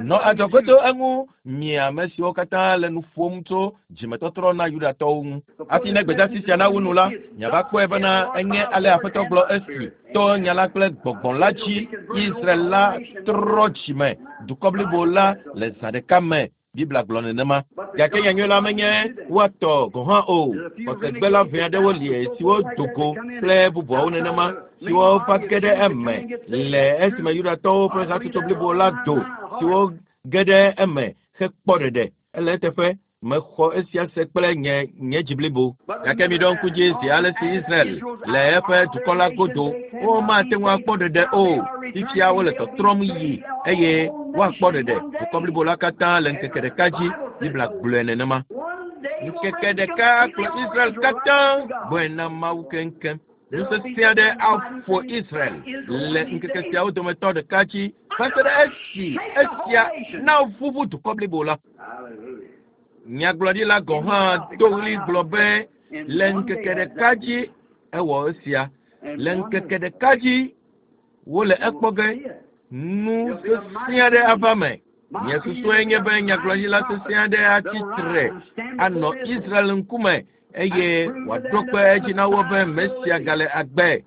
nɔ adzɔge tso eŋu, mi ame siwo katã le nu ƒom tso dzimetɔtrɔ na Yudatɔwo ŋu. Hafi ne gbedeasi sia nawu nu la, miava kpɔe bena enye ale Aƒetɔ gblɔ esi to nya la kple gbɔgbɔ la dzi Israel la trɔ dzime dukɔ blibo la le zã ɖeka me. Biblia gblɔ nenema. Gake nyanyui la menye woatɔ gɔ̃ hã o. Xɔsegbela ʋɛ aɖewo li siwo do go kple bubuawo nenema siwo va ge ɖe eme le esime Yudatɔwo ƒe hatsotso blibo la do siwo ge ɖe eme hekpɔ ɖeɖe. Ele eteƒe mexɔ esia se kple nye nye dzi blibo. Gake miɖo ŋku dzi zi ale si Israel le eƒe dukɔ la godo womate ŋu akpɔ ɖeɖe o. Fifia wole tɔtrɔm yi eye woakpɔ ɖeɖe. Dukɔ blibo la katã le ŋkeke ɖeka dzi. Biblia gblɔe nenema. Ŋkeke ɖeka akplɔ Israel katã gbɔe na Mawu keŋkeŋ. Nu sesẽ aɖe aƒo Israel le ŋkeke siawo dometɔ ɖeka dzi va se ɖe esi esia naʋuʋu dukɔ blibo la. Nyagblɔɖila gɔ̃ hã do ɣli gblɔ be le ŋkeke ɖeka dzi ewɔ esia. Le ŋkeke ɖeka dzi wole ekpɔ ge nu sesẽ aɖe ava me. Nye susue nye be nyagblɔɖila sesẽ aɖe atsi tre anɔ Israel ŋkume eye wòaɖo kpe edzi na wo be Mesia gale agbe.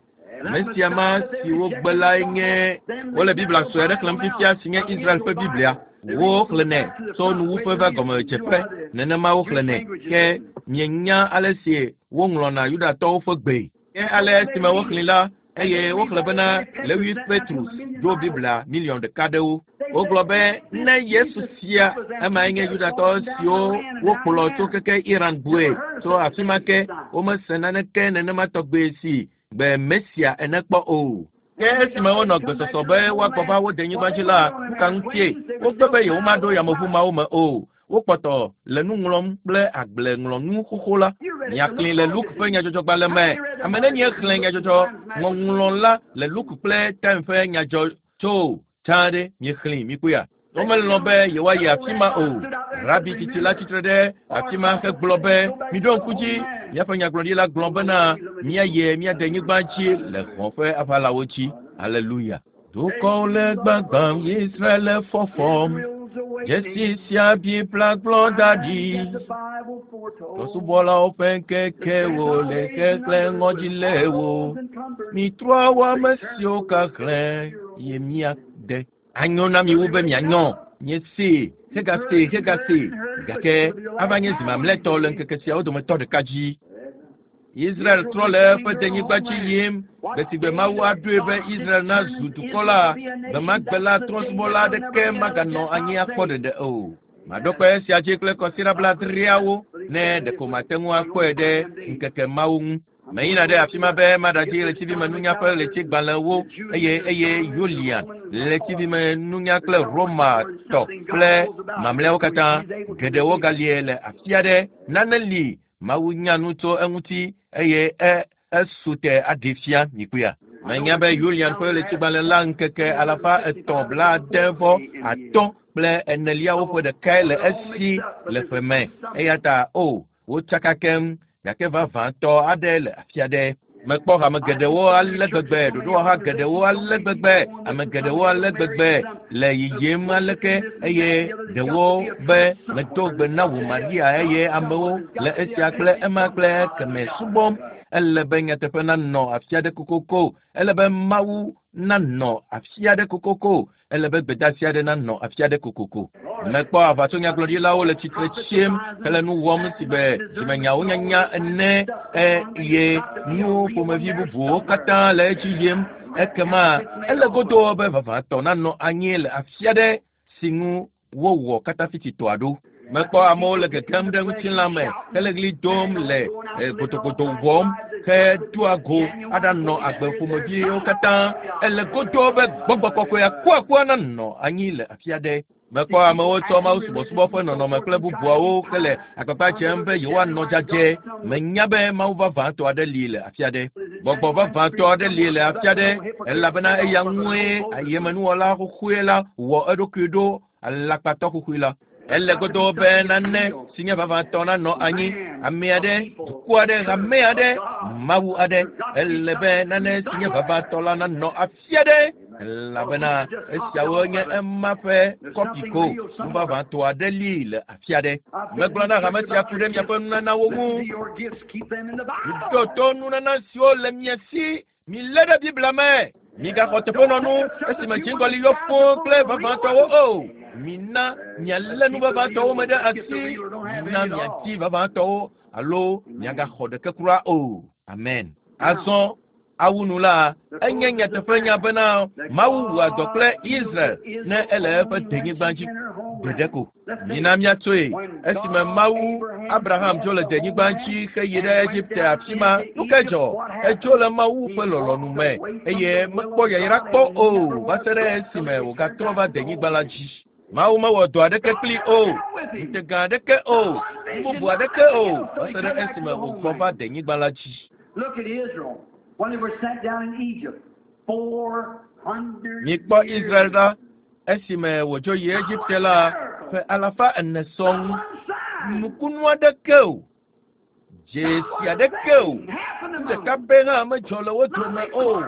Mesia ma si wogbe lae nye wole Biblia sue aɖe xlẽm fifia si nye Israel ƒe Biblia. Woxlẽnɛ tso nuwuƒe va gɔmedzeƒe nenema woxlẽnɛ ke mienya ale si woŋlɔna Yudatɔwo ƒe gbe. Ke ale esime woxlẽ la eye woxlẽ bena Lewi Petrus ɖo Biblia miliɔn ɖeka ɖewo. Wogblɔ be ne Yesu sia emae nye Yudatɔ siwo wokplɔ tso keke Iran gbɔe tso afi ma ke womese naneke nenema tɔgbe si gbe Mesia ene kpɔ o. Ke esime wonɔ gbesɔsɔ be woagbɔ va wo denyigba dzi la, nu ka ŋutie wogbe be yewomaɖo yameʋu mawo me o. Wokpɔtɔ le nu ŋlɔm kple agbleŋlɔnu xoxo la. Miaxlẽe le Luke ƒe nyadzɔdzɔgbalẽ me. Ame nenie xlẽ nyadzɔdzɔ ŋɔŋlɔ la le Luke kple Time ƒe nyadzɔ tso tsã ɖe miexlẽe mikpɔea? Womelɔ̃ be yewoayi afi ma o. Rabi tsitsi la tsitre ɖe afi ma hegblɔ be miɖo ŋku dzi míaƒe nyagblɔɖila gblɔ bena míayi mía denyigba dzi le hɔ̃ ƒe aʋalawo dzi. Aleluya. Dukɔwo le gbagbam, Israel le fɔfɔm. Dzesi sia Biblia gblɔ da ɖi. Trɔ̃subɔlawo ƒe ŋkekewo le xexlẽ ŋɔdzi lé wo. Mitrɔ awɔ ame siwo kaxlẽ ye míade. Anyo na mi wu be mianyɔ. Miesee, hegasee, hegasee. Gake ava nye zi mamlɛtɔ le ŋkeke siawo dometɔ ɖeka dzi. Israel trɔ le eƒe denyigba dzi yim. Gbe si gbe Mawu aɖoe be Israel nazu dukɔ la, gbe ma gbe la trɔ̃subɔla aɖeke maganɔ anyi akpɔ ɖeɖe o. Maɖo kpe esia dzi kple kɔsiɖa blaadreawo ne ɖeko mate ŋu akpɔe ɖe ŋkeke mawo ŋu. Meyina ɖe afi ma be maɖadzi ɣletivimenunya ƒe ɣletigbalẽwo eye eye Yulian ɣletivimenunya kple Roma tɔ kple mamlɛawo katã. Geɖewo galie le afi aɖe. Nane li Mawu nya nu tso eŋuti eye e esu te aɖee fia mikpɔea. Menya be Yulian ƒe ɣletigbalẽ la ŋkeke alafa etɔ̃ blaade vɔ atɔ̃ kple eneliawo ƒe ɖekae le esi le ƒe me. Eya ta o wotsaka keŋ gake vavãtɔ aɖe le afi aɖe. Mekpɔ hame geɖewo ale gbegbe, ɖoɖowɔha geɖewo ale gbegbe, ame geɖewo ale gbegbe le yiyim aleke eye ɖewo be medo gbe na wò Maria eye amewo le esia kple ema kple ekeme subɔm. Ele be nyateƒe nanɔ afi aɖe kokoko. Ele be Mawu nanɔ afi aɖe kokoko. Ele be gbedeasi aɖe nanɔ afi aɖe kokoko. Mekpɔ aʋatsonyagblɔɖilawo le tsitre tsim hele nu wɔm si be dzimenyawo nyanya ene eye nu ƒomevi bubuwo katã le edzi yim. Ekema ele godoo be vavãtɔ nanɔ anyi le afi aɖe si ŋu wowɔ katafititɔa ɖo. Mekpɔ amewo le gegem ɖe ŋutilã me hele ɣli dom le godogodo wɔm hedoa go aɖanɔ agbe ƒomeviwo katã. Ele godoo be gbɔgbɔ kɔkɔe akuakua nanɔ anyi le afi aɖe. Mekpɔ amewo tsɔ Mawu subɔsubɔ ƒe nɔnɔme kple bubuawo hele agbagba dzem be yewoanɔ dzadzɛ. Menya be Mawu vavãtɔ aɖe li le afi aɖe. Gbɔgbɔ vavãtɔ aɖe li le afi aɖe elabena eya ŋue ayemenuwɔla xoxoe la wɔ eɖokui ɖo alakpatɔ xoxoe la. Ele godoo be nane si nye vavãtɔ nanɔ anyi. Ame aɖe, dukɔ aɖe, hame aɖe, Mawu aɖe. Ele be nane si nye vavãtɔ la nanɔ afi aɖe. Elabena esiawo nye ema ƒe kɔpi ko. Nu vavãtɔ aɖe li le afi aɖe. Megblɔ na hame sia ku ɖe miaƒe nunanawo ŋu. Miɖo to nunana siwo le mia si. Milé ɖe Biblia me. Migaxɔ teƒenɔnu esime dziŋgɔli yɔ fũu kple vavãtɔwo o. Mina mialé nu vavãtɔwo me ɖe asi. Mina miadi vavãtɔwo alo miagaxɔ ɖeke kura o. Amen. Azɔ awu nu la, enye nyateƒenya bena Mawu wɔa dɔ kple Israel ne ele eƒe denyigba dzi ɖeɖe ko. Mina míatsoe esime Mawu Abraham dzo le denyigba dzi heyi ɖe Egipte afi ma. Nu ke dzɔ? Edzo le Mawu ƒe lɔlɔ̃nu me eye mekpɔ yayra kpɔ o va se ɖe esime wògatrɔ va denyigba la dzi. Mawu mewɔ dɔ aɖeke kpli o, ŋutega aɖeke o, nu bubu aɖeke o va se ɖe esime wògbɔ va denyigba la dzi. Look at Israel when they were sent down in Egypt. Four hundred Mikpɔ Israel ɖa esime wòdzo yi Egipte la ƒe alafa ene sɔŋ. Nukunu aɖeke o, dzesi aɖeke o, nu ɖeka pɛ hã medzɔ le wo dome o.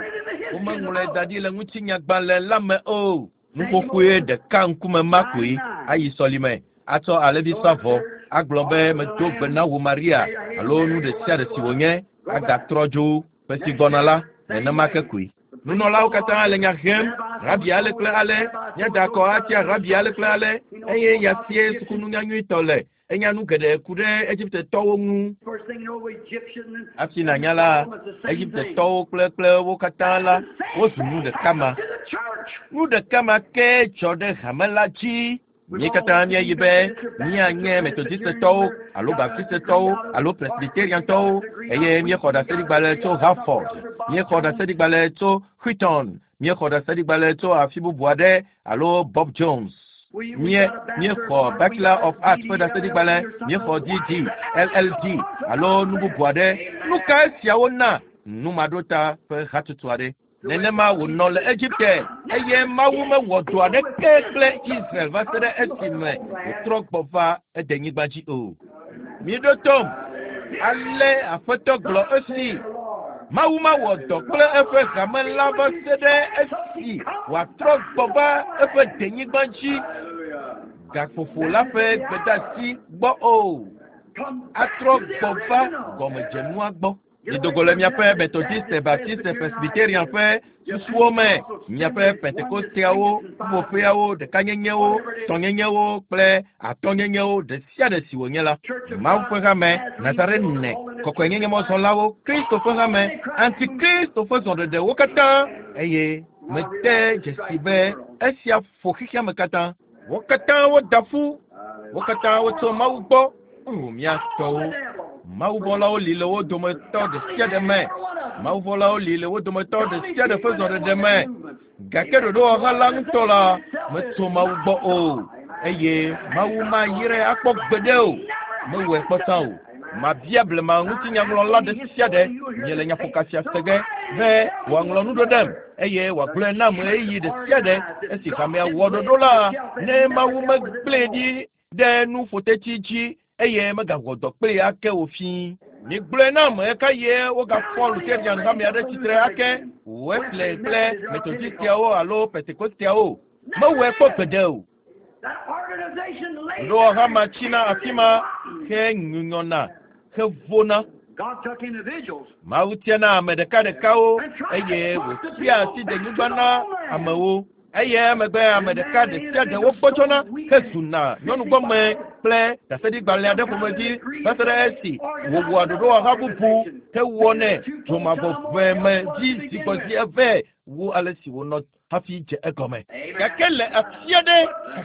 Womeŋlɔe da ɖi le ŋutinyagbalẽ la me o. Nuƒoƒoe ɖeka ŋkume ma koe ayi sɔlime atsɔ alẽvi sa vɔ agblɔ be medo gbe na wò Maria alo nu ɖe sia ɖe si wònye agatrɔ dzo ƒe si gbɔna la nenema ke koe. Nunɔlawo katã le nya hem rabi ale kple ale míada akɔ atia rabi ale kple ale eye yasie sukununya nyuitɔ le enya nu geɖe ku ɖe Egiptetɔwo ŋu. First thing you know, Egyptian and Hafi nànya la, Egiptetɔwo kple kple wo katã la wozu nu ɖeka ma. to the church. Nu ɖeka ma ke dzɔ ɖe hame la dzi. Mí katã míayi be míanye Metodistetɔwo alo Baptistetɔwo alo Presbyteriantɔwo eye míexɔ ɖaseɖigbalẽ tso Hartford, míexɔ ɖaseɖigbalẽ tso Wheaton, míexɔ ɖaseɖigbalẽ tso afi bubu aɖe alo Bob Jones. Mie míexɔ Bachelor of Arts ƒe ɖaseɖigbalẽ, míexɔ DD, LLD alo nu bubu aɖe. Nu ka esiawo na? Numaɖota ƒe hatsotso aɖe. Nenema wònɔ le Egipte eye Mawu mewɔ dɔ aɖeke kple Israel va se ɖe esime wòtrɔ gbɔ va edenyigba dzi o. Miɖo tom. Ale Aƒetɔ gblɔ esi. Mawu mawɔ dɔ kple eƒe hame la va se ɖe esi wòatrɔ gbɔ va eƒe denyigba dzi gaƒoƒo la ƒe gbedeasi gbɔ o. Atrɔ gbɔ va gɔmedzenua gbɔ. Midogo le miaƒe Methodiste, Baptiste, Presbyterian ƒe susuwo me, miaƒe Pentekosteawo, ƒuƒoƒeawo, ɖekanyenyewo, tɔnyenyewo kple atɔnyenyewo ɖe sia ɖe si wònye la. Mawu ƒe hame, Nazarene, kɔkɔenyenyemɔzɔlawo, Kristo ƒe hame, antikristo ƒe zɔɖeɖewo katã eye mede dzesi be esia ƒo xexea me katã. Wo katã woda ƒu, wo katã wotso Mawu gbɔ. O mía tɔwo. Mawuvɔlawo li le wo dometɔ ɖe sia ɖe me. Mawuvɔlawo li le wo dometɔ ɖe sia ɖe ƒe zɔɖeɖe me. Gake ɖoɖowɔha la ŋutɔ la metso Mawu gbɔ o eye Mawu mayrae akpɔ gbeɖe o. Mewɔe kpɔ tsã o. Mabia blema ŋutinyaŋlɔla ɖe sia ɖe miele nyaƒoka sia se ge be wòaŋlɔ nu ɖo ɖem eye wòagblɔe nam ɣeyiɣi ɖe sia ɖe esi hamea wɔ ɖoɖo la ne Mawu megblẽe ɖi ɖe nuƒotetsi dzi eye megawɔ dɔ kplii ake o fii. Migblɔe nam ɣeka ye wogafɔ Lutheran hamea ɖe tsitre ake Wesley kple Methodistiawo alo Pentekosteawo. Mewɔe kpɔ gbeɖe o. That organization laid Ɖoɖowɔha ma tsina afi ma henyunyɔna hevona. God took individuals Mawu tiana ame ɖekaɖekawo eye wòtia asi denyigba na amewo. Eye emegbe ame ɖeka ɖe sia ɖe wogbɔdzɔna hezuna nyɔnugbɔme kple ɖaseɖigbalẽ aɖe ƒomevi va se ɖe esi wòwɔa ɖoɖowɔha bubu hewɔnɛ dzomavɔʋe me dzi zi gbɔ zi eve wu ale si wònɔ hafi dze egɔme. Gake le afi aɖe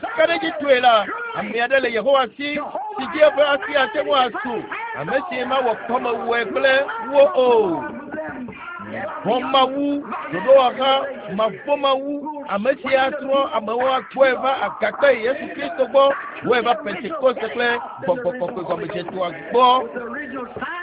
kakaɖedzitɔe la, ame aɖe le Yehowa si si dzi eƒe asi ate ŋu asu, ame si mawɔ kɔmewɔe kple wo o. Vɔ̃ Mawu, ɖoɖowɔha mavɔ̃mawu Ame sia trɔ amewo akpɔe va agakpe Yesu Kristo gbɔ, wɔe va Pentekoste kple gbɔgbɔ kɔkɔe gɔmedzetoa gbɔ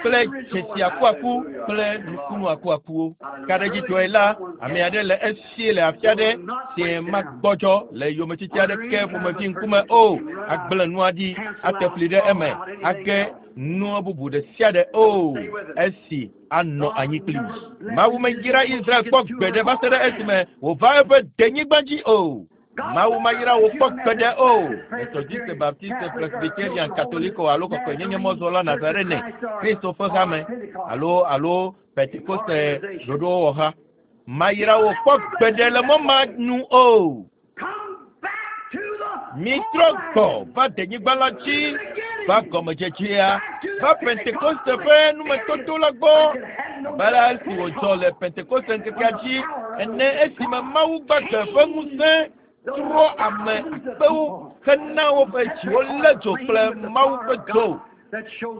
kple dzesi akuaku kple nukunu akuakuwo. Kaɖedzitɔe la, ame aɖe le esi le afi aɖe si magbɔdzɔ le yometiti aɖeke ƒomevi ŋkume o. Agblẽ nua ɖi, ate fli ɖe eme, age nua bubu ɖe sia ɖe o. Esi anɔ anyi kpli. Mawu meyra Israel kpɔ gbeɖe va se ɖe esime wòva eƒe denyigba dzi o. Mawu mayra wò kpɔ gbeɖe o. Methodiste, Baptiste, Presbyterian, Katoliko alo kɔkɔenyenye mɔzɔla Nazarene, Kristo ƒe hame alo alo Pentekoste ɖoɖowɔha. Mayra wò kpɔ gbeɖe le mɔ ma nu o. Mitrɔ gbɔ va denyigba la dzi, va gɔmedzedzea, va Pentekoste ƒe numetoto la gbɔ. Abe ale si wòdzɔ le Pentekoste ŋkekea dzi ene esime Mawu gbagbe ƒe ŋusẽ trɔ ame akpewo hena woƒe dziwo lé dzo kple Mawu ƒe dzo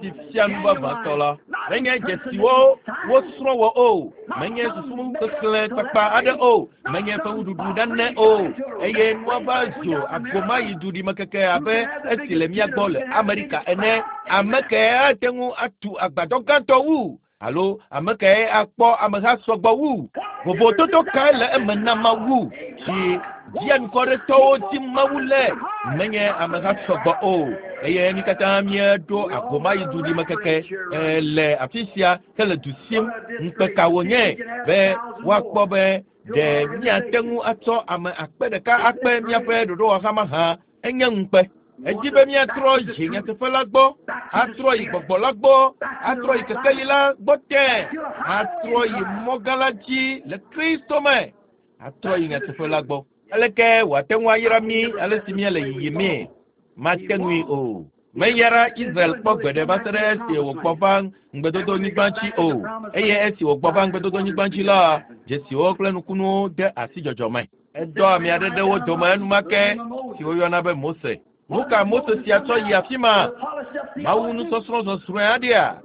si fia nu vavãtɔ la. Menye dzesiwo wosrɔ̃ wɔ o, menye susu xexlẽ kpakpa aɖe o, menye fewuɖuɖu nane o, eye nua va zu agomayi duɖimekeke abe esi le mía gbɔ le Amerika ene. Ame kae ate ŋu atu agbadɔ gãtɔ wu? Alo ame kae akpɔ ameha sɔgbɔ wu? Vovototo kae le eme na Mawu si dzianukɔɖetɔwo dim Mawu le? Menye ameha sɔgbɔ o. Eye mi katã míeɖo agomayi duɖimekeke le afi sia hele du sim. Ŋukpe ka wònye be woakpɔ be ɖe míate ŋu atsɔ ame akpe ɖeka akpe míaƒe ɖoɖowɔha mahã? Enye ŋukpe. Edzi be míatrɔ yi nyateƒe la gbɔ, atrɔ yi gbɔgbɔ la gbɔ, atrɔ yi kekeli la gbɔ tẽ, atrɔ yi mɔgã la dzi le Kristo me, atrɔ yi nyateƒe la gbɔ. Aleke wòate ŋu ayra mí ale si míele yiyimee? Mate ŋui o. Meyra Israel kpɔ gbeɖe va se ɖe esi wògbɔ va ŋugbedodonyigba dzi o. Eye esi wògbɔ va ŋugbedodonyigba dzi la, dzesiwo kple nukunuwo de asi dzɔdzɔ me. Edɔ ame aɖe ɖe wo dome enumake si woyɔna be Mose. Nu ka Mose sia tsɔ yi afi ma? Mawu nusɔsrɔ̃ zɔzrɔ̃e aɖea?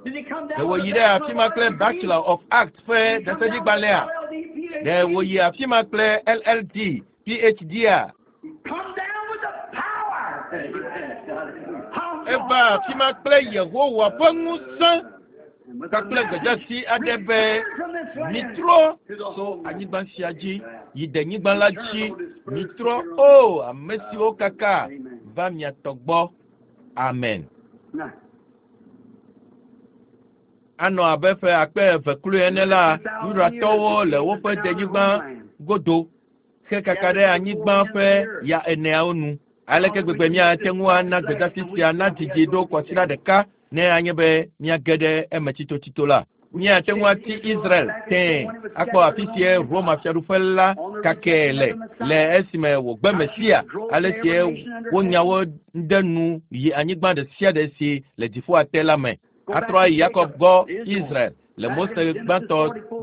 Ɖe wòyi ɖe afi ma kple Bachelor of Arts ƒe ɖaseɖigbalẽa? Ɖe wòyi afi ma kple L L D, P H D-a? Eva afi ma kple Yehowa ƒe ŋusẽ kpakple gbedeasi aɖe be mitrɔ tso anyigba sia dzi yi denyigba la dzi. Mitrɔ o ame siwo kaka va mia tɔ gbɔ. Amen. Anɔ abe ƒe akpe eve kloe ene la, Yudatɔwo le woƒe denyigba godo hekaka ɖe anyigba ƒe ya eneawo nu. Aleke gbegbe míate ŋu ana gbedeasi sia nadidi ɖo kɔsiɖa ɖeka ne anye be míage ɖe eme tsitotsito la? Míate ŋu ati Israel tẽe akpɔ afi sie Roma fiaɖuƒe la kakɛ le le esime wògbe Mesia, ale sie wonya wo ɖe nu yi anyigba ɖe sia ɖe si le dziƒoa te la me. Atrɔ ayi Yakob gbɔ Israel le Mose gbãtɔ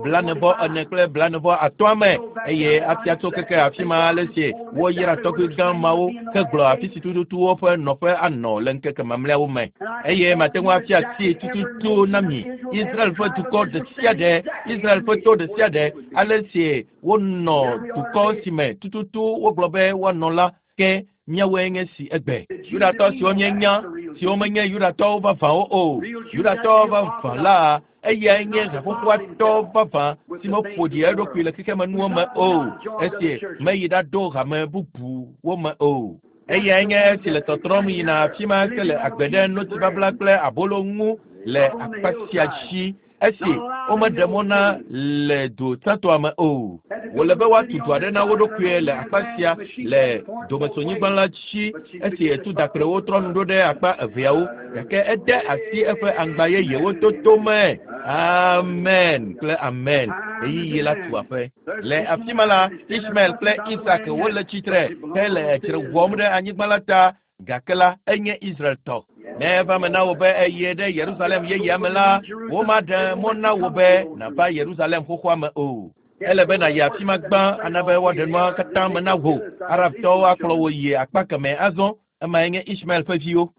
blanevɔ ene kple blanevɔ atɔ̃a me, eye afia tso keke afi ma ale si woyra tɔgbi gã mawo hegblɔ afi si tututu woƒe nɔƒe anɔ le ŋkeke mamlɛawo me. Eye mate ŋu afia asi tututu na mi Israel ƒe dukɔ ɖe sia ɖe, Israel ƒe to ɖe sia ɖe, ale si wonɔ dukɔ si me tututu wogblɔ be woanɔ la, ke míawoe nye si egbe. Yudatɔ siwo míenya, siwo menye Yudatɔwo vavãwo o. Yudatɔ vavã la, eyae nye haƒoƒoatɔ vavã si meƒo ɖi eɖokui le xexemenuwo me o, esi meyi ɖaɖo hame bubuwo me o. Eyae nye esi le tɔtrɔm yina afi ma ke le agbe ɖe notibabla kple abolo ŋu le akpa sia dzi, esi womeɖe mɔ na le du tsãtɔa me o. Wòle be woatu du aɖe na wo ɖokuie le akpa sia le domesonyigba la dzi, esi etu dakprewo trɔ nu ɖo ɖe akpa eveawo, gake ede asi eƒe aŋgba yeyewo toto me. Amen kple amen. Ɣeyiɣi la tu aƒe. Le afi ma la, Ismael kple Isak wole tsitre hele dzre wɔm ɖe anyigba la ta, gake la enye Israel tɔ. Ne eva me na wò be eye ɖe Yerusalem yeyea me la, womaɖe mɔ na wò be nàva Yerusalem xoxoa me o. Ele be nàyi afi ma gbã ana be woaɖe nua katã me na wò. Arabtɔwo akplɔ wò yi akpa kemɛ azɔ. Emae nye Ismael ƒe viwo.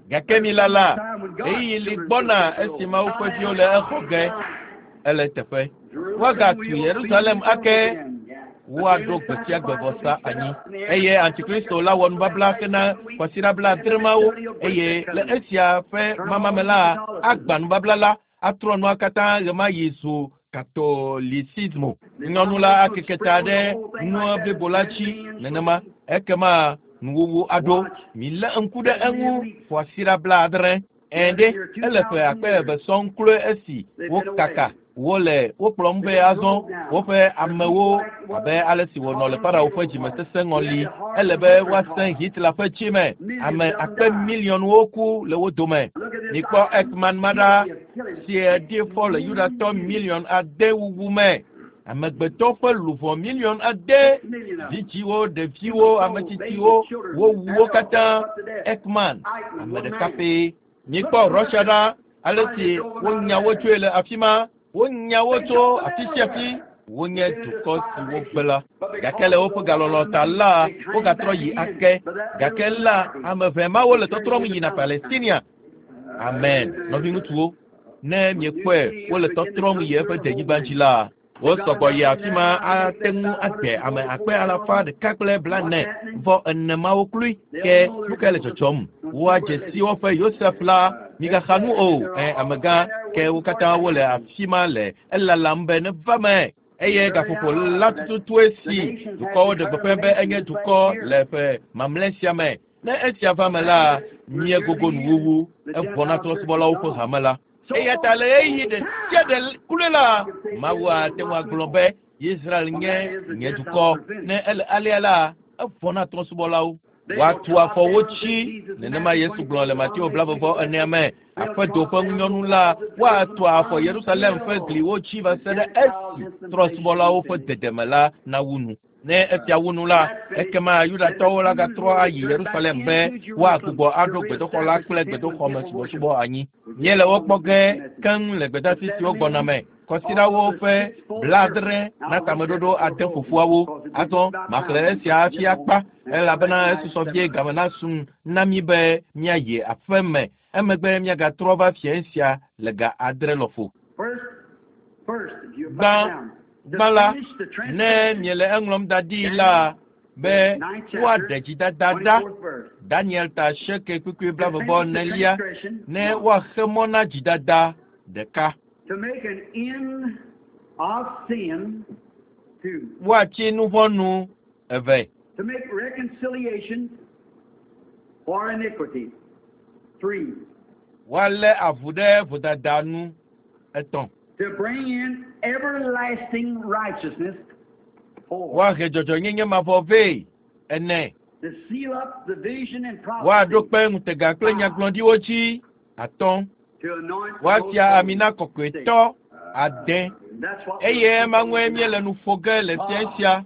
Gake mi lala, ɣeyiɣi li gbɔna esi Mawu ƒe viwo le exɔ ge. Ele teƒe. Woagatu Yerusalem ake. Woaɖo gbe sia gbe vɔsa anyi. Eye Antikristo la wɔ nubabla hena kɔsiɖa blaadre mawo eye le esia ƒe mamame la agbã nubabla la atrɔ nua katã ɣemaɣi zu katolisismo. Nyɔnu la akeke ta ɖe nua blibo la dzi nenema ekema nuwuwu aɖo. Milé ŋku ɖe eŋu kɔsiɖa blaadre. Ɛ̃ ɖe ele ƒe akpe eve sɔŋ kloe esi wokaka wole wokplɔm be azɔ woƒe amewo abe ale si wònɔ le Farao ƒe dzimesesẽ ŋɔli. Ele be woasẽ Hitler ƒe dzime. Ame akpe miliɔnwo ku le wo dome. Mikpɔ Eichmann ma ɖa si ɖi fɔ le Yudatɔ miliɔn ade wuwu me. Amegbetɔ ƒe luʋɔ miliɔn ade, vidziwo, ɖeviwo, ametsitsiwo, wowu wo katã. Eichmann, ame ɖeka pɛ. Mikpɔ Russia ɖa, ale si wonya wo tsoe le afi ma. Wonya wo tso afi sia afi. Wonye dukɔ si wogbe la. Gake le woƒe galɔlɔ ta la, wogatrɔ yi ake. Gake la, ame ʋɛ mawo le tɔtrɔm yina Palestinia. Amen. Nɔviŋutsuwo, ne miekpɔe wole tɔtrɔm yi eƒe denyigba dzi la, wosɔgbɔ yi afi ma ate ŋu agbe ame akpe alafa ɖeka kple blaene vɔ ene mawo kloe. Ke nu kae le dzɔdzɔm? Woadze si woƒe Yosef la migaxa nu o. Ɛ amegã ke wo katã wole afi ma le elalam be neva me. Eye gaƒoƒo la tututue si dukɔwo ɖe gbeƒã be enye dukɔ le ƒe mamlɛ sia me. Ne esia va me la, míegogo nuwuwu evɔ na trɔ̃subɔlawo ƒe hame la. Eya ta le ɣeyiɣi ɖe sia ɖe kloe la, Mawu ate ŋu agblɔ be Israel nye nye dukɔ. Ne ele alea la, evɔ na trɔ̃subɔlawo. Woatu afɔ wo dzi. Nenema Yesu gblɔ le Mateo blaeve enea me. Aƒedo ƒe ŋunyɔnu la, woatu afɔ Yerusalem ƒe gliwo dzi va se ɖe esi trɔ̃subɔlawo ƒe dedeme la nawu nu. Ne esia wu nu la, ekema Yudatɔwo la gatrɔ ayi Yerusalem be woagbugbɔ aɖo gbedoxɔ la kple gbedoxɔme subɔsubɔ anyi. Míele wo kpɔ ge keŋ le gbedeasi siwo gbɔna me. Kɔsiɖawo ƒe blaadre na tameɖoɖo ade fofoawo. Azɔ maxlẽ esia hafi akpa elabena esusɔ vie game nasu na mí be míayi aƒe me. Emegbe míagatrɔ va fiẽ sia le ga adre lɔƒo. Gbã gbã la, ne miele eŋlɔm da ɖi la be woaɖe dzidada ɖa. Daniel ta asieke kpukpui blaeve vɔ enelia ne woaxe mɔ na dzidada ɖeka. To make an end of sin, two. Woatsi nu vɔ̃ nu eve. To make reconciliation for iniquity, three. Woalé avu ɖe vodada nu etɔ̃. To bring in everlasting righteousness, four. Woahe dzɔdzɔnyenye mavɔ vɛ ene. To seal up the vision and Woaɖo prophecy, kpe ŋutega kple nyagblɔɖiwo dzi atɔ̃. to anoint the Woatia most ami na holy, kɔkɔetɔ ade. That's what Eye ema ŋue míele nu ƒo ge le fiẽ sia.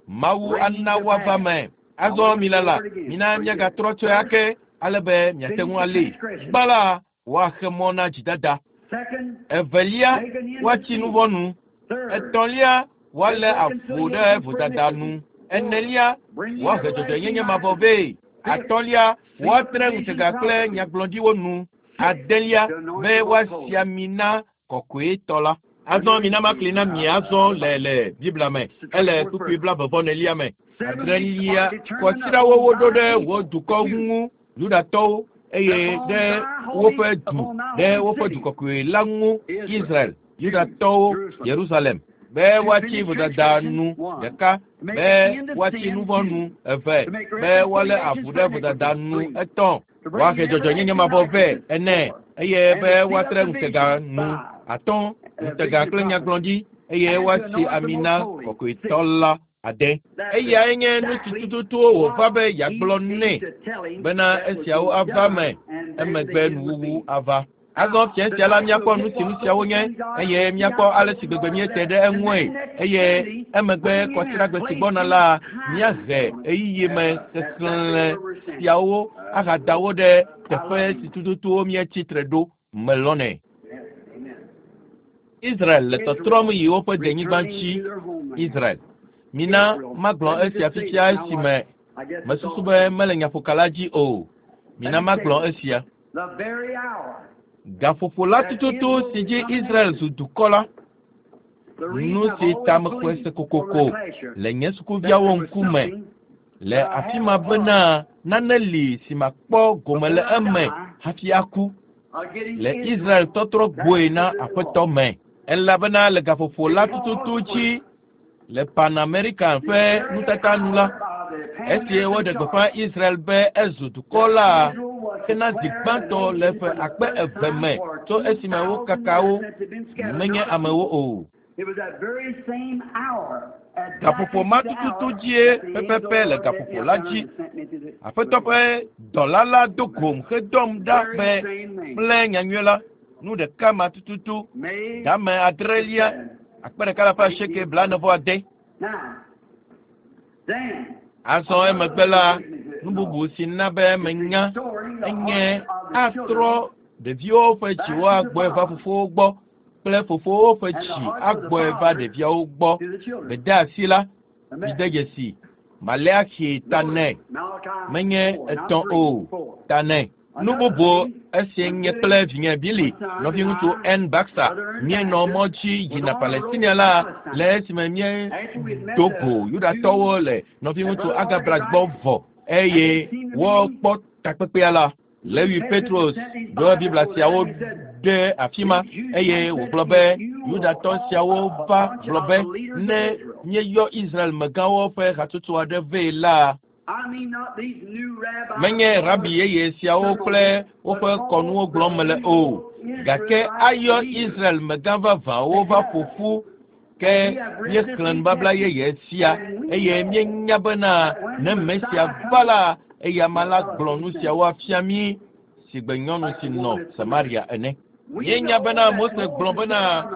Mawu ana woava me. Azɔ milala, mina míagatrɔ tsoe ake ale be miate ŋu alée. Gbã la, woaxe mɔ na dzidada. Second, Evelia, woatsi nu vɔ̃ nu. third, Etɔ̃lia, woalé avu ɖe vodada nu. Enelia, woahe dzɔdzɔenyenye mavɔ vɛ. Atɔ̃lia, woatre ŋutega kple nyagblɔɖiwo nu. Adelia, be woasi ami na kɔkɔetɔ la. Azɔ mina makli na mi azɔ le le Biblia me. Ele kpukpui blaeve vɔ enelia me. Adrelia, kɔsiɖawo woɖo ɖe wò dukɔ ŋu, Yudatɔwo, eye ɖe woƒe du, ɖe woƒe du kɔkɔe la ŋu, Israel, Yudatɔwo, Yerusalem. Be woatsi vodada nu ɖeka, be woatsi nu vɔ̃ nu eve, be woalé avu ɖe vodada nu etɔ̃, woahe dzɔdzɔenyenye mavɔ vɛ ene, eye be woatre ŋutega nu atɔ̃, ŋutega kple nyagblɔɖi, eye woasi ami na kɔkɔetɔ la ade. Eyae nye nu si tututu wòva be yeagblɔ nɛ bena esiawo ava me emegbe nuwuwu ava. Azɔ fiẽ sia la míakpɔ nu si nu siawo nye eye míakpɔ ale si gbegbe míete ɖe eŋue eye emegbe kɔsiɖagbe si gbɔna la míahe ɣeyiɣi me xexlẽ siawo ahada wo ɖe teƒe si tututu míetsi tre ɖo melɔnɛ. Israel le tɔtrɔm yi woƒe denyigba dzi. Israel. Mina magblɔ esia fifia esime mesusu be mele nyaƒokala dzi o. Mina magblɔ esia. The very hour Gaƒoƒo la tututu si dzi Israel zu dukɔ la, Nu si ta mexɔe se kokoko le nye sukuviawo ŋkume le afi ma bena nane li si makpɔ gome le eme hafi aku le Israel tɔtrɔ gbɔe na aƒetɔ me. Elabena le gaƒoƒo la tututu dzi le Pan American ƒe nutata nu la, esi woɖe gbeƒã Israel be ezu dukɔ la hena zi gbãtɔ le ƒe akpe eve me tso esime wokaka wo menye amewo o. Gaƒoƒo ma tututu dzie pɛpɛpɛ le gaƒoƒo la dzi. Aƒetɔ ƒe dɔla la do gom hedɔm ɖa be kple nyanyui la nu ɖeka ma tututu game adrelia akpe ɖeka le ƒe asieke blaene vɔ ade. Azɔ emegbe la nu bubu si na be menya enye atrɔ ɖeviwo ƒe dziwo agbɔe va fofowo gbɔ kple fofowo ƒe dzi agbɔe va ɖeviawo gbɔ. Gbedeasi la mide dzesi Maleaxi ta nɛ menye etɔ̃ o ta nɛ. Nu bubu esie nye kple vinye Billy nɔviŋutsu N Baxter míenɔ mɔ dzi yina Palestinia la le esime míedo go Yudatɔwo le nɔviŋutsu Agabra gbɔ vɔ eye wokpɔ takpekpea la. Lewi Petros ɖo Biblia siawo ɖe afi ma eye wògblɔ be Yudatɔ siawo va gblɔ be ne míeyɔ Israel megãwo ƒe hatsotso aɖe vɛ la, menye rabi yeye siawo kple woƒe kɔnuwo gblɔm mele o, gake ayɔ Israel megã vavãwo va ƒo ƒu ke míexlẽ nubabla yeye sia eye míenya bena ne Mesia va la, eya ma la gblɔ nu siawo afia mí si gbe nyɔnu si nɔ Samaria ene. Míenya bena Mose gblɔ bena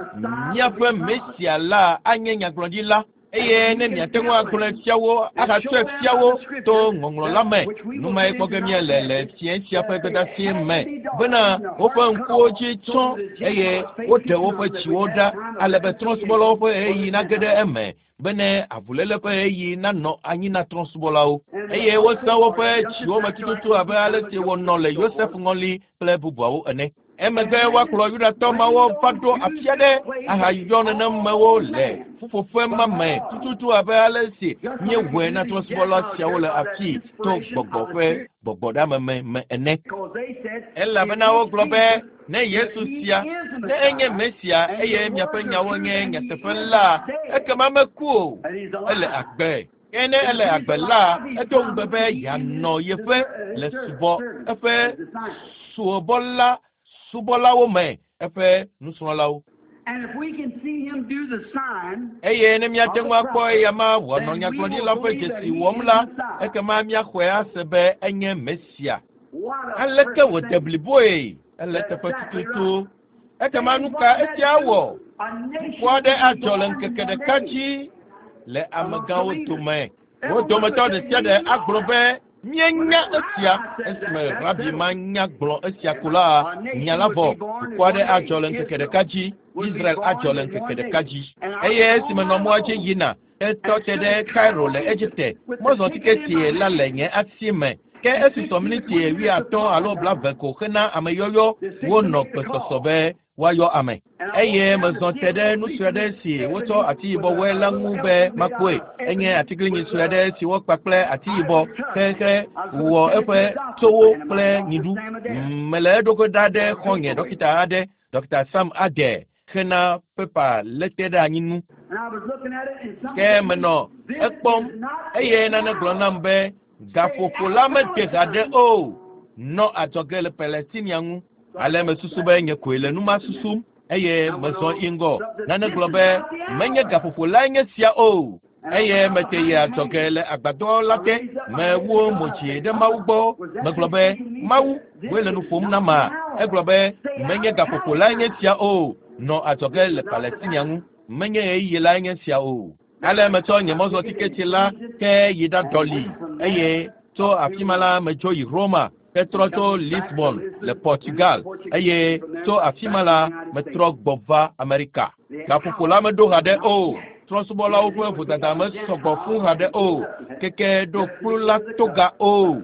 míaƒe Mesia la anye nyagblɔɖila eye ne miate ŋu agblɔe fia wo ahatsɔe fia wo to ŋɔŋlɔ la me. Nu mae kpɔ ge míele le fiẽ sia ƒe gbedeasi me bena woƒe ŋkuwo dzi tsɔ eye woɖe woƒe dziwo ɖa ale be trɔ̃subɔlawo ƒe ɣeyiɣi nage ɖe eme bene avuléle ƒe ɣeyiɣi nanɔ anyi na trɔ̃subɔlawo eye wosẽ woƒe dziwo me tututu abe ale si wònɔ le Yosef ŋɔli kple bubuawo ene. Emegbe woakplɔ Yudatɔ mawo va ɖo afi aɖe ahayɔ nenemewo le ƒuƒoƒe ma me tututu abe ale si míewɔe na trɔ̃subɔla siawo le afii to gbɔgbɔ ƒe gbɔgbɔɖeameme me ene. Elabena wogblɔ be ne Yesu sia ne enye Mesia eye miaƒe nyawo nye nyateƒe la, ekema meku o, ele agbe. Ke ne ele agbe la, edo ŋugbe be yeanɔ yeƒe le subɔ eƒe subɔla subɔlawo me eƒe nusrɔ̃lawo. Eye ne míate ŋu akpɔ eya ma wòanɔ nyagblɔɖila ƒe dzesi wɔm la, ekema míaxɔe ase be enye Mesia. Aleke wòde bliboe? Ele teƒe tututu. Ekema nu ka esia wɔ? Ŋku aɖe adzɔ le ŋkeke ɖeka dzi le amegãwo dome. Wo dometɔ ɖe sia ɖe agblɔ be míenya esia esime rabi ma nya gblɔ esia ko la, nya la vɔ. Dukɔ aɖe adzɔ le ŋkeke ɖeka dzi. Israel adzɔ le ŋkeke ɖeka dzi. Eye esime nɔ mɔa dzi yina, etɔ te ɖe Cairo le Egipte. Mɔzɔ tiketi la le nye asi me. Ke esusɔ miniti wuiatɔ̃ alo blaeve ko hena ameyɔyɔ wonɔ gbesɔsɔ be woayɔ ame. Eye mezɔ te ɖe nu sue aɖe si wotsɔ ati yibɔ wɔe la ŋu be makpɔe. Enye atiglinyi sue aɖe si wokpa kple ati yibɔ xexe wɔ eƒe towo kple nyiɖu. Mele eɖokui ɖa ɖe xɔ̃nye ɖɔkita aɖe, Dɔkita Sam Adair, hena pepa lete ɖe anyi nu. Ke menɔ ekpɔm eye nane gblɔ nam be gaƒoƒo la mede haɖe o. Nɔ adzɔge le Palestinia ŋu. Ale mesusu be nye koe le nu ma susum eye mezɔ yi ŋgɔ. Nane gblɔ be menye gaƒoƒo lae nye sia o. Eye mete yi adzɔge le agbadɔ la te. Mewu mo dzi ɖe Mawu gbɔ. Megblɔ be Mawu woe le nu ƒom na ma. Egblɔ be menye gaƒoƒo lae nye sia o. Nɔ adzɔge le Palestinia ŋu. Menye ɣeyiɣi lae nye sia o. Ale metsɔ nye mɔzɔ tiketi la ke yi ɖaɖɔli eye tso afi ma la medzo yi Roma hetrɔ tso Lisbon le Portugal eye tso afi ma la metrɔ gbɔ va Amerika. Gaƒoƒo la meɖo haɖe o. Trɔ̃subɔlawo ƒe vodada mesɔgbɔ fũ haɖe o. Keke ɖo kplu la toga o.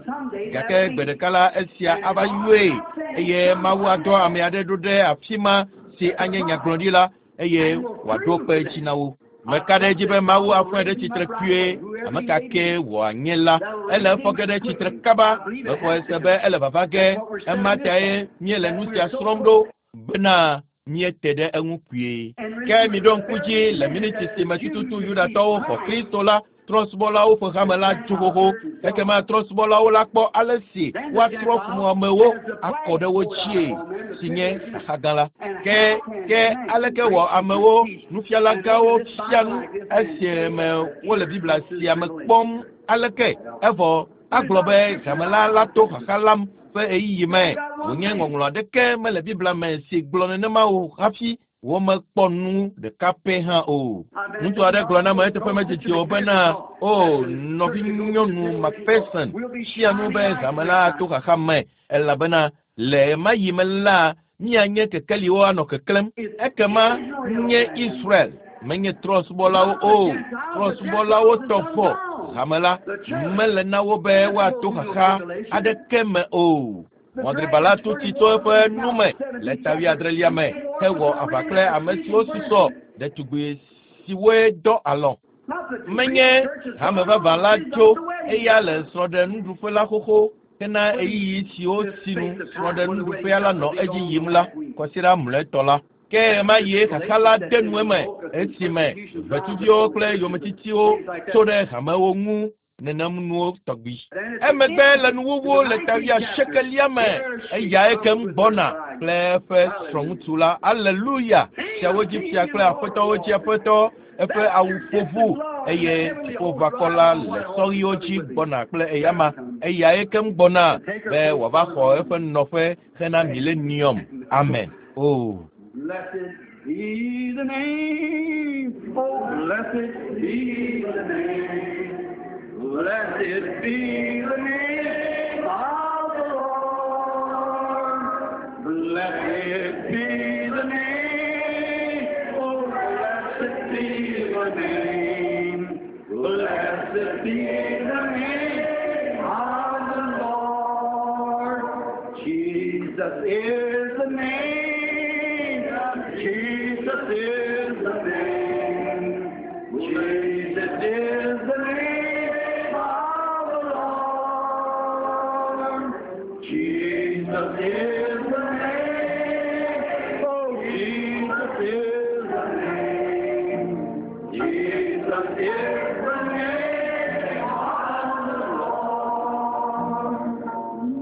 Gake gbe ɖeka la esia ava yɔe eye Mawu adɔ ame aɖe ɖo ɖe afi ma si anye nyagblɔɖila eye wòaɖo kpe edzi na wo. Meka ɖe edzi be Mawu afɔe ɖe tsitre kpuie, ame ka ke wòanye la, ele efɔ ge ɖe tsitre kaba. Mexɔe se be ele vava ge. Ema tae míele nu sia srɔ̃m ɖo bena míete ɖe eŋu kpuie. Ke miɖo ŋku dzi le miniti si me tututu Yudatɔwo xɔ Kristo la, trɔ̃subɔlawo ƒe hame la tso xoxo. Ekema trɔ̃subɔlawo la kpɔ ale si woatrɔ ƒu amewo akɔ ɖe wo dzie si nye xaxa gã la. Ke ke aleke wɔ amewo nufialagãwo fia nu esime wole Biblia sia me kpɔm aleke evɔ agblɔ be hame la la to xaxa lam ƒe ɣeyiɣi me wònye ŋɔŋlɔ aɖeke mele Biblia me si gblɔ nenema o hafi womekpɔ nu ɖeka pɛ hã o. Ŋutsu aɖe gblɔ na me eteƒe medzidzi o bena o nɔvinyɔnu Macpherson fia nu be hame la to xaxa me elabena le ɣe ma ɣi me la míanye kekeliwo anɔ keklẽm. Ekema nye Israel menye trɔ̃subɔlawo o. Trɔ̃subɔlawo tɔ vɔ hame la mele na wo be woato xaxa aɖeke me o. Mɔdribala la tu tsi tso eƒe nu me le ta wuiadrelia me hewɔ aʋa kple ame siwo susɔ ɖetugbi siwoe dɔ alɔ. Menye hame vavã la tso eya le srɔ̃ɖenuɖuƒe la xoxo hena ɣeyiɣi siwo sinu srɔ̃ɖenuɖuƒea la nɔ edzi yim la kɔsiɖa mlɔetɔ la. Ke ɣe ma ɣie xaxa la de nu eme esime ʋetsuviwo kple yometitiwo tso ɖe hamewo ŋu nenem nuwo tɔgbi. Emegbe le nuwuwu le ta wuiasiekelia me eyae kem gbɔna kple eƒe srɔ̃ŋutsu la. Aleluya! Fiawo dzi fia kple aƒetɔwo dzi aƒetɔ eƒe awu ƒoʋu eye dziƒoʋakɔ la le sɔɣiwo dzi gbɔna kple eyama. Eyae kem gbɔna be wòava xɔ eƒe nɔƒe hena milenium. Amen. O. Blessed be the name, oh, blessed be the name. Blessed be the name of the Lord. Blessed be the name, oh, blessed be the name. Blessed be the name of the Lord. Jesus is the name. Jesus is the name. Jesus is the name of the Lord. Jesus is the name. Oh, Jesus is the name. Jesus is the name of the Lord.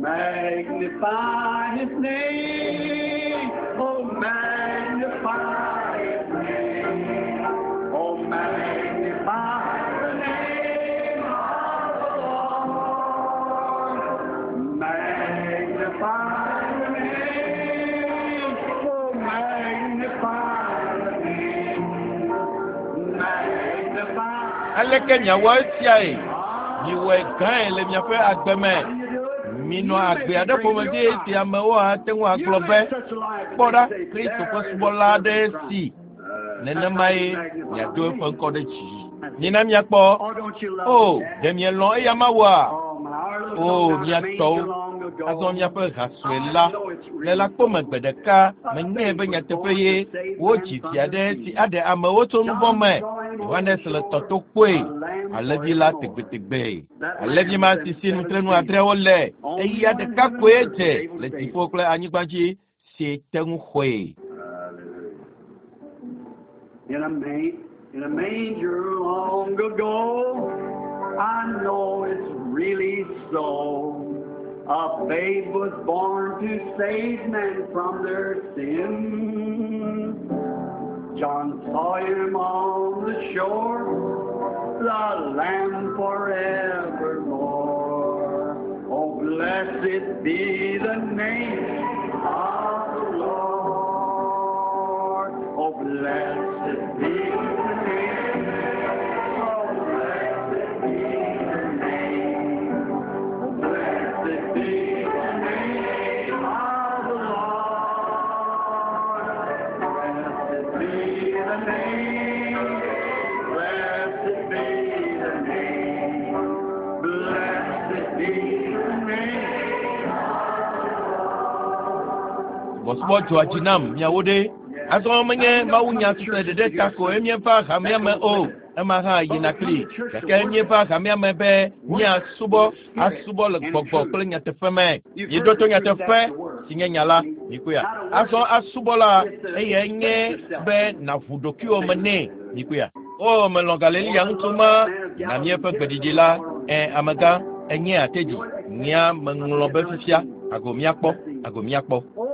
Magnify his name. Oh, magnify his name. Oh, magnify the name of the Lord. Magnify the name. Oh, magnify the name. Magnify. Aleke miawɔ esiae? Miwɔe gãe le miaƒe agbe me. Minɔ agbe aɖe ƒomevi si amewo ate ŋu agblɔ be kpɔ ɖa Kristo ƒe subɔla aɖe si nenemae miado eƒe ŋkɔ ɖe dzi. Mina miakpɔ. O, ɖe mielɔ̃ eya Mawua? O, mia tɔwo. Azɔ miaƒe ha sue la le lãkpome gbe ɖeka menyae be nyateƒe ye wodzi fia ɖe si aɖe amewo tso nu vɔ̃ me. Yohanes le tɔto kpɔe alẽvi la tegbetegbe. Alẽvi ma si si nutrenu adreawo le eya ɖeka koe dze le dziƒo kple anyigba dzi si te ŋu xɔe. In a, ma- in a manger long ago, I know it's really so. A babe was born to save men from their sins. John saw him on the shore, the Lamb forevermore. Oh, blessed be the name of the Lord. Oh, blessed be the name. Oh, blessed be the name. Oh, blessed be the name of the Lord. Blessed be the name. Blessed be the name. Blessed be the name. Subɔsubɔ dzɔa dzi nam miawo ɖe. Azɔ menye mawunya sese ɖeɖe ta koe míeva hamea me o. Ema hã yina kpli. Gake míeva hamea me be míasubɔ asubɔ le gbɔgbɔ kple nyateƒe me. Míeɖo to nyateƒe si nye nya la. Mikpɔea. Azɔ asubɔ la eyae nye be nàʋu ɖokuiwò me nɛ. Mikpɔea. O melɔ̃ Galilea ŋutsu ma na míaƒe gbeɖiɖi la. Ɛ amegã enye atedzi. Nyea meŋlɔ be fifia. Ago míakpɔ. Ago míakpɔ. Oh,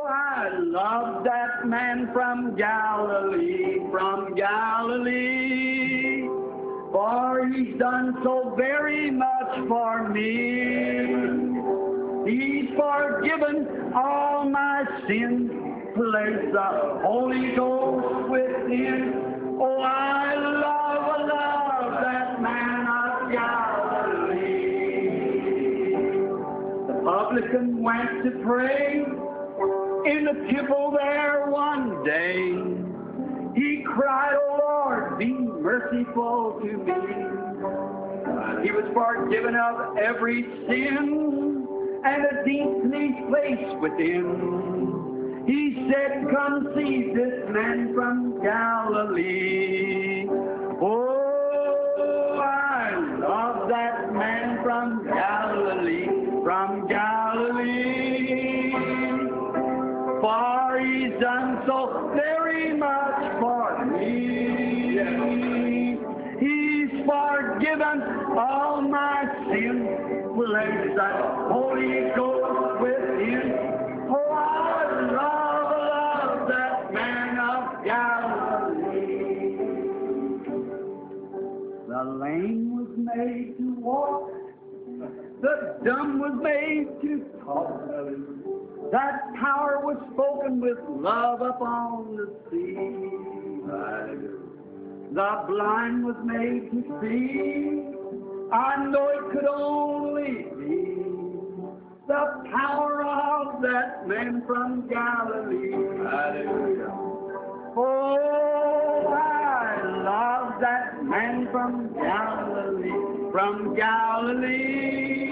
I love that man from Galilee, from Galilee. For he's done so very much for me. He's forgiven all my sins, placed the Holy Ghost within. Oh, I love, love that man of Galilee. The publican went to pray in the temple there one day. He cried, O Lord, be merciful to me. He was forgiven of every sin and a deep peace placed within. He said, Come see this man from Galilee. Oh, I love that man from Galilee, from Galilee. For he's done so very much for me. He's forgiven all my sins, placed that Holy Ghost within. Oh, I love, love that man of Galilee. The lame was made to walk, the dumb was made to talk. That power was spoken with love upon the sea. The blind was made to see. I know it could only be the power of that man from Galilee. Hallelujah. Oh, I love that man from Galilee, from Galilee.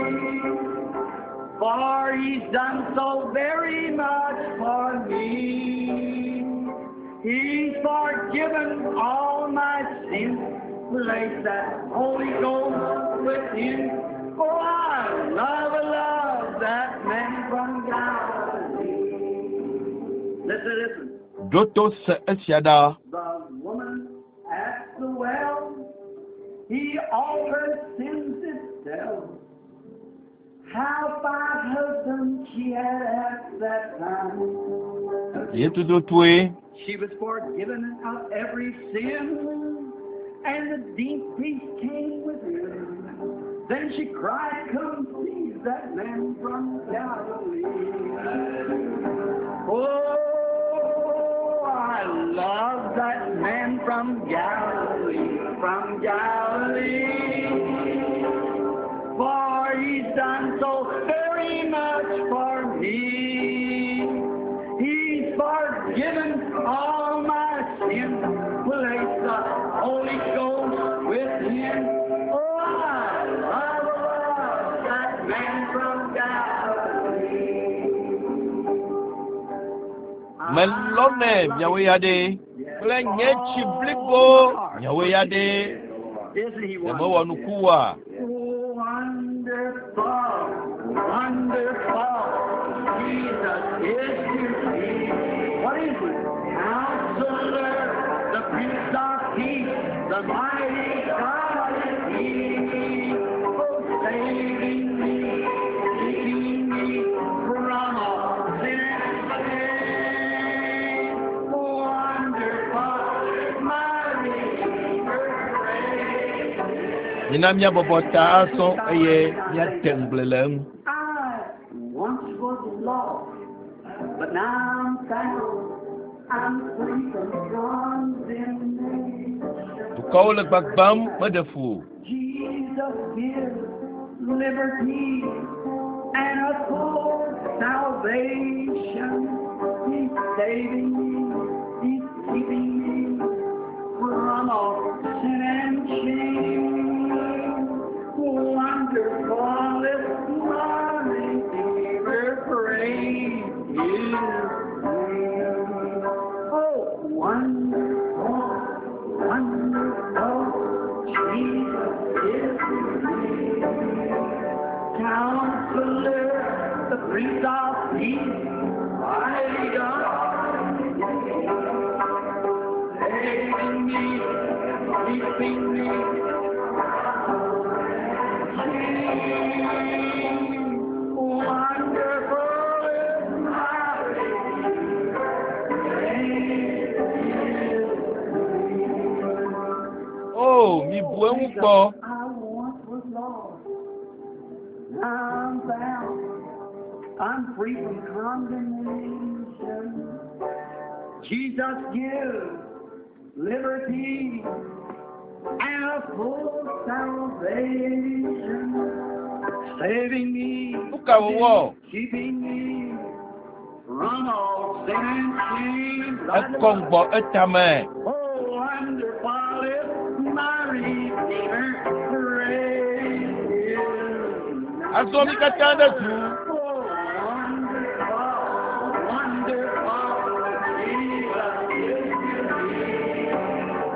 For he's done so very much for me. He's forgiven all my sins, placed that Holy Ghost within. Oh, I love, love that man from Galilee. Listen, listen. Ɖo to se esia ɖa. The woman at the well, he all her sins did tell. How five husbands she had at that time. Ye tututue She was forgiven of every sin, and the deep peace came within. Then she cried, Come see that man from Galilee. Oh, I love that man from Galilee, from Galilee. For he's done so very much for me. He's forgiven all my sins, placed the Holy Ghost within. Oh, I love, love that man from Galilee. Melɔnɛ miawo ya ɖe kple nye dzi blibo miawo ya ɖe. Isn't he Ɖe mewɔ nuku oa? Oh, wonderful, wonderful. Jesus is to me. What is he? Counselor, the Prince of Peace, the mighty God is he. Oh, saving me, taking me from all sin and shame. Wonderful, my Redeemer great. Mina míabɔbɔ ta azɔ eye míate ŋugble le eŋu. I once was lost, but now I'm found. I'm free from condemnation. Dukɔwo le gbagbam meɖe fu o. Jesus gives liberty and a full salvation. He's saving me. He's keeping me from all sin and shame. Wonderful is my Redeemer, praise His name. Keeping me. Wonderful is my O mibu eŋu kpɔ. I once was lost. Now I'm found. I'm free from condemnation. Jesus gives liberty and a full salvation, saving me, Nu ka wòwɔ? keeping me from all sin and shame. Ekɔ ŋgbɔ etame. Oh, wonderful is my Redeemer. Praise His name. Azɔ mi katã ɖe du. Oh, wonderful, wonderful Jesus is to me.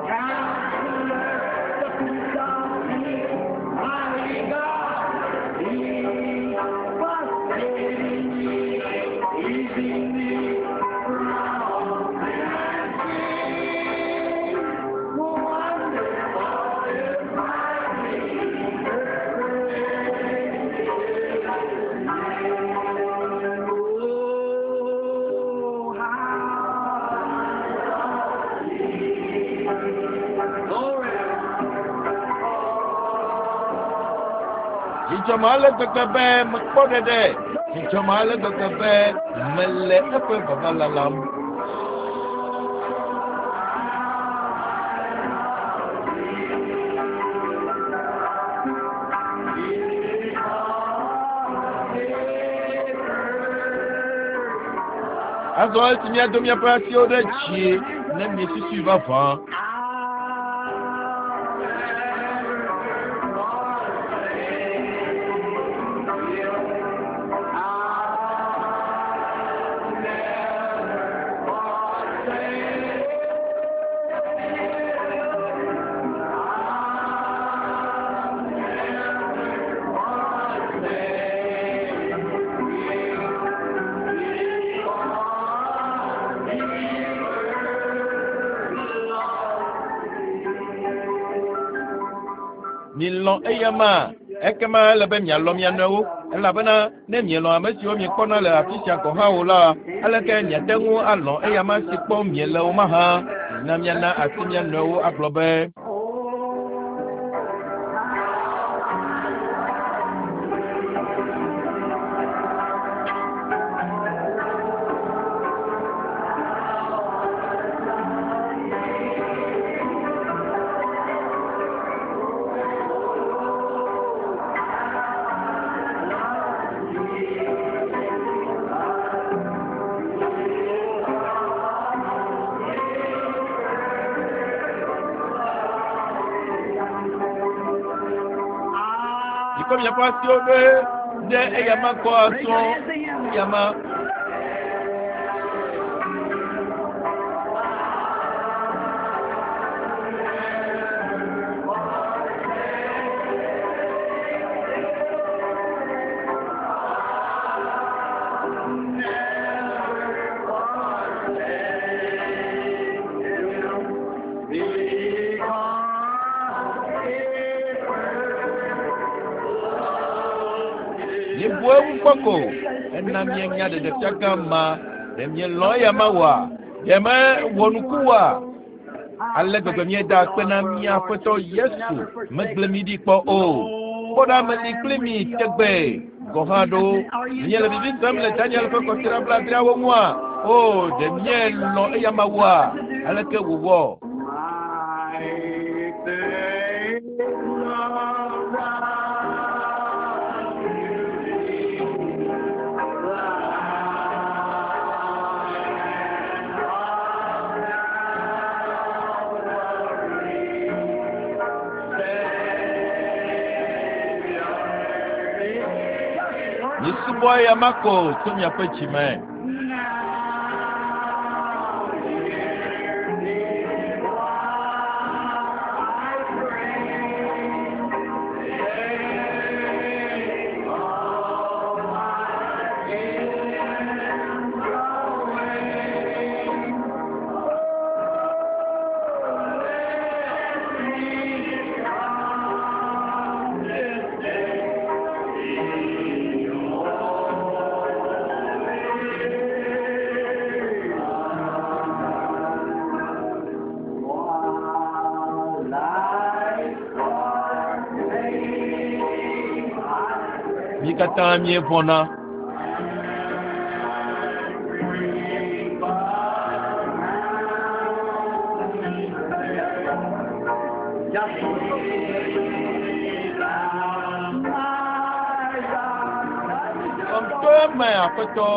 Counselor, the Prince of Peace, mighty God, He was saving me, keeping me from all sin and shame. Wonderful is my Redeemer. Oh, how glory. Dzidzɔme ale gbegbe be mekpɔ ɖeɖe. Dzidzɔme ale gbegbe be mele eƒe vava lalam. Azɔ esi míado míaƒe asiwo ɖe dzi ne miesusui vavã. Milɔ̃ eyama ekema ele be mialɔ̃ mia nɔewo elabena ne mielɔ̃ ame siwo miekpɔna le afi sia gɔ̃ hã o la, aleke miate ŋu alɔ̃ eyama si kpɔm miele o mahã? Na miana asi mia nɔewo agblɔ be, mikɔ miaƒe asiwo ɖe ɖe eyama gbɔ azɔ eyama. Mibu eŋu kpɔ ko ena mienya ɖeɖefia gã ma ɖe mielɔ̃ eyama oa? Ɖe mewɔ nuku oa? Ale gbegbe míeda akpe na mía Aƒetɔ Yesu megblẽ mi ɖi kpɔ o. Kpɔ ɖa meli kpli mi tegbee gɔ̃ hã ɖo. Miele vivi sem le Daniel ƒe kɔsiɖa blaadreawo ŋua? O, ɖe mielɔ̃ eyama oa? Aleke wòwɔ? My faith loves Misubɔ eyama ko tso miaƒe dzime. Mi katã míevɔ̃na. Xɔm to eme, Aƒetɔ.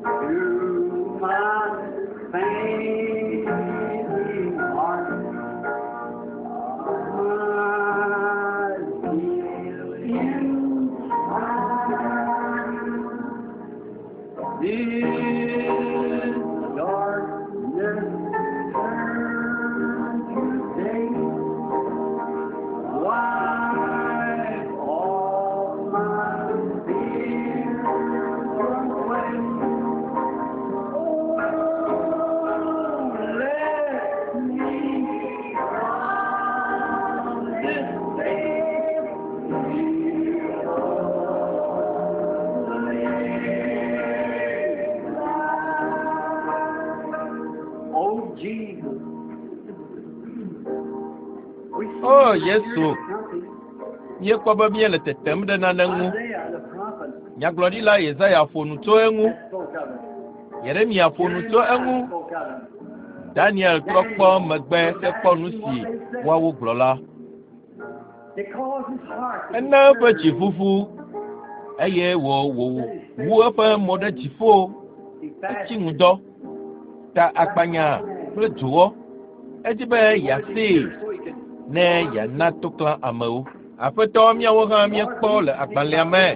To my fainting heart, my zeal inside. This darkness turn to day. Wipe all my fears away. Oh, let me from this day be only. Oh, Jesus. We see O here Yesu, something. míekpɔ be míele tetem ɖe nane ŋu. Isaiah the prophet Nyagblɔɖila Yesaya ƒo nu tso eŋu. had spoke of it. Yeremia ƒo nu tso eŋu. Jeremiah spoke of it. Daniel trɔ kpɔ megbe hekpɔ nu si woawo gblɔ la. It caused his heart to be Ena eƒe dzi stirred. ʋuʋu eye wò wòwu eƒe mo ɖe dziƒo. He Etsi fasted. ŋudɔ, ta akpanya kple dzowɔ. Edi be yeasee So he could ne yeana toklã amewo. Aƒetɔ míawo hã míekpɔ le agbalẽa me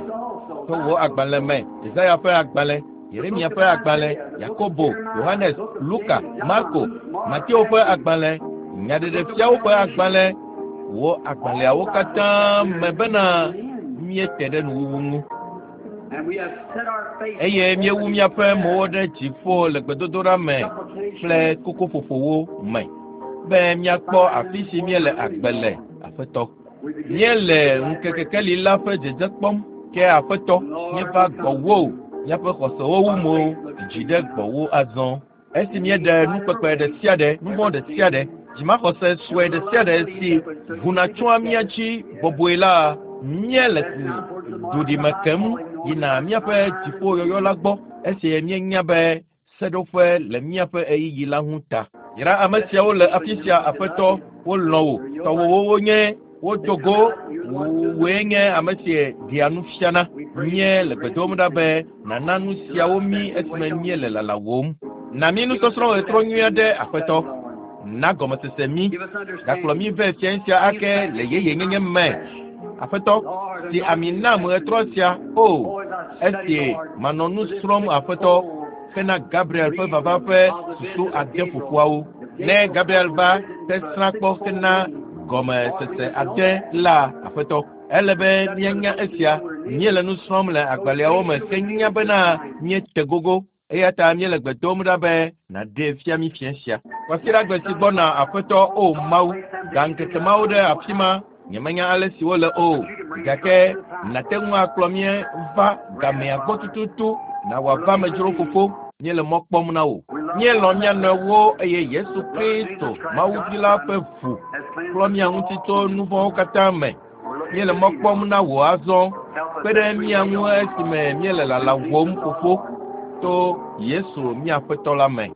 to wò agbalẽ me, Yesaya ƒe agbalẽ, Yeremia ƒe agbalẽ, Yakobo, Yohanes, Luka, Marko, Mateo ƒe agbalẽ, Nyaɖeɖefiawo ƒe agbalẽ, wò agbalẽawo katã me bena míete ɖe nuwuwu ŋu. And we have set our face Eye míewu míaƒe mowo ɖe dziƒo le gbedodoɖa me kple kokoƒoƒowo me be míakpɔ afi si míele agbe le, Aƒetɔ. We begin Míele ŋkekekeli la ƒe dzedze kpɔm, ke Aƒetɔ, míeva gbɔwò, míaƒe xɔsewo wu mo dzi ɖe gbɔwò azɔ. Esi míeɖe nukpekpe ɖe sia ɖe, nu vɔ̃ ɖe sia ɖe, dzimaxɔse sue ɖe sia ɖe si ʋuna tsoa mía dzi bɔbɔe la, míele duɖime kem yina míaƒe dziƒoyɔyɔ la gbɔ esi míenya be seɖoƒe le míaƒe ɣeyiɣi la ŋu ta. Yra ame siawo le afi sia, Aƒetɔ, wolɔ̃ wò, tɔwòwo wonye, wodo go, wòe nye ame si ɖea nu fiana. Míele gbe dom ɖa be nàna nu siawo mí esime míele lalawòm. Na mí nusɔsrɔ̃ ɣetrɔ nyui aɖe, Aƒetɔ. Na gɔmesese mí. Give us understanding. Gakplɔ mí vɛ fiẽ sia ake le yeyenyenye me. Aƒetɔ, si ami nam ɣetrɔ sia, o, esi manɔ nu srɔ̃m Aƒetɔ, hena Gabriel ƒe vava ƒe susu ade fofoawo. Ne Gabriel va tesrã kpɔ hena gɔmesese ade la, Aƒetɔ, ele be míanya esia. Míele nu srɔ̃m le agbalẽawo me henya bena míete gogo. Eya ta míele gbe dom ɖa be nàɖee fia mí fiẽ sia. Kwasiɖagbe si gbɔna Aƒetɔ, o Mawu, da ŋkeke mawo ɖe afi ma. Nyemenya ale si wole o, gake nàte ŋu akplɔ mí va gamea gbɔ tututu na wòava amedzro fofo. Míele mɔ kpɔm na wò. Míelɔ̃ mía nɔewo eye Yesu Kristo, Mawu Vi la ƒe ʋu Has cleansed klɔ mía ŋuti tso nu vɔ̃wo katã me. Míele mɔ kpɔm na wò azɔ. Kpe ɖe mía ŋu esime míele lalawòm fofo to Yesu mía Aƒetɔ la me.